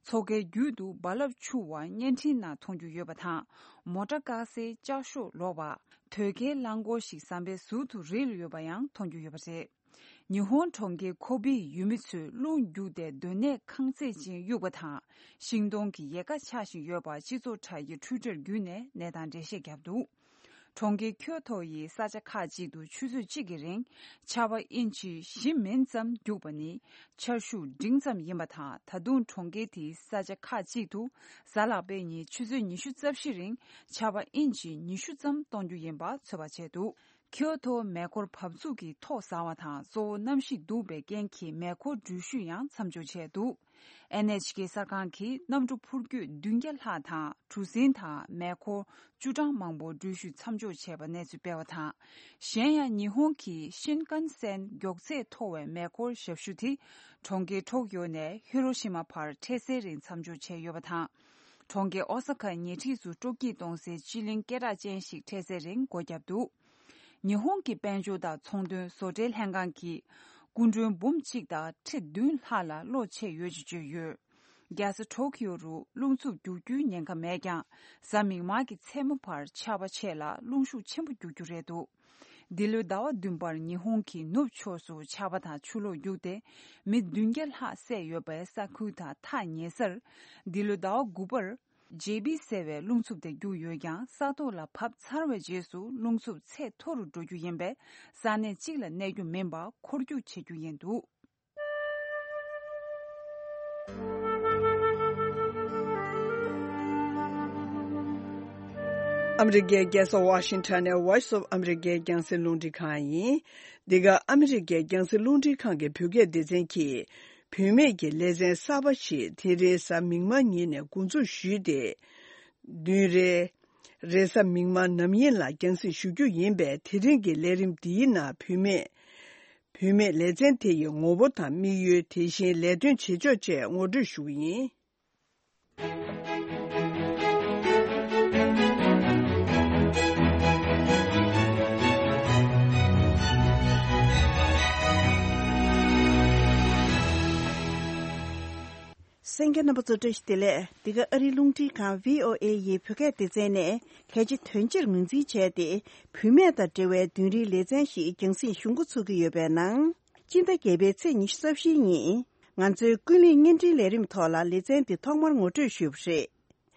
མཚོ་ཁའི་རྒྱུད་དུ་རྦ་རླབས་འཕྱུར་བ་བརྙན་འཕྲིན་ནང་མཐོང་རྒྱུ་ཡོད་པ་དང་། མོ་ཊ་བཀག་སའི་ལྕགས་ཤོག་ལོག་པ། དོས་སྐྱེལ་རླངས་འཁོར་ཞིག་ཟམ་པའི་ཟུར་དུ་རིལ་ཡོད་པ་ཡང་མཐོང་རྒྱུ་ཡོད་པ་རེད། ཉི་ཧོང་གྲོང་ཁྱེར་ཁོ་པེའི་ཡུལ་མི་ཚོས་རླུང་རྒྱུག་སྟེ་སྡོད་གནས་ཁང་བརྩེགས་ཅན་གཡུགས་པ་དང་། ཤིང་སྡོང་གི་ཡལ་ག་ཆག་བཞིན་ཡོད་པ་སྤྱི་ཚོགས་དྲ་རྒྱའི་Twitter་བརྒྱུད་ནས་གནས་སྟངས་འགྲེལ་བཤད་བརྒྱབ་འདུག་གྲོང་ཁྱེར་ཁྱོ་ཐོ་ཡི་ས་ཆ་ཁག་ཅིག་ཏུ་ཆུ་ཚོད་གཅིག་གི་རིང་ཆར་པ་ཨིན་ཅི་བཞི་མིན་ཙམ་རྒྱུག་པ་ནི་ཆར་ཤུགས་འབྲིང་ཙམ་ཡིན་པ་དང་། ད་དུང་གྲོང་ཁྱེར་དེའི་ས་ཆ་ཁག་ཅིག་ཏུ་གཟའ་ལྷག་པའི་ཉིན་ཆུ་ཚོད་ཉི་ཤུ་རྩ་བཞི་རིང་ཆར་པ་ཨིན་ཅི་ཉི་ཤུ་ཙམ་གཏོང་རྒྱུ་ཡིན་པ་ཚོད་དཔག་བྱས་འདུག་ཁྱོ་ཐོ་མེ་འཁོར་བབས་ཚུགས་ཀྱི་ཐོག་ཟ་བ་དང་གཙོ་བོ་གནམ་གཤིས་སྡུག་པའི་རྐྱེན་གྱིས་མེ་འཁོར་འགྲུལ་བཞུད་ཡང་མཚམས་འཇོག་བྱས་འདུག་ཨེན་ཨེཆ་ཀེ་གསར་ཁང་གིས་གནམ་གྲུ་འཕུར་སྐྱོད་བདུན་བརྒྱ་ལྷག་དང་གྲུ་གཟིངས་དང་མེ་འཁོར་བཅུ་གྲངས་མང་པོ་འགྲུལ་བཞུད་མཚམས་འཇོག་བྱས་པ་གནས་ཚུལ་སྤེལ་བ་དང་། གཞན་ཡང་ཉི་ཧོང་གི་ཤིན་ཀན་སན་མགྱོགས་ཚད་མཐོ་བའི་མེ་འཁོར་ཞབས་ཞུ་དེ་གྲོང་ཁྱེར་ཊོ་ཀིའོ་ནས་ཧི་རོ་ཤི་མ་བར་འཕྲལ་སེལ་རིང་མཚམས་འཇོག་བྱས་ཡོད་པ་དང་། གྲོང་ཁྱེར་ཨོ་ས་ཁ་ཉེ་འཁྲིས་སུ་སྤྲོ་སྐྱིད་གཏོང་སའི་སྤྱི་གླིང་སྐད་གྲགས་ཅན་ཞིག་འཕྲལ་སེལ་རིང་སྒོ་བརྒྱབ་འདུག་ཉི་ཧོང་གི་དཔལ་འབྱོར་དང་ཚོང་དོན་བཟོ་གྲྭའི་ལྷན་ཁང་གིས་སྐུ་མགྲོན་འབུམ་གཅིག་དང་ཁྲི་བདུན་ལྷག་ལ་བློ་ཆེ་ཡོད་ཅེས་བརྗོད་ཡོད། རྒྱལ་ས་ཊོ་ཀིའོ་རུ་རླུང་འཚུབ་རྒྱུག་རྒྱུའི་ཉེན་ཁ་མེད་ཀྱང་། གཟའ་མིག་དམར་གྱི་མཚན་མོ་བར་ཆར་པ་ཆེ་ལ་རླུང་ཤུགས་ཆེན་པོ་རྒྱུག་རྒྱུ་རེད་འདུག་འདི་ལོའི་ཟླ་བ་བདུན་པར་ཉི་ཧོང་གི་ནུབ་ཕྱོགས་སུ་ཆར་པ་དང་ཆུ་ལོག་རྒྱུག་སྟེ། མི་བདུན་བརྒྱ་ལྷག་བསད་ཡོད་པའི་ས་ཁུལ་དང་ཐག་ཉེ་སར། འདི་ལོའི་ཟླ་བ་དགུ་པར། ཇེ་བི་ཟེར་བའི་རླུང་འཚུབ་དེ་རྒྱུག་ཡོད་ཀྱང་། ས་ཐོག་ལ་བབས་ཚར་བའི་རྗེས་སུ་རླུང་འཚུབ་ཚད་མཐོ་རུ་འགྲོ་རྒྱུ་ཡིན་པས། ས་གནས་གཅིག་ལ་གནས་རྒྱུ་མིན་པར་འཁོར་རྒྱུག་བྱེད་རྒྱུ་ཡིན་འདུག་ཨ་མི་རི་ཀའི་རྒྱལ་ས་ཝ་ཤིང་ཊོན་ནས་Voice of America་རྒྱང་སྲིང་རླུང་འཕྲིན་ཁང་ཡིན། འདི་ག་ཨ་མི་རི་ཀའི་རྒྱང་སྲིང་རླུང་འཕྲིན་ཁང་གི་བོད་སྐད་སྡེ་ཚན་གྱིས། བུད་མེད་ཀྱི་ལེ་ཚན་གསར་པ་ཞིག་དེ་རིང་གཟའ་མིག་དམར་ཉིན་ནས་འགོ་འཛུགས་ཞུས་ཏེ། བདུན་རེ། རེས་གཟའ་མིག་དམར་ནམ་ཡིན་ལ་རྒྱང་སྲིང་ཞུ་རྒྱུ་ཡིན་པས། དེ་རིང་གི་ལས་རིམ་འདིའི་ནང་བུད་མེད། བུད་མེད་ལེ་ཚན་དེ་ཡི་ངོ་བོ་དང་དམིགས་ཡུལ། དེ་བཞིན་ལས་དོན་བྱེད་ཕྱོགས་བཅས་ངོ་སྤྲོད་ཞུ་གི་ཡིན། གསན་མཁན་རྣམ་པ་ཚོ་བཀྲ་ཤིས་བདེ་ལེགས། འདི་ག་ཨ་རིའི་རླུང་འཕྲིན་ཁང་VOA་ཡི་བོད་སྐད་སྡེ་ཚན་ནས་གལ་ཆེ་དོན་ཆེར་ངོས་འཛིན་བྱས་ཏེ། བུད་མེད་དང་འབྲེལ་བའི་བདུན་རེའི་ལེ་ཚན་ཞིག་རྒྱང་སྲིང་ཞུ་འགོ་ཚུགས་ཀྱི་ཡོད་པའི་ནང་། སྤྱི་ཟླ་བརྒྱད་པའི་ཚེས་ཉི་ཤུ་རྩ་བཞིའི་ཉིན། ང་ཚོའི་ཀུན་གླེང་བརྙན་འཕྲིན་ལས་རིམ་ཐོག་ལ་ལེ་ཚན་འདི་ཐོག་མར་ངོ་སྤྲོད་ཞུས་པ་རེད།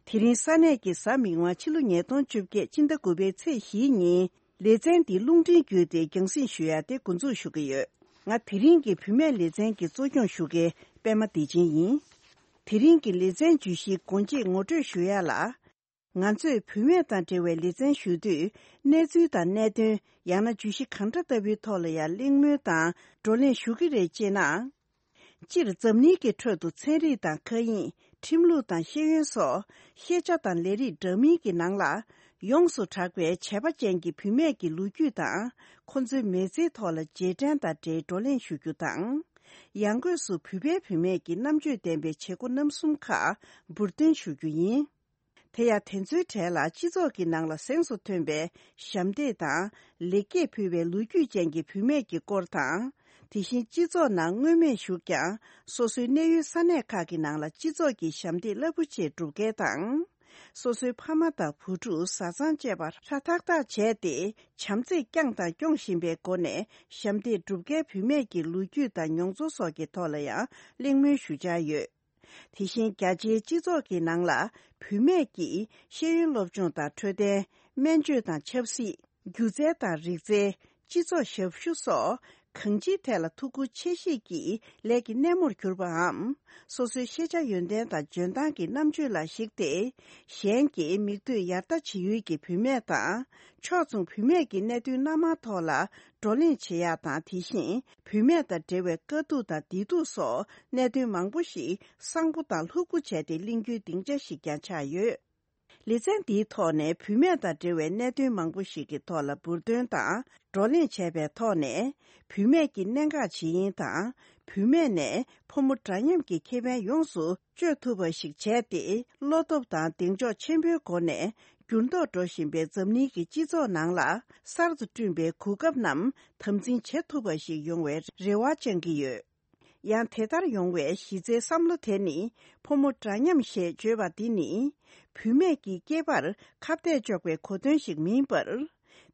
དེ་རིང་ས་གནས་ཀྱི་གཟའ་མིག་དམར་ཕྱི་ལོ་ཉིས་སྟོང་བཅོ་བརྒྱད་སྤྱི་ཟླ་དགུ་པའི་ཚེས་བཞིའི་ཉིན། ལེ་ཚན་འདི་རླུང་འཕྲིན་བརྒྱུད་དེ་རྒྱང་སྲིང་ཞུ་ཡ་དེ་འགོ་འཛུགས་ཞུ་གི་ཡོད། ང་དེ་རིང་གི་བུད་མེད་ལེ་ཚན་གྱི་གཙོ་སྐྱོང་ཞུ་མཁན་པད་མ་བདེ་ཆེན་ཡིན། དེ་རིང་གི་ལེ་ཚན་བརྗོད་གཞིའི་སྒོ་འབྱེད་ངོ་སྤྲོད་ཞུ་ཡ་ལ། ང་ཚོས་བུད་མེད་དང་འབྲེལ་བའི་ལེ་ཚན་ཞུ་དུས། གནས་ཚུལ་དང་གནད་དོན། ཡང་ན་བརྗོད་གཞི་གང་འདྲ་ལྟ་བུའི་ཐོག་ལ་ཡང་གླེང་མོལ་དང་བགྲོ་གླེང་ཞུ་གི་རེད་ཅེ་ན། སྤྱིར་འཛམ་གླིང་གི་ཁྲོད་དུ་ཚན་རིག་དང་མཁའ་དབྱིངས། ཁྲིམས་ལུགས་དང་ཤེས་ཡོན་སོགས་ཤེས་བྱ་དང་ལས་རིགས་འདྲ་མིན་གྱི་ནང་ལ་ཡོངས་སུ་གྲགས་པའི་བྱས་པ་ཅན་གྱི་བུད་མེད་ཀྱི་ལོ་རྒྱུས་དང་། ཁོ་ཚོའི་མི་ཚེའི་ཐོག་ལ་རྗེས་དྲན་དང་འབྲེལ་བགྲོ་གླེང་ཞུ་རྒྱུ་དང་། ཡང་སྒོས་སུ་བོད་པའི་བུད་མེད་ཀྱི་རྣམ་དཔྱོད་ལྡན་པའི་བྱེད་སྒོ་རྣམ་གསུམ་ཁག་འབུར་འདོན་ཞུ་རྒྱུ་ཡིན། དེ་ཡང་དེ་ཚོའི་གྲས་ལ་སྤྱི་ཚོགས་ཀྱི་ནང་ལ་གཟེངས་སུ་ཐོན་པའི་ཞབས་འདེགས་དང་ལེགས་སྐྱེས་ཕུལ་བའི་ལོ་རྒྱུས་ཅན་གྱི་བུད་མེད་ཀྱི་སྐོར་དང་། དེ་བཞིན་སྤྱི་ཚོགས་ནང་མངོན་མེད་བཞུགས་ཀྱང་། སོ་སོའི་གནས་ཡུལ་ས་གནས་ཁག་གི་ནང་ལ་སྤྱི་ཚོགས་ཀྱི་ཞབས་འདེགས་རླབས་པོ་ཆེ་སྒྲུབ་མཁན་དང་། སོ་སོའི་ཕ་མ་དང་བུ་ཕྲུག་བཟའ་ཚང་བཅས་པ་ཧྲ་ཐག་ཐག་བྱས་ཏེ། བྱམས་བརྩེས་བསྐྱངས་དང་སྐྱོང་བཞིན་པའི་སྒོ་ནས་ཞབས་འདེགས་སྒྲུབ་མཁན་བུད་མེད་ཀྱི་ལོ་རྒྱུས་དང་མྱོང་ཚོར་སོགས་ཀྱི་ཐོག་ལ་ཡང་གླེང་མོལ་ཞུ་འཆར་ཡོད། དེ་བཞིན་རྒྱ་ཆེའི་སྤྱི་ཚོགས་ཀྱི་ནང་ལ་བུད་མེད་ཀྱིས་ཤེས་ཡོན་སློབ་སྦྱོང་དང་འཕྲོད་བསྟེན། སྨན་བཅོས་དང་ཆབ་སྲིད། སྒྱུ་རྩལ་དང་རིག་རྩལ། སྤྱི་ཚོགས་ཞབས་ཞུ་སོགས་གང་ཅིའི་ཐད་ལ་ཐུགས་ཁུར་ཆེ་བཞེས་ཀྱིས་ལས་ཀྱི་སྣེ་མོར་གྱུར་པའམ། སོ་སོའི་ཤེས་བྱ་ཡོན་ཏན་དང་འཇོན་ཐང་གི་རྣམ་དཔྱོད་ལ་གཞིགས་ཏེ། གཞན་གྱི་མིག་ལྟོས་ཡར་ལྟ་བྱེད་ཡུལ་གྱི་བུད་མེད་དང་། ཕྱོགས་མཚུངས་བུད་མེད་ཀྱི་གནད་དོན་སྣ་མང་ཐོག་ལ་བགྲོ་གླེང་བྱེད་ཡག་དང་། དེ་བཞིན་བུད་མེད་དང་འབྲེལ་བའི་དཀའ་སྡུག་དང་བདེ་སྡུག་སོགས་གནད་དོན་མང་པོ་ཞིག་གསང་པོ་དང་ལྷུག་པོ་བྱས་ཏེ་གླེང་རྒྱུའི་སྡིངས་ཆ་ཞིག་ཀྱང་ཆགས་ཡོད། ལེ་ཚན་འདིའི་ཐོག་ནས་བུད་མེད་དང་འབྲེལ་བའི་གནད་དོན་མང་པོ་ཞིག་གི་ཐོག་ལ་འབུར་འདོན་དང་བགྲོ་གླེང་བྱས་པའི་ཐོག་ནས། བུད་མེད་ཀྱི་གནད་འགག་ཇི་ཡིན་དང་། བུད་མེད་ནས་ཕོ་མོ་འདྲ་མཉམ་གྱི་ཁེ་ཕན་ཡོངས་སུ་སྤྱོད་ཐུབ་པ་ཞིག་བྱས་ཏེ། བློ་སྟོབས་དང་གདེང་འཇོག་ཆེན་པོའི་སྒོ་ནས་འགྱུར་ལྡོག་འགྲོ་བཞིན་པའི་འཛམ་གླིང་གི་སྤྱི་ཚོགས་ནང་ལ་གསར་དུ་བསྐྲུན་པའི་གོ་སྐབས་རྣམས་དམ་འཛིན་བྱེད་ཐུབ་པ་ཞིག་ཡོང་བའི་རེ་བ་བཅང་གི་ཡོད། ཡང་དེ་ལྟར་ཡོང་བའི་གཞི་རྩའི་བསམ་བློ་དེ་ནི་ཕོ་མོ་འདྲ་མཉམ་ཞེས་བརྗོད་པ་འདི་ནི་བུད་མེད་ཀྱི་སྐྱེས་པར་ཁ་གཏད་གཅོག་པའི་གོ་དོན་ཞིག་མིན་པར།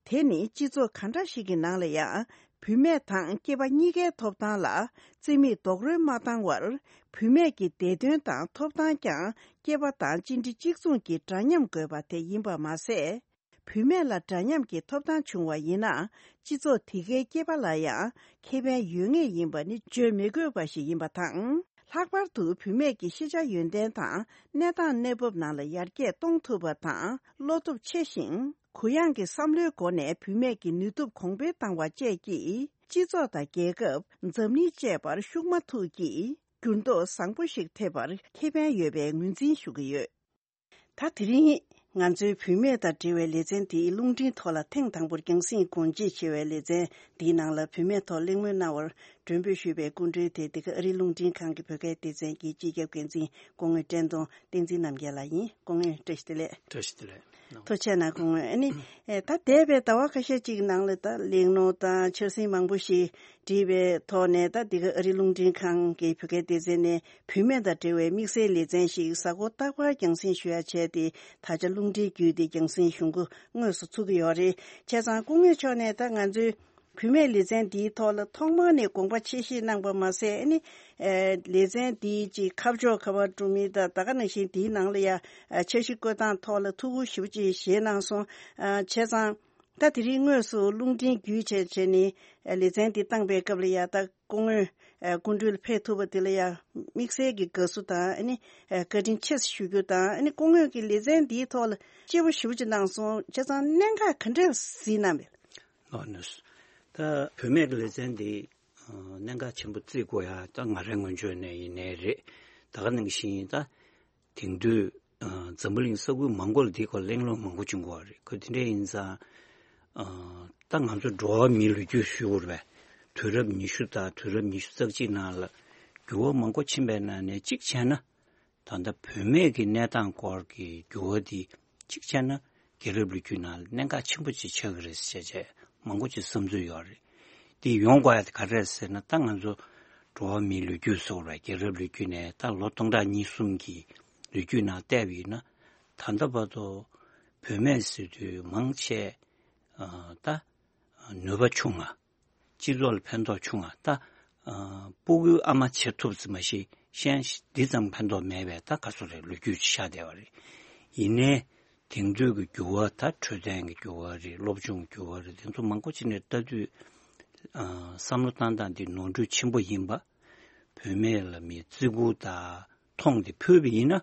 དེ་ནི་སྤྱི་ཚོགས་ག་འདྲ་ཞིག་གི་ནང་ལ་ཡང་བུད་མེད་དང་སྐྱེས་པ་གཉིས་ཀའི་ཐོབ་ཐང་ལ་རྩིས་མེད་རྡོག་རོལ་མ་བཏང་བར། བུད་མེད་ཀྱི་བདེ་དོན་དང་ཐོབ་ཐང་ཀྱང་སྐྱེས་པ་དང་གཅིག་འདྲ་གཅིག་མཚུངས་ཀྱི་འདྲ་མཉམ་དགོས་པ་དེ་ཡིན་པ་མ་ཟད། བུད་མེད་ལ་འདྲ་མཉམ་གྱི་ཐོབ་ཐང་བྱུང་བ་ཡིན་ན། སྤྱི་ཚོགས་དེ་གའི་སྐྱེས་པ་ལ་ཡང་ཁེ་ཕན་ཡོད་ངེས་ཡིན་པ་ནི་བརྗོད་མི་དགོས་པ་ཞིག་ཡིན་པ་དང་། ལྷག་པར་དུ་བུད་མེད་ཀྱི་ཤེས་བྱ་ཡོན་ཏན་དང་གནས་སྟངས་གནས་བབ་ནང་ལ་ཡར་རྒྱས་གཏོང་ཐུབ་པ་དང་། བློ་སྟོབས་ཆེ་ཞིང་གུ་ཡངས་ཀྱི་བསམ་བློའི་སྒོ་ནས་བུད་མེད་ཀྱི་ནུས་སྟོབས་གོང་འཕེལ་བཏང་བ་བཅས་ཀྱིས། སྤྱི་ཚོགས་དང་རྒྱལ་ཁབ། འཛམ་གླིང་བཅས་པར་ཤུགས་མ་ཐུག་གིས་འགྱུར་ལྡོག་བཟང་པོ་ཞིག་ཐེབས་པར་ཁེ་ཕན་ཡོད་པའི་ངོས་འཛིན་ཞུ་གི་ཡོད། ད་དེ་རིང་ང་ཚོའི་བུད་མེད་དང་འབྲེལ་བའི་ལེ་ཚན་དེའི་རླུང་འཕྲིན་ཐོག་ལ་ཐེངས་དང་པོར་རྒྱང་སྲིང་སྒོ་འབྱེད་བྱེད་པའི་ལེ་ཚན་འདིའི་ནང་ལ་བུད་མེད་ཐོག་གླེང་མོལ་གནང་བར་མགྲོན་འབོད་ཞུས་པའི་སྐུ་མགྲོན་དེ་འདི་ག་ཨ་རིའི་རླུང་འཕྲིན་ཁང་གི་བོད་སྐད་སྡེ་ཚན་གྱི་སྤྱི་ཁྱབ་འགན་འཛིན་སྐུ་ངོ་བཀྲས་མཐོང་བསྟན་འཛིན་རྣམ་རྒྱལ་ལགས་ཡིན། སྐུ་ངོ་བཀྲ་ཤིས་བདེ་ལེགས། བཀྲ་ཤིས་བདེ་ལེགས། ཐུགས་རྗེ་གནང་སྐུ་ངོ། ཨ་ནི་ཨེ་ད་འདས་པའི་ཟླ་བ་ཁ་ཤས་ཅིག་ནང་ལ་ད་གླེང་སློང་དང་འཆར་ཟིན་མང་པོ་ཞིག་བྲིས་པའི་ཐོག་ནས། ད་འདི་ག་ཨ་རིའི་རླུང་འཕྲིན་ཁང་གི་བོད་སྐད་སྡེ་ཚན་ནས་བུད་མེད་དང་འབྲེལ་བའི་དམིགས་བསལ་ལེ་ཚན་ཞིག་གཟའ་འཁོར་རྟག་པར་རྒྱང་སྲིང་ཞུ་ཡ་བྱས་ཏེ། ད་ཆ་རླུང་འཕྲིན་བརྒྱུད་དེ་རྒྱང་སྲིང་ཞུ་འགོ་དངོས་སུ་ཚུགས་ཀྱི་ཡོད་རེད། བྱས་ཙང་སྐུ་ངོ་མཆོག་ནས་ད་ང་ཚོའི་བུད་མེད་ལེ་ཚན་འདིའི་ཐོག་ལ་ཐོག་མར་ནས་དགོངས་པ་ཆེ་བཞེས་གནང་པ་མ་ཟད། ཨ་ནི་ཨེ་ལེ་ཚན་འདིའི་ཅིག་ཁ་ཕྱོགས་ག་པར་འགྲོ་མིན་དང་། ད་ག་ནང་བཞིན་འདིའི་ནང་ལ་ཡ་ཨ་འཆར་གཞི་བཀོད་སྟངས་ཐོག་ལ་ཐུགས་ཁུར་ཞེ་པོ་ཅིག་བཞེས་གནང་སོང་། ཨ་བྱས་ཙང་ད་དེ་རིང་དངོས་སུ་རླུང་འཕྲིན་བརྒྱུད་བྱས་བྱས་ནས་ཨ་ལེ་ཚན་འདི་བཏང་པའི་སྐབས་ལ་ཡ། ད་སྐུ་ངོ་ཨ་སྐུ་མགྲོན་ལ་ཕེབས་ཐུབ་པ་དེ་ལ་ཡ་དམིགས་བསལ་གྱི་དགའ་བསུ་དང་། ཨ་ནི་ཨ་བཀའ་དྲིན་ཆེ་ཞུ་རྒྱུ་དང་། ཨ་ནི་སྐུ་ངོ་གིས་ལེ་ཚན་འདིའི་ཐོག་ལ་སྤྱོད་པོ་ཞེ་པོ་ཅིག་གནང་སོང་། བྱས་ཙང་གནད་འགག་ག་འདྲས་གཟིགས་གནང་བས། ལགས་ནས། ད་བུད་མེད་ཀྱི་ལེ་ཚན་འདི་ཨ་གནད་འགག་ཆེན་པོ་བརྩི་དགོས་ཡ་ད་ང་རའི་ངོས་ཕྱོགས་ནས་ཡིན་ནའི་རེད། ད་ག་ནང་བཞིན་ད་དེང་དུས་ཨ་འཛམ་བུ་གླིང་ས་ཁུལ་མང་པོ་ལ་འདིའི་སྐོར་གླེང་སློང་མང་པོ་བྱུང་གི་ཡོད་རེད། ཁོ་དེ་འདྲ་ཡིན་ཙང་ཨ་ད་ང་ཚོ་འགྲོ་བ་མིའི་ལོ་རྒྱུས་ཞུ་དགོས་རེད་པས། དུས་རབས་ཉི་ཤུ་དང་དུས་རབས་ཉི་ཤུ་རྩ་གཅིག་ནང་ལ་འགྱུར་བ་མང་པོ་ཕྱིན་པའི་ནང་ནས་གཅིག་བྱས་ན། ད་ལྟ་བུད་མེད་ཀྱི་གནས་སྟངས་སྐོར་གྱི་འགྱུར་བ་འདི་གཅིག་བྱས་ན་རྒྱལ་རབས་ལོ་རྒྱུས་ནང་ལ་གནད་འགག་ཆེན་པོ་ཅིག་ཆགས་ཀྱི་རེད་ཟེར་བྱས་མང་པོ་ཅིག་བསམ་ཚུལ་ཡོད་རེད། འདི་ཡོང་དགོས་ཡ་དེ་ག་རེ་རེད་ཟེར་ན། ད་ང་ཚོ་འགྲོ་བ་མིའི་ལོ་རྒྱུས་ཟེར་བ་རེད། རྒྱལ་རབས་ལོ་རྒྱུས་ནས་ད་ལོ་སྟོང་ཕྲག་གཉིས་གསུམ་གྱི་ལོ་རྒྱུས་ནང་བལྟས་པ་ཡིན་ན། ད་ལྟ་བར་དུ་བུད་མེད་ཟེར་དུས་མང་ཆེ་ད་ནུས་པ་ཆུང་ང་། སྤྱི་ཚོགས་ལ་ཕན་ཐོགས་ཆུང་ང་། ད་ཨ་སྤུ་གུའི་ཨ་མ་བྱེད་ཐུབ་ཙམ་མ་གཞི་གཞན་འདི་ཙམ་ཕན་ཐོགས་མེད་པའི་ད་ག་ཚོད་རེད། ལོ་རྒྱུས་ཤར་བསྡད་པ་རེད། ཡིན་ནའི་དེང་དུས་ཀྱི་འགྱུར་བ། ད་འཕྲོད་བསྟེན་གྱི་འགྱུར་བ་རེད། སློབ་སྦྱོང་གི་འགྱུར་བ་རེད། དེ་ཚོ་མང་པོ་ཅིག་ནས་ལྟ་དུས་ཨ་བསམ་བློ་བཏང་སྟངས་འདི་ནོར་འཁྲུལ་ཆེན་པོ་ཡིན་པ། བུད་མེད་ལ་མི་བརྩི་བཀུར་དང་མཐོང་དེ་ཕུལ་བ་ཡིན་ན།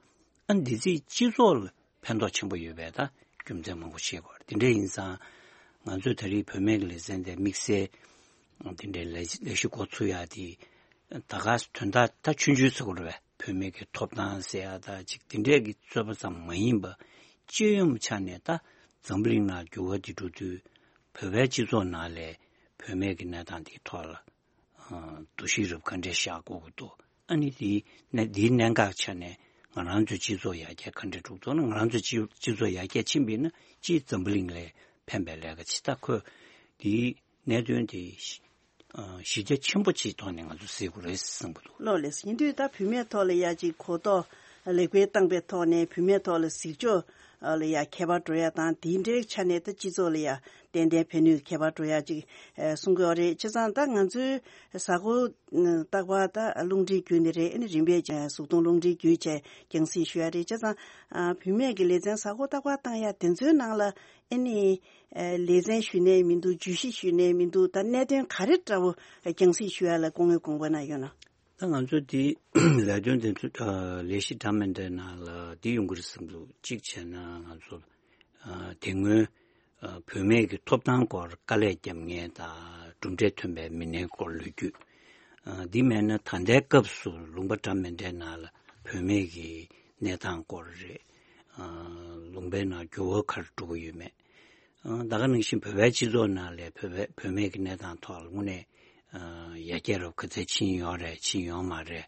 ཨ་འདི་ཚོས་སྤྱི་ཚོགས་ལ་ཕན་ཐོགས་ཆེན་པོ་ཡོད་པའི་ད་རྒྱུ་མཚན་མང་པོ་ཤེས་དགོས་རེད། དེ་འདྲ་ཡིན་ཙང་ང་ཚོས་ད་རེས་བུད་མེད་ཀྱི་ལེ་ཚན་དེ་དམིགས་བསལ་དེ་འདྲའི་ལས་ལས་གཞི་འགོ་ཚུགས་ཡ་དེ། ད་ག་དོན་དག་ད་ཆུང་ཆུང་ཟེར་དགོས་རེད་པས། བུད་མེད་ཀྱི་ཐོབ་ཐང་ཟེར་ཡ་ད་ཅིག་དེ་འདྲའི་གི་རྩོད་པ་ཙམ་མ་ཡིན་པ། སྤྱི་ཡོངས་ཆ་ནས་ད་འཛམ་བུ་གླིང་ནང་འགྱུར་བ་འདི་འགྲོ་དུས་བོད་པའི་སྤྱི་ཚོགས་ནང་ལ་བུད་མེད་ཀྱི་གནས་སྟངས་འདིའི་ཐོག་ལ་འདུ་ཤེས་རབ་ག་འདྲས་བཞག་དགོས་ཀྱི་འདུག་ཨ་ནི་དེའི་གནད་འདིའི་གནད་འགག་ཆ་ནས་ང་རང་ཚོའི་སྤྱི་ཚོགས་ཡར་རྒྱས་ག་འདྲས་འགྲོ་གི་འདུག་ན། ང་རང་ཚོའི་སྤྱི་སྤྱི་ཚོགས་ཡར་རྒྱས་ཕྱིན་པ་ཡིན་ན་སྤྱིའི་འཛམ་བུ་གླིང་ལ་ཕན་པའི་ལས་ཀ་བྱེད། ད་ཁོས་དེའི་གནད་དོན་དེ་གཞི་ཨ་གཞི་རྒྱ་ཆེན་པོ་ཅིག་ཐོག་ནས་ང་ཚོ་གཟིགས་དགོས་རེད་བསམ་གྱི་འདུག་ལགས་ལགས། ཡིན་དུས་ད་བུད་མེད་ཐོག་ལ་ཡ་ཅིག་གོ་རྟོགས་ལེགས་སྤེལ་བཏང་པའི་ཐོག་ནས་བུད་མེད་ཐོག་ལ་གཟིགས་ཕྱོགས་ལ་ཡ་ཁྱད་པར་འགྲོ་ཡ་དང་། དེའི་འབྲེལ་ཆ་ནས་ད་སྤྱི་ཚོགས་ལ་ཡ་ཏན་ཏན་ཕན་ནུས་ཁྱད་པར་འགྲོ་ཡ་ཅིག་ཨ་གསུང་གི་ཡོད་རེད། བྱས་ཙང་ད་ང་ཚོའི་གཟའ་འཁོར་རྟག་པར་ད་རླུང་འཕྲིན་བརྒྱུད་ནས་རེད། ཨ་ནི་རིམ་པས་གཟུགས་མཐོང་རླུང་འཕྲིན་བརྒྱུད་བྱས་རྒྱང་སྲིང་ཞུ་ཡ་རེད། བྱས་ཙང་ཨ་བུད་མེད་ཀྱི་ལེ་ཚན་གཟའ་འཁོར་རྟག་པར་བཏང་ཡ་དེ་ཚོའི་ནང་ལ་ཨ་ནི་ཨ་ལེ་ཚན་ཞུ་ནའི་མི་འདུག་བརྗོད་གཞི་ཞུ་ནའི་མི་འདུག་ད་གནད་དོན་ག་རེ་འདྲ་བོ་རྒྱང་སྲིང་ཞུ་ཡ་ལ་སྐུ་ངོས་དགོངས་པ་གནང་ཡོད་ན། ད་ང་ཚོ་འདི་ལས་དོན་དེ་ཚོ་ལས་གཞི་འདྲ་མི་འདྲའི་ནང་ལ་འདི་ཡོང་གི་རེད་བསམ་འདུག་གཅིག་བྱས་ན་ང་ཚོ་དེ་སྔོན་བུད་མེད་ཀྱི་ཐོབ་ཐང་སྐོར་དཀའ་ལས་བརྒྱབ་མཁན་དང་གྲུབ་འབྲས་ཐོན་པའི་མི་སྣའི་སྐོར་ལོ་རྒྱུས། འདི་མེད་ན་ད་ལྟའི་སྐབས་སུ་ལུང་པ་འདྲ་མི་འདྲའི་ནང་ལ་བུད་མེད་ཀྱི་གནས་སྟངས་སྐོར་རེད། ལུང་པའི་ནང་འགྱུར་བ་ག་རེ་འགྲོ་གི་ཡོད་མེད། ད་ག་ནང་བཞིན་བོད་པའི་སྤྱི་ཚོགས་ནང་ལ་བོད་པའི་བུད་མེད་ཀྱི་གནས་སྟངས་ཐོག་ལ་དངོས་གནས་ཡར་རྒྱས་རབ་ག་ཚད་ཕྱིན་ཡོད་རེད། ཕྱིན་ཡོད་མ་རེད།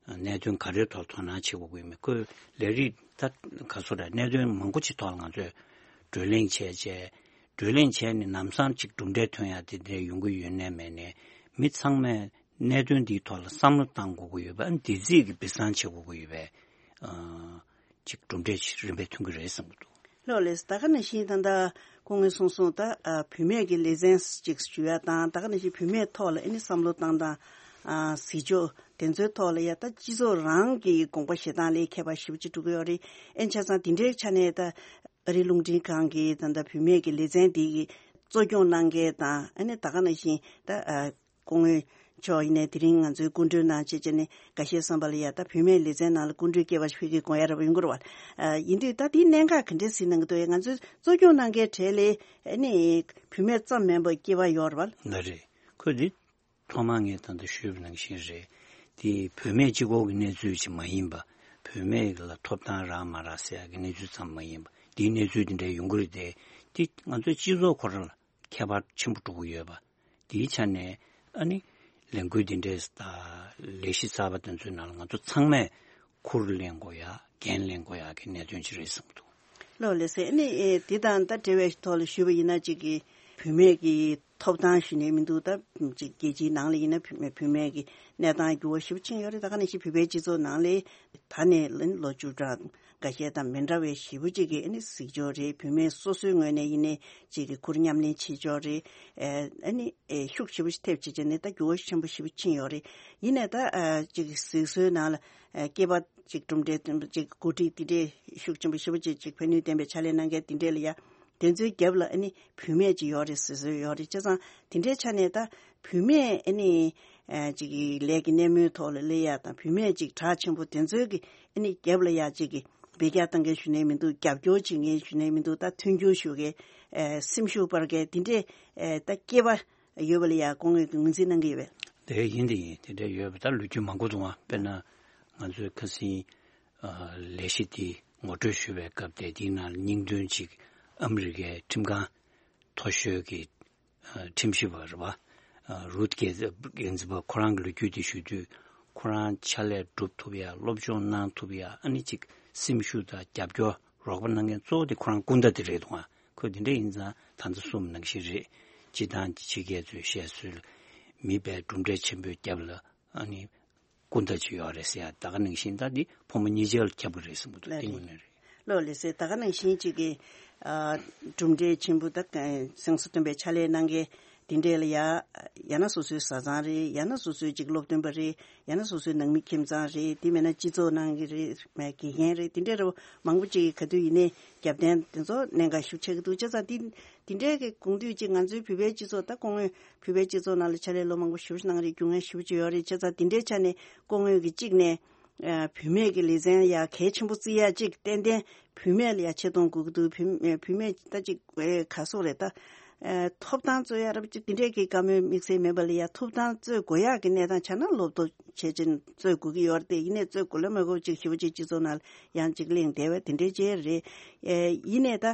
གནད་དོན་ག་རེའི་ཐོག་དོ་སྣང་བྱེད་དགོས་ཀྱི་ཡོད་མེད། ཁོས་ལས་རིགས་ད་ག་ཚོད་རེད། གནད་དོན་མང་པོ་ཅིག་ཐོག་ལ་ང་ཚོས་བགྲོ་གླེང་བྱས་བྱས། བགྲོ་གླེང་བྱས་ནས་ལམ་སང་ཅིག་གྲུབ་འབྲས་ཐོན་ཡ་དེ་འདྲ་ཡོང་གི་ཡོད་ནའི་མེད་ནའི་མི་ཚང་མས་ གནད་དོན་འདིའི་ཐོག་ལ་བསམ་བློ་བཏང་དགོས་ཀྱི་ཡོད་པ། ཨ་ནི་འདི་རྩིས་ཀྱི་སྦས་གསང་བྱེད་དགོས་ཀྱི་ཡོད་པའི་ཨ་ཅིག་གྲུབ་འབྲས་ཅིག་རིམ་པས་ཐོན་གྱི་རེད་བསམ་གྱི་འདུག། ལགས་ལགས། ད་ག་ནང་བཞིན་ད་ལྟ་སྐུ་ངོས་གསུངས་སོང་། ད་ཨ་བུད་མེད་ཀྱི་ལེ་ཚན་ཅིག་ཞུ་ཡ་དང་། ད་ག་ནང་བཞིན་བུད་མེད་ཐོག་ལ་ཨ་ནི་བསམ་བློ་བཏང་སྟངས། ཨ་གཟིགས་ཕྱོགས་དེ་ཚོའི་ཐོག་ལ་ཡ་ད་སྤྱི་ཚོགས་རང་གི་དགོངས་པ་བཞེས་སྟངས་ལས་ཁྱད་པར་ཞེ་པོ་ཅིག་འགྲོ་གི་ཡོད་རེད། ཨ་ནི་བྱས་ཙང་དེ་འདྲའི་ཆ་ནས་ད་ཨ་རིའི་རླུང་འཕྲིན་ཁང་གི་ད་ལྟ་བུད་མེད་ཀྱི་ལེ་ཚན་འདི་གི་གཙོ་སྐྱོང་གནང་མཁན་དང་། ཨ་ནི་ད་ག་ནང་བཞིན་ད་ཨ་སྐུ་ངོ་མཆོག་ཡིན་ནའི་དེ་རིང་ང་ཚོའི་སྐུ་མགྲོན་གནང་བྱས་བྱས་ནས་འགའ་ཤས་བསམ་པ་ལ་ཡ་ད་བུད་མེད་ལེ་ཚན་ནང་ལ་སྐུ་མགྲོན་སྐྱེས་པ་ཞིག་ཕ་གིར་དགོངས་ཡ་རབ་ཡོང་གི་རེད་བ། ཨ་ཡིན་དུས་ད་དེའི་གནད་འགག་ག་འདྲས་གཟིགས་གནང་གི་འདུག། ང་ཚོའི་གཙོ་སྐྱོང་གནང་མཁན་གྲས་ལས་ཨ་ནི་བུད་མེད་ཙམ་མིན་པ་སྐྱེས་པ་ཡོད་རེད་བ། ལགས་རེད། ཁོས་འདི་ཐོག་མར་ངས་ད་ལྟ་ཞུས་པ་ནང་བཞིན་རེད། དེ་བུད་མེད་གཅིག་པོ་གི་གནས་ཚུལ་ཅིག་མ་ཡིན་པ། བུད་མེད་ལ་ཐོབ་ཐང་རག་མ་རག་ཟེར་ཡག་གི་གནས་ཚུལ་ཙམ་མ་ཡིན་པ། དེའི་གནས་ཚུལ་དེ་འདྲ་ཡོང་གི་རེད་དེ། དེ་ང་ཚོའི་སྤྱི་ཚོགས་ཁོ་རང་ལ་ཁྱད་པར་ཆེན་པོ་འགྲོ་གི་ཡོད་པ། དེའི་ཆ་ནས་ཨ་ནི་ལས་འགུལ་དེ་འདྲའི་ད་ལས་གཞི་གསར་པ་དེ་ཚོའི་ནང་ལ་ང་ཚོ་ཚང་མས་ཁུར་ལེན་དགོས་ཡ། འགན་ལེན་དགོས་ཡ་གི་གནད་དོན་ཅིག་རེད་བསམ་གྱི་འདུག། ལགས་ལགས་སེ། ཨ་ནི་ཨེ་འདི་དང་ད་འབྲེལ་བའི་ཐོག་ལ་ཞུས་པ་ཡིན་ན། གཅིག་གི་བུད་མེད་ཀྱི་ཐོབ་ཐང་ཞུ་ནས་མི་འདུག། ད་གཅིག་རྒྱལ་སྤྱིའི་ནང་ལ་ཡིན་ན་བུད་མེད་བུད་མེད་ཀྱི་གནས་སྟངས་འགྱུར་བ་ཞེ་པོ་ཕྱིན་ཡོད་རེད། ད་ག་ནང་བཞིན་བོད་པའི་སྤྱི་ཚོགས་ནང་ལ་ད་ནས་ལོ་བཅུ་ཕྲག་འགའ་ཤས་དང་མི་འདྲ་བའི་ཞེ་པོ་ཅིག་གི་ཨ་ནི་གཟིགས་ཕྱོགས་རེད། བུད་མེད་སོ་སོའི་ངོས་ནས་ཡིན་ནའི་གཅིག་གི་ཁུར་མཉམ་ལེན་བྱེད་ཕྱོགས་རེད། ཨ་ནི་ཤུགས་ཞེ་པོ་ཞིག་ཐེབས་བྱས་བྱས་ནས་ད་འགྱུར་བ་ཆེན་པོ་ཞེ་པོ་ཕྱིན་ཡོད་རེད། ཡིན་ནའི་ད་ཨ་གཅིག་གི་གཟིགས་སྲོལ་ནང་ལ་ཨ་སྐྱེས་པ་གཅིག་གྲུབ་འབྲས་ཐོན་པ་གཅིག་འགོ་ཁྲིད་དེ་འདྲའི་ཤུགས་ཆེན་པོ་ཞེ་པོ་ཅིག་ཅིག་ཕན་ནུས་ལྡན་པའི་ཕྱག་ལས་གནང་མཁན་དེ་འདྲས་ལ་ཡ། དེ་ཚོའི་རྒྱབ་ལ་ཨ་ནི་བུད་མེད་ཅིག་ཡོད་རེད་ཟེར་སྲོལ་ཡོད་རེད། བྱས་ཙང་དེ་འདྲའི་ཆ་ནས་ད་བུད་མེད་ཨ་ནི་ཨ་ཅིག་གི་ལས་ཀྱི་སྣེ་མོའི་ཐོག་ལ་སླེབས་ཡ་དང་། བུད་མེད་ཅིག་གྲགས་ཆེན་པོ་དེ་ཚོའི་གི་ཨ་ནི་རྒྱབ་ལ་ཡ་གཅིག་གི་འབུད་རྒྱག་བཏང་མཁན་ཞུ་ནའི་མི་འདུག། རྒྱབ་སྐྱོར་བྱེད་མཁན་ཞུ་ནའི་མི་འདུག། ད་མཐུན་འགྱུར་ཞུ་མཁན་ཨ་སེམས་ཤུགས་སྤར་མཁན་དེ་འདྲས་ཨ་ད་སྐྱེས་པ་ཡོད་པ་ལ་ཡ་སྐུ་ངོས་ཀྱིས་ངོས་འཛིན་གནང་གི་ཡོད་པས། དེ་ཡིན་དེ་ཡིན། དེ་འདྲ་ཡོད་པ་ད་ལོ་རྒྱུས་མང་པོ་འདུག་ཨ། དཔེར་ན་ང་ཚོའི་ཁ་སང་ཨ་ལས་གཞི་འདི་ངོ་སྤྲོད་ཞུ་བའི་སྐབས་དེ། དེའི་ནང་ལ་སྙིང་དོན་ཅིག་ཨ་མི་རི་ཀའི་ཁྲིམས་ཁང་མཐོ་ཤོས་ཀྱི་ཨ་ཁྲིམས་ཞིབ་པ་རེད་བ། ཨ་རུད་གྷེ་ཛི་གྷེ་ཛི་བྷར་ཁོ་རང་གི་ལོ་རྒྱུས་དེ་ཞུ་དུས། ཁོ་རང་ཕྱག་ལས་སྒྲུབ་ཐུབ་ཡ། སློབ་སྦྱོང་གནང་ཐུབ་ཡ། ཨ་ནི་ཅིག་སེམས་ཤུགས་དང་རྒྱབ་སྐྱོར་རོགས་པ་གནང་མཁན་གཙོ་བོ་དེ་ཁོ་རང་སྐུ་ཟླ་དེ་རེད་འདུག་ཨ། ཁོས་དེ་འདྲ་ཡིན་ཙང་ད་ལྟ་གསུངས་པ་ནང་བཞིན་རེད། སྤྱི་བཏང་ཕྱི་རྒྱལ་ཚོས་བཤད་སྲོལ། མི་དཔེ་གྲུབ་འབྲས་ཆེན་པོའི་རྒྱབ་ལ་ཨ་ནི་སྐུ་ཟླ་ཅིག་ཡོད་རེད་ཟེར་ཡ། ད་ག་ནང་བཞིན་ད་འདི་ཕོ་མོ་གཉིས་ཆར་ལ་ཁྱབ་ཀྱི་རེད་བསམ་གྱི་འདུག། ལགས་དེ་རེད། དངོས་གནས་རེད། ལགས་ལགས་སེ། ད་ག་ནང་བཞིན་ཅིག་གི་ཨ་གྲུབ་འབྲས་ཆེན་པོ་ད་ག་སེམས་གསོ་སྟོན་པའི་ཕྱག་ལས་གནང་མཁན་དེ་འདྲས་ལ་ཡ། ཡང་ན་སོ་སོའི་བཟའ་ཚང་རེད། ཡང་ན་སོ་སོའི་ཅིག་སློབ་སྟོན་པ་རེད། ཡང་ན་སོ་སོའི་ནང་མི་ཁྱིམ་ཚང་རེད། དེ་མིན་ན་སྤྱི་ཚོགས་ནང་གི་རེད། མ་དགེ་རྒན་རེད། དེ་འདྲས་རེད། མང་པོ་ཅིག་གིས་ག་དུས་ཡིན་ནའི་རྒྱབ་རྟེན་དེ་ཚོ་གནད་འགག་ཞེ་པོ་ཆགས་ཀྱི་འདུག། བྱས་ཙང་དེ་དེ་འདྲས་ཀྱི་དགོངས་དུས་ཅིག་ང་ཚོའི་བོད་པའི་སྤྱི་ཚོགས། ད་སྐུ་ངོས་བོད་པའི་སྤྱི་ཚོགས་ནང་ལ་ཕྱག་ལས་ལོ་མང་པོ་ཞེ་པོ་ཅིག་གནང་རེད། རྒྱུས་མངའ་ཞེ་པོ་ཅིག་ཡོད་རེད། བྱས་ཙང་དེ་འདྲའི་ཆ་ནས་སྐུ་ངོས་ཀྱིས་གཅིག་ནས་ཨ་བུད་མེད་ཀྱི་ལེ་ཚན་ཡ་གལ་ཆེན་པོ་བརྩི་ཡ་ཅིག་ཏན་ཏན་བུད་མེད་ལ་ཡ་ཆེ་མཐོང་དགོས་ཀྱི་འདུག། བུད་བུད་མེད་ད་ཅིག་ཨེ་ག་སོག་རེད་ད། ཨེ་ཐོབ་ཐང་རྩོད་ཡ་རབ་ཅིག་དེ་འདྲས་ཀྱི་བཀའ་མོལ་དམིགས་བསལ་མེད་པ་ལ་ཡ། ཐོབ་ཐང་རྩོད་དགོས་ཡག་གི་གནས་སྟངས་ཆགས་ན་སློབ་སྟོན་བྱེད་ཅིང་རྩོད་དགོས་ཀྱི་ཡོད་རེད་དེ། ཡིན་ནའི་རྩོད་དགོས་ལ་མ་དགོས་ཅིག་ཞེ་པོ་ཅིག་སྤྱི་ཚོགས་ནང་ལ་ཡང་ཅིག་གླེང་བསྡད་པ་དེ་འདྲས་ཅིག་རེད། ཨེ་ཡིན་ནའི་ད་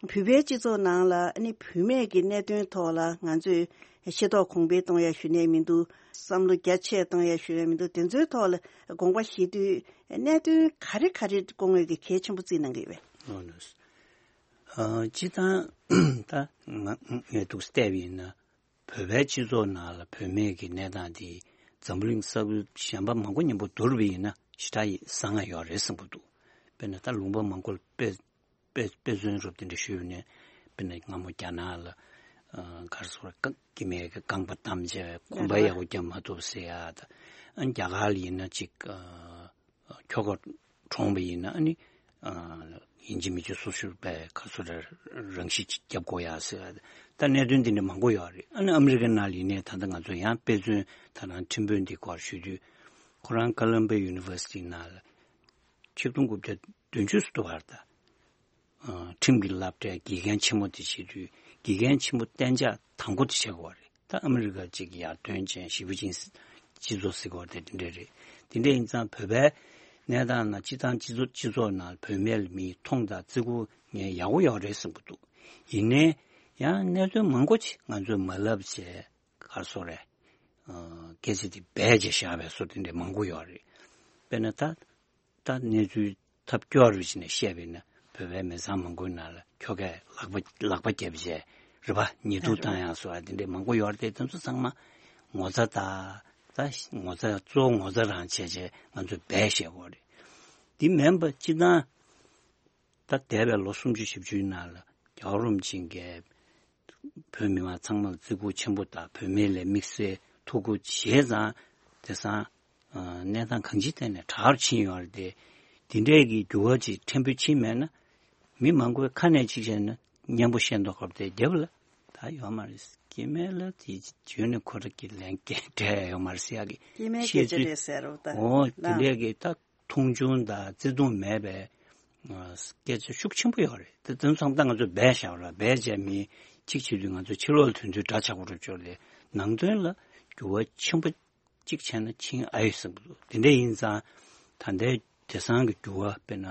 བོད་པའི་སྤྱི་ཚོགས་ནང་ལ་ཨ་ནི་བུད་མེད་ཀྱི་གནད་དོན་ཐོག་ལ་ང་ཚོས་ཤེས་རྟོགས་གོང་འཕེལ་གཏོང་ཡ་ཞུ་ནའི་མི་འདུག། བསམ་བློ་རྒྱ་ཆེ་གཏོང་ཡ་ཞུ་ཡ་མི་འདུག། དེ་ཚོའི་ཐོག་ལ་དགོངས་པ་བཞེས་དུས་གནད་དོན་ག་རེ་ག་རེ་སྐུ་ངོས་ཀྱིས་གལ་ཆེན་པོ་བརྩིས་གནང་གི་ཡོད་པས། ཨོ་ལགས། ཨ་སྤྱིར་བཏང་ད་ང་ངས་འདུག་བལྟས་པ་ཡིན་ན། བོད་པའི་སྤྱི་ཚོགས་ནང་ལ་བུད་མེད་ཀྱི་གནས་སྟངས་དེ་འཛམ་བུ་གླིང་ས་ཁུལ་གཞན་པ་མང་པོ་མཉམ་པོ་བསྡུར་བ་ཡིན་ན་ཞེ་དྲག་གི་གསང་སྔགས་ཡོད་རེད་བསམ་གྱི་འདུག། དཔེར་ན་ད་ལུང་པ་མང་པོ་ལ་དཔེ་དཔེ་དཔེ་མཚོན་རུབ་དེ་འདྲ་ཞུས་ནས། དཔེར་ན་སྔ་མོ་རྒྱ་ནག་ལ་ཨ་ག་རེ་ཟེར་དགོས་རེད། སྐྱེ་དམན་གྱི་རྐང་པ་བསྡམས་བྱས་གོམ་པ་ཡག་པོ་རྒྱབ་མ་ཐུབ་ཟེར་ཡ་ད། ཨ་རྒྱ་གར་ལ་ཡིན་ན་ཅིག་ཨ་ཁྱོ་ག་གྲོངས་པ་ཡིན་ན་ཨ་ནི་ཨ་ཡིན་གཅིག་མིན་གཅིག་སོ་སོའི་པའི་ག་རེ་ཟེར་དགོས་རེད། རང་ཤི་ཅིག་རྒྱབ་དགོས་ཡ་ཟེར་ཡ། ད་གནད་དོན་འདི་འདྲ་མང་པོ་ཡོད་རེད། ཨ་ནི་ཨ་མི་རི་ཀ་ནང་ལ་ཡིན་ནའི་ད་ལྟ་ང་ཚོ་ཡང་དཔེ་མཚོན་ད་རང་ཁྲིམས་དཔོན་འདི་སྐོར་ཞུ་དུས། ཁོ་རང་ཀ་ལམ་བྷི་ཡུ་ནི་ཝར་སི་ཊི་ནང་ལ་ཆིག་སྟོང་དགུ་བརྒྱ་བདུན་ཅུ་སུ་དུ་བར་ད། ཨ་ཁྲིམས་ཀྱི་སློབ་གྲྭའི་དགེ་རྒན་ཆེན་མོ་དེ་བྱེད་དུས། དགེ་རྒན་ཆེན་མོ་གཏན་འཇགས་དང་པོ་དེ་བྱེད་དགོས་པ་རེད། ད་ཨ་མི་རི་ཀ་ཅིག་ཡར་ཐོན་ཅན་ཞེ་པོ་ཅིག་སྤྱི་ཚོགས་ཟེར་དགོས་པ་དེ་དེ་འདྲ་རེད། དེ་འདྲ་ཡིན་ཙང་བོད་པའི་གནས་སྟངས་ནང་སྤྱི་བཏང་སྤྱི་ཚོགས་སྤྱི་ཚོགས་ནང་བུད་མེད་ལ་མི་མཐོང་དང་བརྩི་བཀུར་ངས་ཡག་པོ་ཡོད་རེད་བསམ་གྱི་འདུག། ཡིན་ནའི་ཡང་གནད་དོན་མང་པོ་ཅིག་ང་ཚོས་མ་ལབ་བྱས། ག་རེ་ཟེར་དགོས་རེད། ཨ་སྐད་ཆ་དེ་སྦས་བྱས་བཞག་པའི་བཟོ་དེ་འདྲ་མང་པོ་ཡོད་རེད། དཔེར་ན་ད། ད་གནས་ཚུལ་ཐབས་སྐྱོ་རུ་ཕྱིན་ནས་བཤད་པ་ཡིན་ན། བོད་པའི་མི་ཚང་མང་པོའི་ནང་ལ་ཁྱོ་གས་ལག་པ་ལག་པ་བརྒྱབ་བྱས་རེད་པ། ཉེས་འཛུགས་བཏང་ཡག་བཟོ་བ་དེ་འདྲས་མང་པོ་ཡོད་རེད་དེ། དེ་ཚོ་ཚང་མ་ངོ་ཚ་དང་ ད་ངོ་ཚ་གཙོ་བོ་ངོ་ཚ་རང་བྱས་བྱས་ང་ཚོས་འབད་བཞག་གི་རེད། འདི་མིན་པ་སྤྱིར་བཏང་ད་འདས་པའི་ལོ་སུམ་ཅུ་བཞི་བཅུའི་ནང་ལ་རྒྱལ་བ་རིན་པོ་ཆེ་གིས་བོད་མི་མང་ཚང་མར་བརྩི་བཀུར་ཆེན་པོ་དང་བོད་མི་ལ་དམིགས་བསལ་ཐུགས་ཁུར་བཞེས་ཙང་དེང་སང་གནས་སྟངས་གང་ཅིའི་ཐད་ནས་དྲག་རུ་ཕྱིན་ཡོད་རེད་དེ། འདི་འདྲའི་གི་འགྱུར་བ་ཅིག་ཕྲན་བུ་ཕྱིན་མེད་ན་མི་མང་པོའི་ཁ་ནས་ཅིག་བཤད་ན་སྙན་པོ་བཤད་མདོག་ཁ་པོ་དེ་རྒྱབ་ལ་ད་ཡོད་མ་རེད། སྐྱེ་དམན་ལ་དེ་བརྗོད་ནས་ཁོ་རང་གི་ལན་སྐད་སྤྲད་ཡོད་མ་རེད་ཟེར་ཡག་གི་སྐྱེ་དམན་སྐད་ཆ་རེད་ཟེར་རོ་ད། འོ་དེ་འདྲའི་གི་ད་མཐོང་ཆུང་དང་བརྩེ་དུང་མེད་པའི་སྐད་ཆ་ཤུགས་ཆེན་པོ་ཡོད་རེད། དེ་དོན་ཚང་ད་ང་ཚོས་འབད་བཞག་ར་འབད་བྱས་མི་གཅིག་བྱེད་དུས་ང་ཚོ་ཕྱི་ལོགས་ལ་དོན་ཚུལ་འདྲ་ཆགས་པ་རུ་ཅོག་ལས་ནང་དོན་ལ་འགྱུར་བ་ཆེན་པོ་གཅིག་བྱས་ན་ཕྱིན་ཨ་ཡོད་བསམ་གི་འདུག་དེ་འདྲ་ཡིན་ཙང་ད་ལྟའི་དེང་སང་གི་འགྱུར་བ་དཔེར་ན་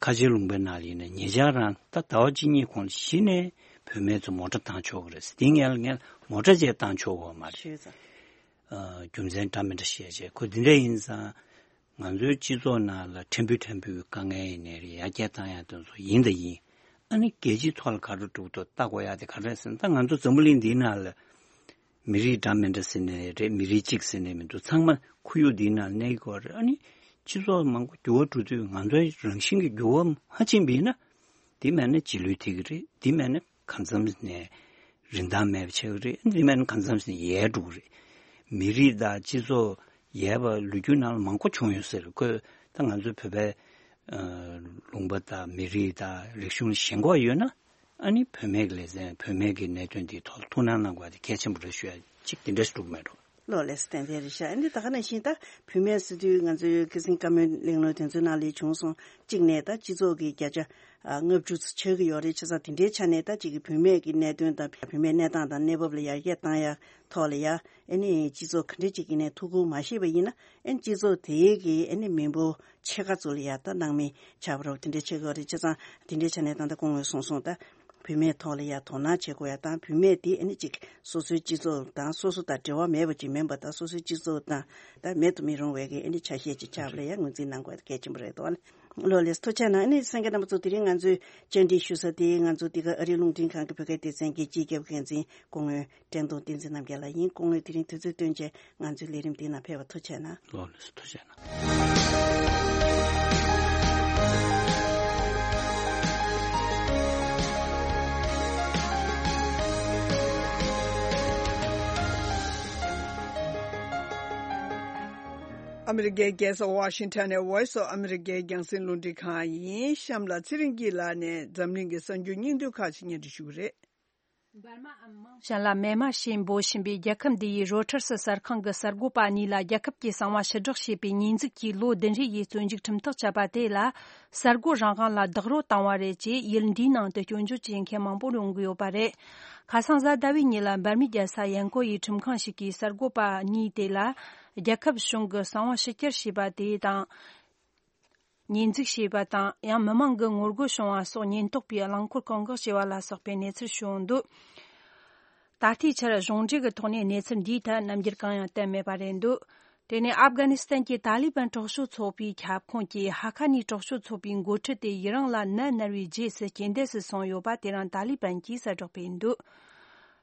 ཁ་ཆེ་ལུང་པའི་ནང་ལ་ཡིན་ན་ཉེ་ཆར་རང་ད་ཟླ་བ་གཅིག་གཉིས་གོང་ལ་གཞི་ནས་བུད་མེད་ཚོ་མོ་ཊ་བཏང་ཆོག་གི་རེད་ཟེར། དེ་ངས་ངས་མོ་ཊ་ཅིག་བཏང་ཆོག་གི་མ་རེད། ཞུས་ཙང་། རྒྱུ་མཚན་འདྲ་མི་འདྲ་བཤད་བྱས་ཁོ་འདི་འདྲ་ཡིན་ཙང་། ང་ཚོའི་སྤྱི་ཚོགས་ནང་ལ་ཕྲན་བུ་ཕྲན་བུའི་དཀའ་ངལ་ཡིན་ནའི་རེད། ཡར་རྒྱས་བཏང་ཡག་དེ་ཚོ་ཡིན་དང་ཡིན། ཨ་ནི་རྒྱལ་སྤྱིའི་ཐོག་ལ་ག་རེ་འགྲོ་འདུག་ལྟ་དགོས་ཡག་དེ་ག་རེ་ཟེར་ན། ད་ང་ཚོ་འཛམ་བུ་གླིང་འདིའི་ནང་ལ་མི་རིགས་འདྲ་མི་འདྲ་ཟེར་ནའི་རེད། མི་རིགས་གཅིག་ཟེར་ནའི་མི་འདུག་ཚང་མ་ཁོར་ཡུག་འདིའི་ནང་གནས་དགོས་རེད། ཨ་ནི་སྤྱི་ཚོགས་མང་པོ་འགྱུར་བ་འགྲོ་དུས་ང་ཚོའི་རང་བཞིན་གྱི་འགྱུར་བ་མ་ཕྱིན་པ་ཡིན་ན། དེ་མེད་ན་རྗེས་ལུས་ཐེབས་ཀྱི་རེད། དེ་མེད་ན་གང་འཚམ་ནས་རིན་ཐང་མེད་པ་ཆགས་ཀྱི་རེད། དེ་མེད་ན་གང་འཚམ་ནས་ཡལ་འགྲོ་གི་རེད། མི་རིགས་དང་སྤྱི་ཚོགས་ཡལ་བ་ལོ་རྒྱུས་ནང་ལ་མང་པོ་བྱུང་ཡོད་ཟེར། ཁོས་ད་ང་ཚོའི་བོད་པའི་ཨ་ལུང་པ་དང་མི་རིགས་དང་རིག་གཞུང་ལ་ཞེན་ཁོག་ཡོད་ན། ཨ་ནི་བུད་མེད་ཀྱི་ལེ་ཚན་བུད་མེད་ཀྱི་གནད་དོན་འདིའི་ཐོག་ལ་ཐུགས་སྣང་གནང་དགོས་པ་དེ་གལ་ཆེན་པོ་རེད་ཞུ་ཡ་གཅིག་དེ་འདྲ་ཞིག་འདུག་མེད་འགྲོ། ལོ་ལེགས་སོ། ཏན་ཏན་རེད་ཤག་ཨ་ནི་ད་ག་ནང་བཞིན་ད་བུད་མེད་ཟེར་དུས་ང་ཚོའི་སྐད་འཛིན་བཀའ་མོལ་གླེང་སློང་དེ་ཚོའི་ནང་ལ་བྱུང་སོང་། གཅིག་ནས་ད་སྤྱི་ཚོགས་ཀྱི་བརྒྱ་ཆ་ཨ་ལྔ་བཅུ་ཙམ་ཆགས་ཀྱི་ཡོད་རེད། བྱས་ཙང་དེ་འདྲའི་ཆ་ནས་ད་གཅིག་གི་བུད་མེད་ཀྱི་གནད་དོན་དང་བུད་མེད་གནས་སྟངས་དང་གནས་བབ་ལ་ཡར་རྒྱས་བཏང་ཡ་ཐོག་ལ་ཡ་ཨ་ནི་སྤྱི་ཚོགས་ག་འདྲ་ཅིག་ཡིན་ནའི་ཐུགས་ཁུར་མ་བཞེས་པ་ཡིན་ན་ཨ་ནི་སྤྱི་ཚོགས་དེའི་གི་ཨ་ནི་མི་འབོར་ཕྱེད་ཀ་ཚོ་ལ་ཡ་ད་སྣང་མེད་ཆགས་པ་རོ་དེ་འདྲ་ཆགས་ཀྱི་ཡོད་རེད། བྱས་ཙང་དེ་འདྲའི་ཆ་ནས་ད་ལྟ་སྐུ་ངོས་གསུངས་སོང་། ད་བུད་མེད་ཐོག་ལ་ཡ་དོ་སྣང་བྱེད་དགོས་ཡ་དང་བུད་མེད་དེ་ཨ་ནི་ཅིག་སོ་སོའི་སྤྱི་ཚོགས་དང་སོ་སོ་དང་འབྲེལ་བ་མེད་པ་ཅིག་མིན་པ་དང་སོ་སོའི་སྤྱི་ཚོགས་དང་ད་མེད་དུ་མི་རུང་བའི་གི་ཨ་ནི་ཆ་ཤས་ཅིག་ཆགས་པ་ལ་ཡ་ངོས་འཛིན་གནང་དགོས་ཡ་གལ་ཆེན་པོ་རེད་འདུག་ཨ་ནི། ལོ་ལེགས་ཐུགས་རྗེ་གནང་། ཨ་ནི་གསན་མཁན་རྣམ་པ་ཚོ་དེ་རིང་ང་ཚོའི་བཅར་འདྲི་ཞུ་ས་དེ་ང་ཚོ་འདི་ག་ཨ་རིའི་རླུང་འཕྲིན་ཁང་གི་བོད་སྐད་སྡེ་ཚན་གྱི་སྤྱི་ཁྱབ་འགན་འཛིན་སྐུ་ངོ་བཀྲས་མཐོང་བསྟན་འཛིན་རྣམ་རྒྱལ་ལགས་ཡིན། སྐུ་ངོས་དེ་རིང་དུས་ཚོད་བཏོན་བྱས་ང་ཚོའི་ལས་རིམ་འདིའི་ནང་ཕེབས་པར་ཐུགས་རྗེ་གནང་། ལོ་ལེགས་སོ། ཐུགས་རྗེ་གནང་། ཨ་མི་རི་ཀའི་རྒྱལ་ས་ཝ་ཤིང་ཊོན་ནས་Voice of America་རྒྱང་སྲིང་རླུང་འཕྲིན་ཁང་ཡིན། གཤམ་ལ་ཚེ་རིང་སྐྱིད་ལགས་ནས་འཛམ་གླིང་གི་གསར་འགྱུར་སྙིང་བསྡུས་ཁག་ཅིག་སྙན་སྒྲོན་ཞུ་གི་རེད། འབར་མ་ཨམ་མང་ཤན་ལ་མེ་མ་ཞེས་འབོད་བཞིན་པའི་རྒྱལ་ཁབ་འདི་ཡི་རོ་ཊར་སི་གསར་ཁང་གི་གསར་འགོད་པ་གཉིས་ལ་རྒྱལ་ཁབ་ཀྱི་གསང་བ་ཕྱིར་བསྒྲགས་བྱས་པའི་ཉེས་འཛུགས་ཀྱིས་ལོ་བདུན་རེ་ཡི་བཙོན་འཇུག་ཁྲིམས་ཐག་བཅད་པ་དེ་ལ་གསར་འགོད་རང་དབང་ལ་རྡོག་རོལ་བཏང་བ་རེད་ཅེས་ཡུལ་འདིའི་ནང་དུ་སྐྱོན་བརྗོད་བྱེད་མཁན་མང་པོ་ཡོང་གི་ཡོད་པ་རེད། ཁ་སང་གཟའ་ཟླ་བའི་ཉིན་ལ་འབར་མའི་རྒྱལ་ས་ཡན་ཀོ་ཡི་ཁྲིམས་ཁང་ཞིག་གིས་གསར་འགོད་པ་གཉིས་དེ་ལ་རྒྱལ་ཁབ་གཞུང་གི་གསང་བ་ཕྱི་གྱར་བྱས་པ་དེ་དང་། ཉེས་འཛུགས་བྱས་པ་དང་ཡང་མི་མང་གི་ངོ་རྒོལ་བྱུང་བ་སོགས་ཉེན་རྟོག་པས་རླངས་འཁོར་བཀག་འགོག་བྱས་པ་ལ་སོགས་པའི་གནས་ཚུལ་བྱུང་འདུག་ད་ལྟའི་ཆར་གཞུང་འབྲེལ་གྱི་ཐོག་ནས་གནས་ཚུལ་འདིའི་ཐད་རྣམ་འགྱུར་གང་ཡང་བསྟན་མེད་པ་རེད་འདུག་དེ་ནས་ཨབ་གྷ་ནི་སི་ཐན་གྱི་ཏཱ་ལི་བན་དྲག་སྤྱོད་ཚོགས་པའི་ཁྱབ་ཁོངས་ཀྱི་ཧ་ཁ་ནི་དྲག་སྤྱོད་ཚོགས་པའི་འགོ་ཁྲིད་དེ་ཡུན་རིང་ལ་ནད་མནར་བའི་རྗེས་སུ་རྐྱེན་འདས་སུ་སོང་ཡོད་པ་དེ་རིང་ཏཱ་ལི་བན་གྱིས་གསལ་བསྒྲགས་སྤེལ་འདུག་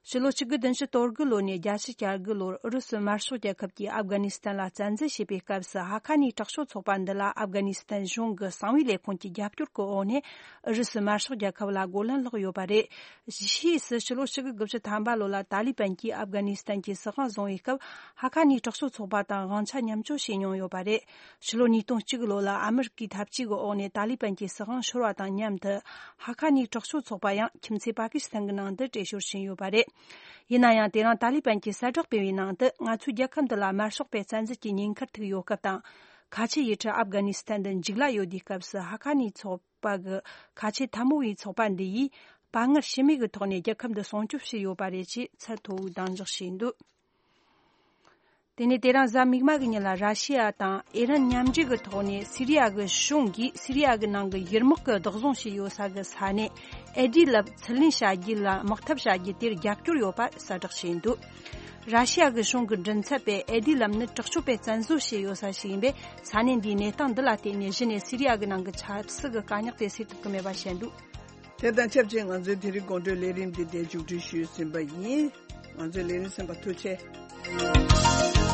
ཕྱི་ལོ་ཆིག་དགུ་བདུན་ཅུ་དོན་དགུ་ལོ་ནས་བརྒྱད་ཅུ་གྱ་དགུ་ལོར་ཨུ་རུ་སུ་དམར་ཤོག་རྒྱལ་ཁབ་ཀྱིས་ཨབ་གྷ་ནི་སི་ཐན་ལ་བཙན་འཛུལ་བྱས་པའི་སྐབས་སུ་ཧ་ཁ་ནི་དྲག་སྤྱོད་ཚོགས་པ་འདི་ལ་ཨབ་གྷ་ནི་སི་ཐན་གཞུང་གི་གསང་བའི་ལས་ཁུངས་ཀྱི་རྒྱབ་སྐྱོར་གྱི་འོག་ནས་ཨུ་རུ་སུ་དམར་ཤོག་རྒྱལ་ཁབ་ལ་རྒོལ་ལན་སློག་ཡོད་པ་རེད། ཕྱིས་སུ་ཕྱི་ལོ་ཆིག་དགུ་དགུ་བཅུ་ཐམ་པ་ལོ་ལ་ཏཱ་ལི་བན་གྱིས་ཨབ་གྷ་ནི་སི་ཐན་གྱི་སྲིད་དབང་བཟུང་བའི་སྐབས་ཧ་ཁ་ནི་དྲག་སྤྱོད་ཚོགས་པ་དང་དབང་ཆ་མཉམ་སྤྱོད་བྱས་མྱོང་ཡོད་པ་རེད། ཕྱི་ལོ་ཉིས་སྟོང་གཅིག་ལོ་ལ་ཨ་མི་རི་ཀའི་འཐབ་ཇུས་ཀྱི་འོག་ནས་ཏཱ་ལི་བན་གྱི་སྲིད་དབང་ཤོར་བ་དང་མཉམ་དུ་ཧ་ཁ་ནི་དྲག་སྤྱོད་ཚོགས་པ་ཡང་ཁྱིམ་མཚེས་པ་ཀི་སི་ཐན་གྱི་ནང་དུ་བྲོས་བྱོལ་ཕྱིན་ཡོད་པ་རེད། ཡིན་ན་ཡང་དེ་རིང་ཏཱ་ལི་བན་གྱིས་གསལ་བསྒྲགས་སྤེལ་བའི་ནང་དུ་ང་ཚོའི་རྒྱལ་ཁབ་འདི་ལ་དམར་ཤོག་པའི་བཙན་འཛུལ་གྱི་ཉེན་ཁར་ཐུག་ཡོད་སྐབས་དང་། ཁ་ཆེ་ཡུལ་གྲུ་ཨབ་གྷ་ནི་སི་ཐན་དུ་འཇིགས་སླ་ཡོད་དུས་སྐབས་སུ་ཧ་ཁ་ནི་ཚོགས་པ་གི་ཁ་ཆེ་འཐབ་མོ་བའི་ཚོགས་པ་འདི་ཡིས་དཔའ་ངར་ཞུམ་མེད་ཀྱི་ཐོག་ནས་རྒྱལ་ཁབ་འདི་སྲུང་སྐྱོབ་བྱས་ཡོད་པ་རེད་ཅེས་ཚད་མཐོ་བོའི་གདེང་འཇོག་བྱས་འདུག་དེ་ནས་དེ་རིང་གཟའ་མིག་དམར་གྱི་ཉིན་ལ་ར་ཤི་ཡ་དང་ཨི་རན་མཉམ་འབྲེལ་གྱི་ཐོག་ནས་སི་རི་ཡ་གི་གཞུང་གིས་སི་རི་ཡ་གི་ནང་གི་ཡུལ་དམག་གི་བདག་བཟུང་བྱས་ཡོད་ས་གི་ས་གནས་ཨེ་ཌི་ལབ་ཚུར་ལེན་བྱ་རྒྱུ་ལ་དམག་འཐབ་བྱ་རྒྱུ་དེར་རྒྱབ་སྐྱོར་ཡོད་པ་གསལ་བསྒྲགས་བྱས་འདུག་ར་ཤི་ཡ་གི་གཞུང་གི་མགྲིན་ཚབ་པས་ཨེ་ཌི་ལབ་ནི་དྲག་སྤྱོད་པས་བཙན་བཟོ་བྱས་ཡོད་ས་ཞིག་ཡིན་པས་ས་གནས་འདིའི་གནས་སྟངས་འདི་ལ་བརྟེན་ནས་གཞི་ནས་སི་རི་ཡ་གི་ནང་གི་ཆབ་སྲིད་ཀྱི་དཀའ་རྙོག་དེ་སེལ་ཐུབ་ཀྱི་མེད་པ་བཤད་འདུག་དེ་དང་ཆབས་ཅིག་ང་ཚོའི་དེ་རིང་དགོང་དྲོའི་ལས་རིམ་འདི་འདིར་མཇུག་སྒྲིལ་ཞུས་ཟིན་པ་ཡིན། ང་ཚོའི་ལས་རིམ་གསན་པར་ཐུགས་རྗེ་ཆེ།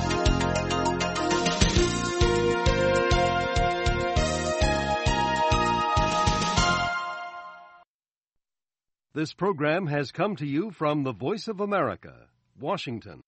This program has come to you from the Voice of America, Washington.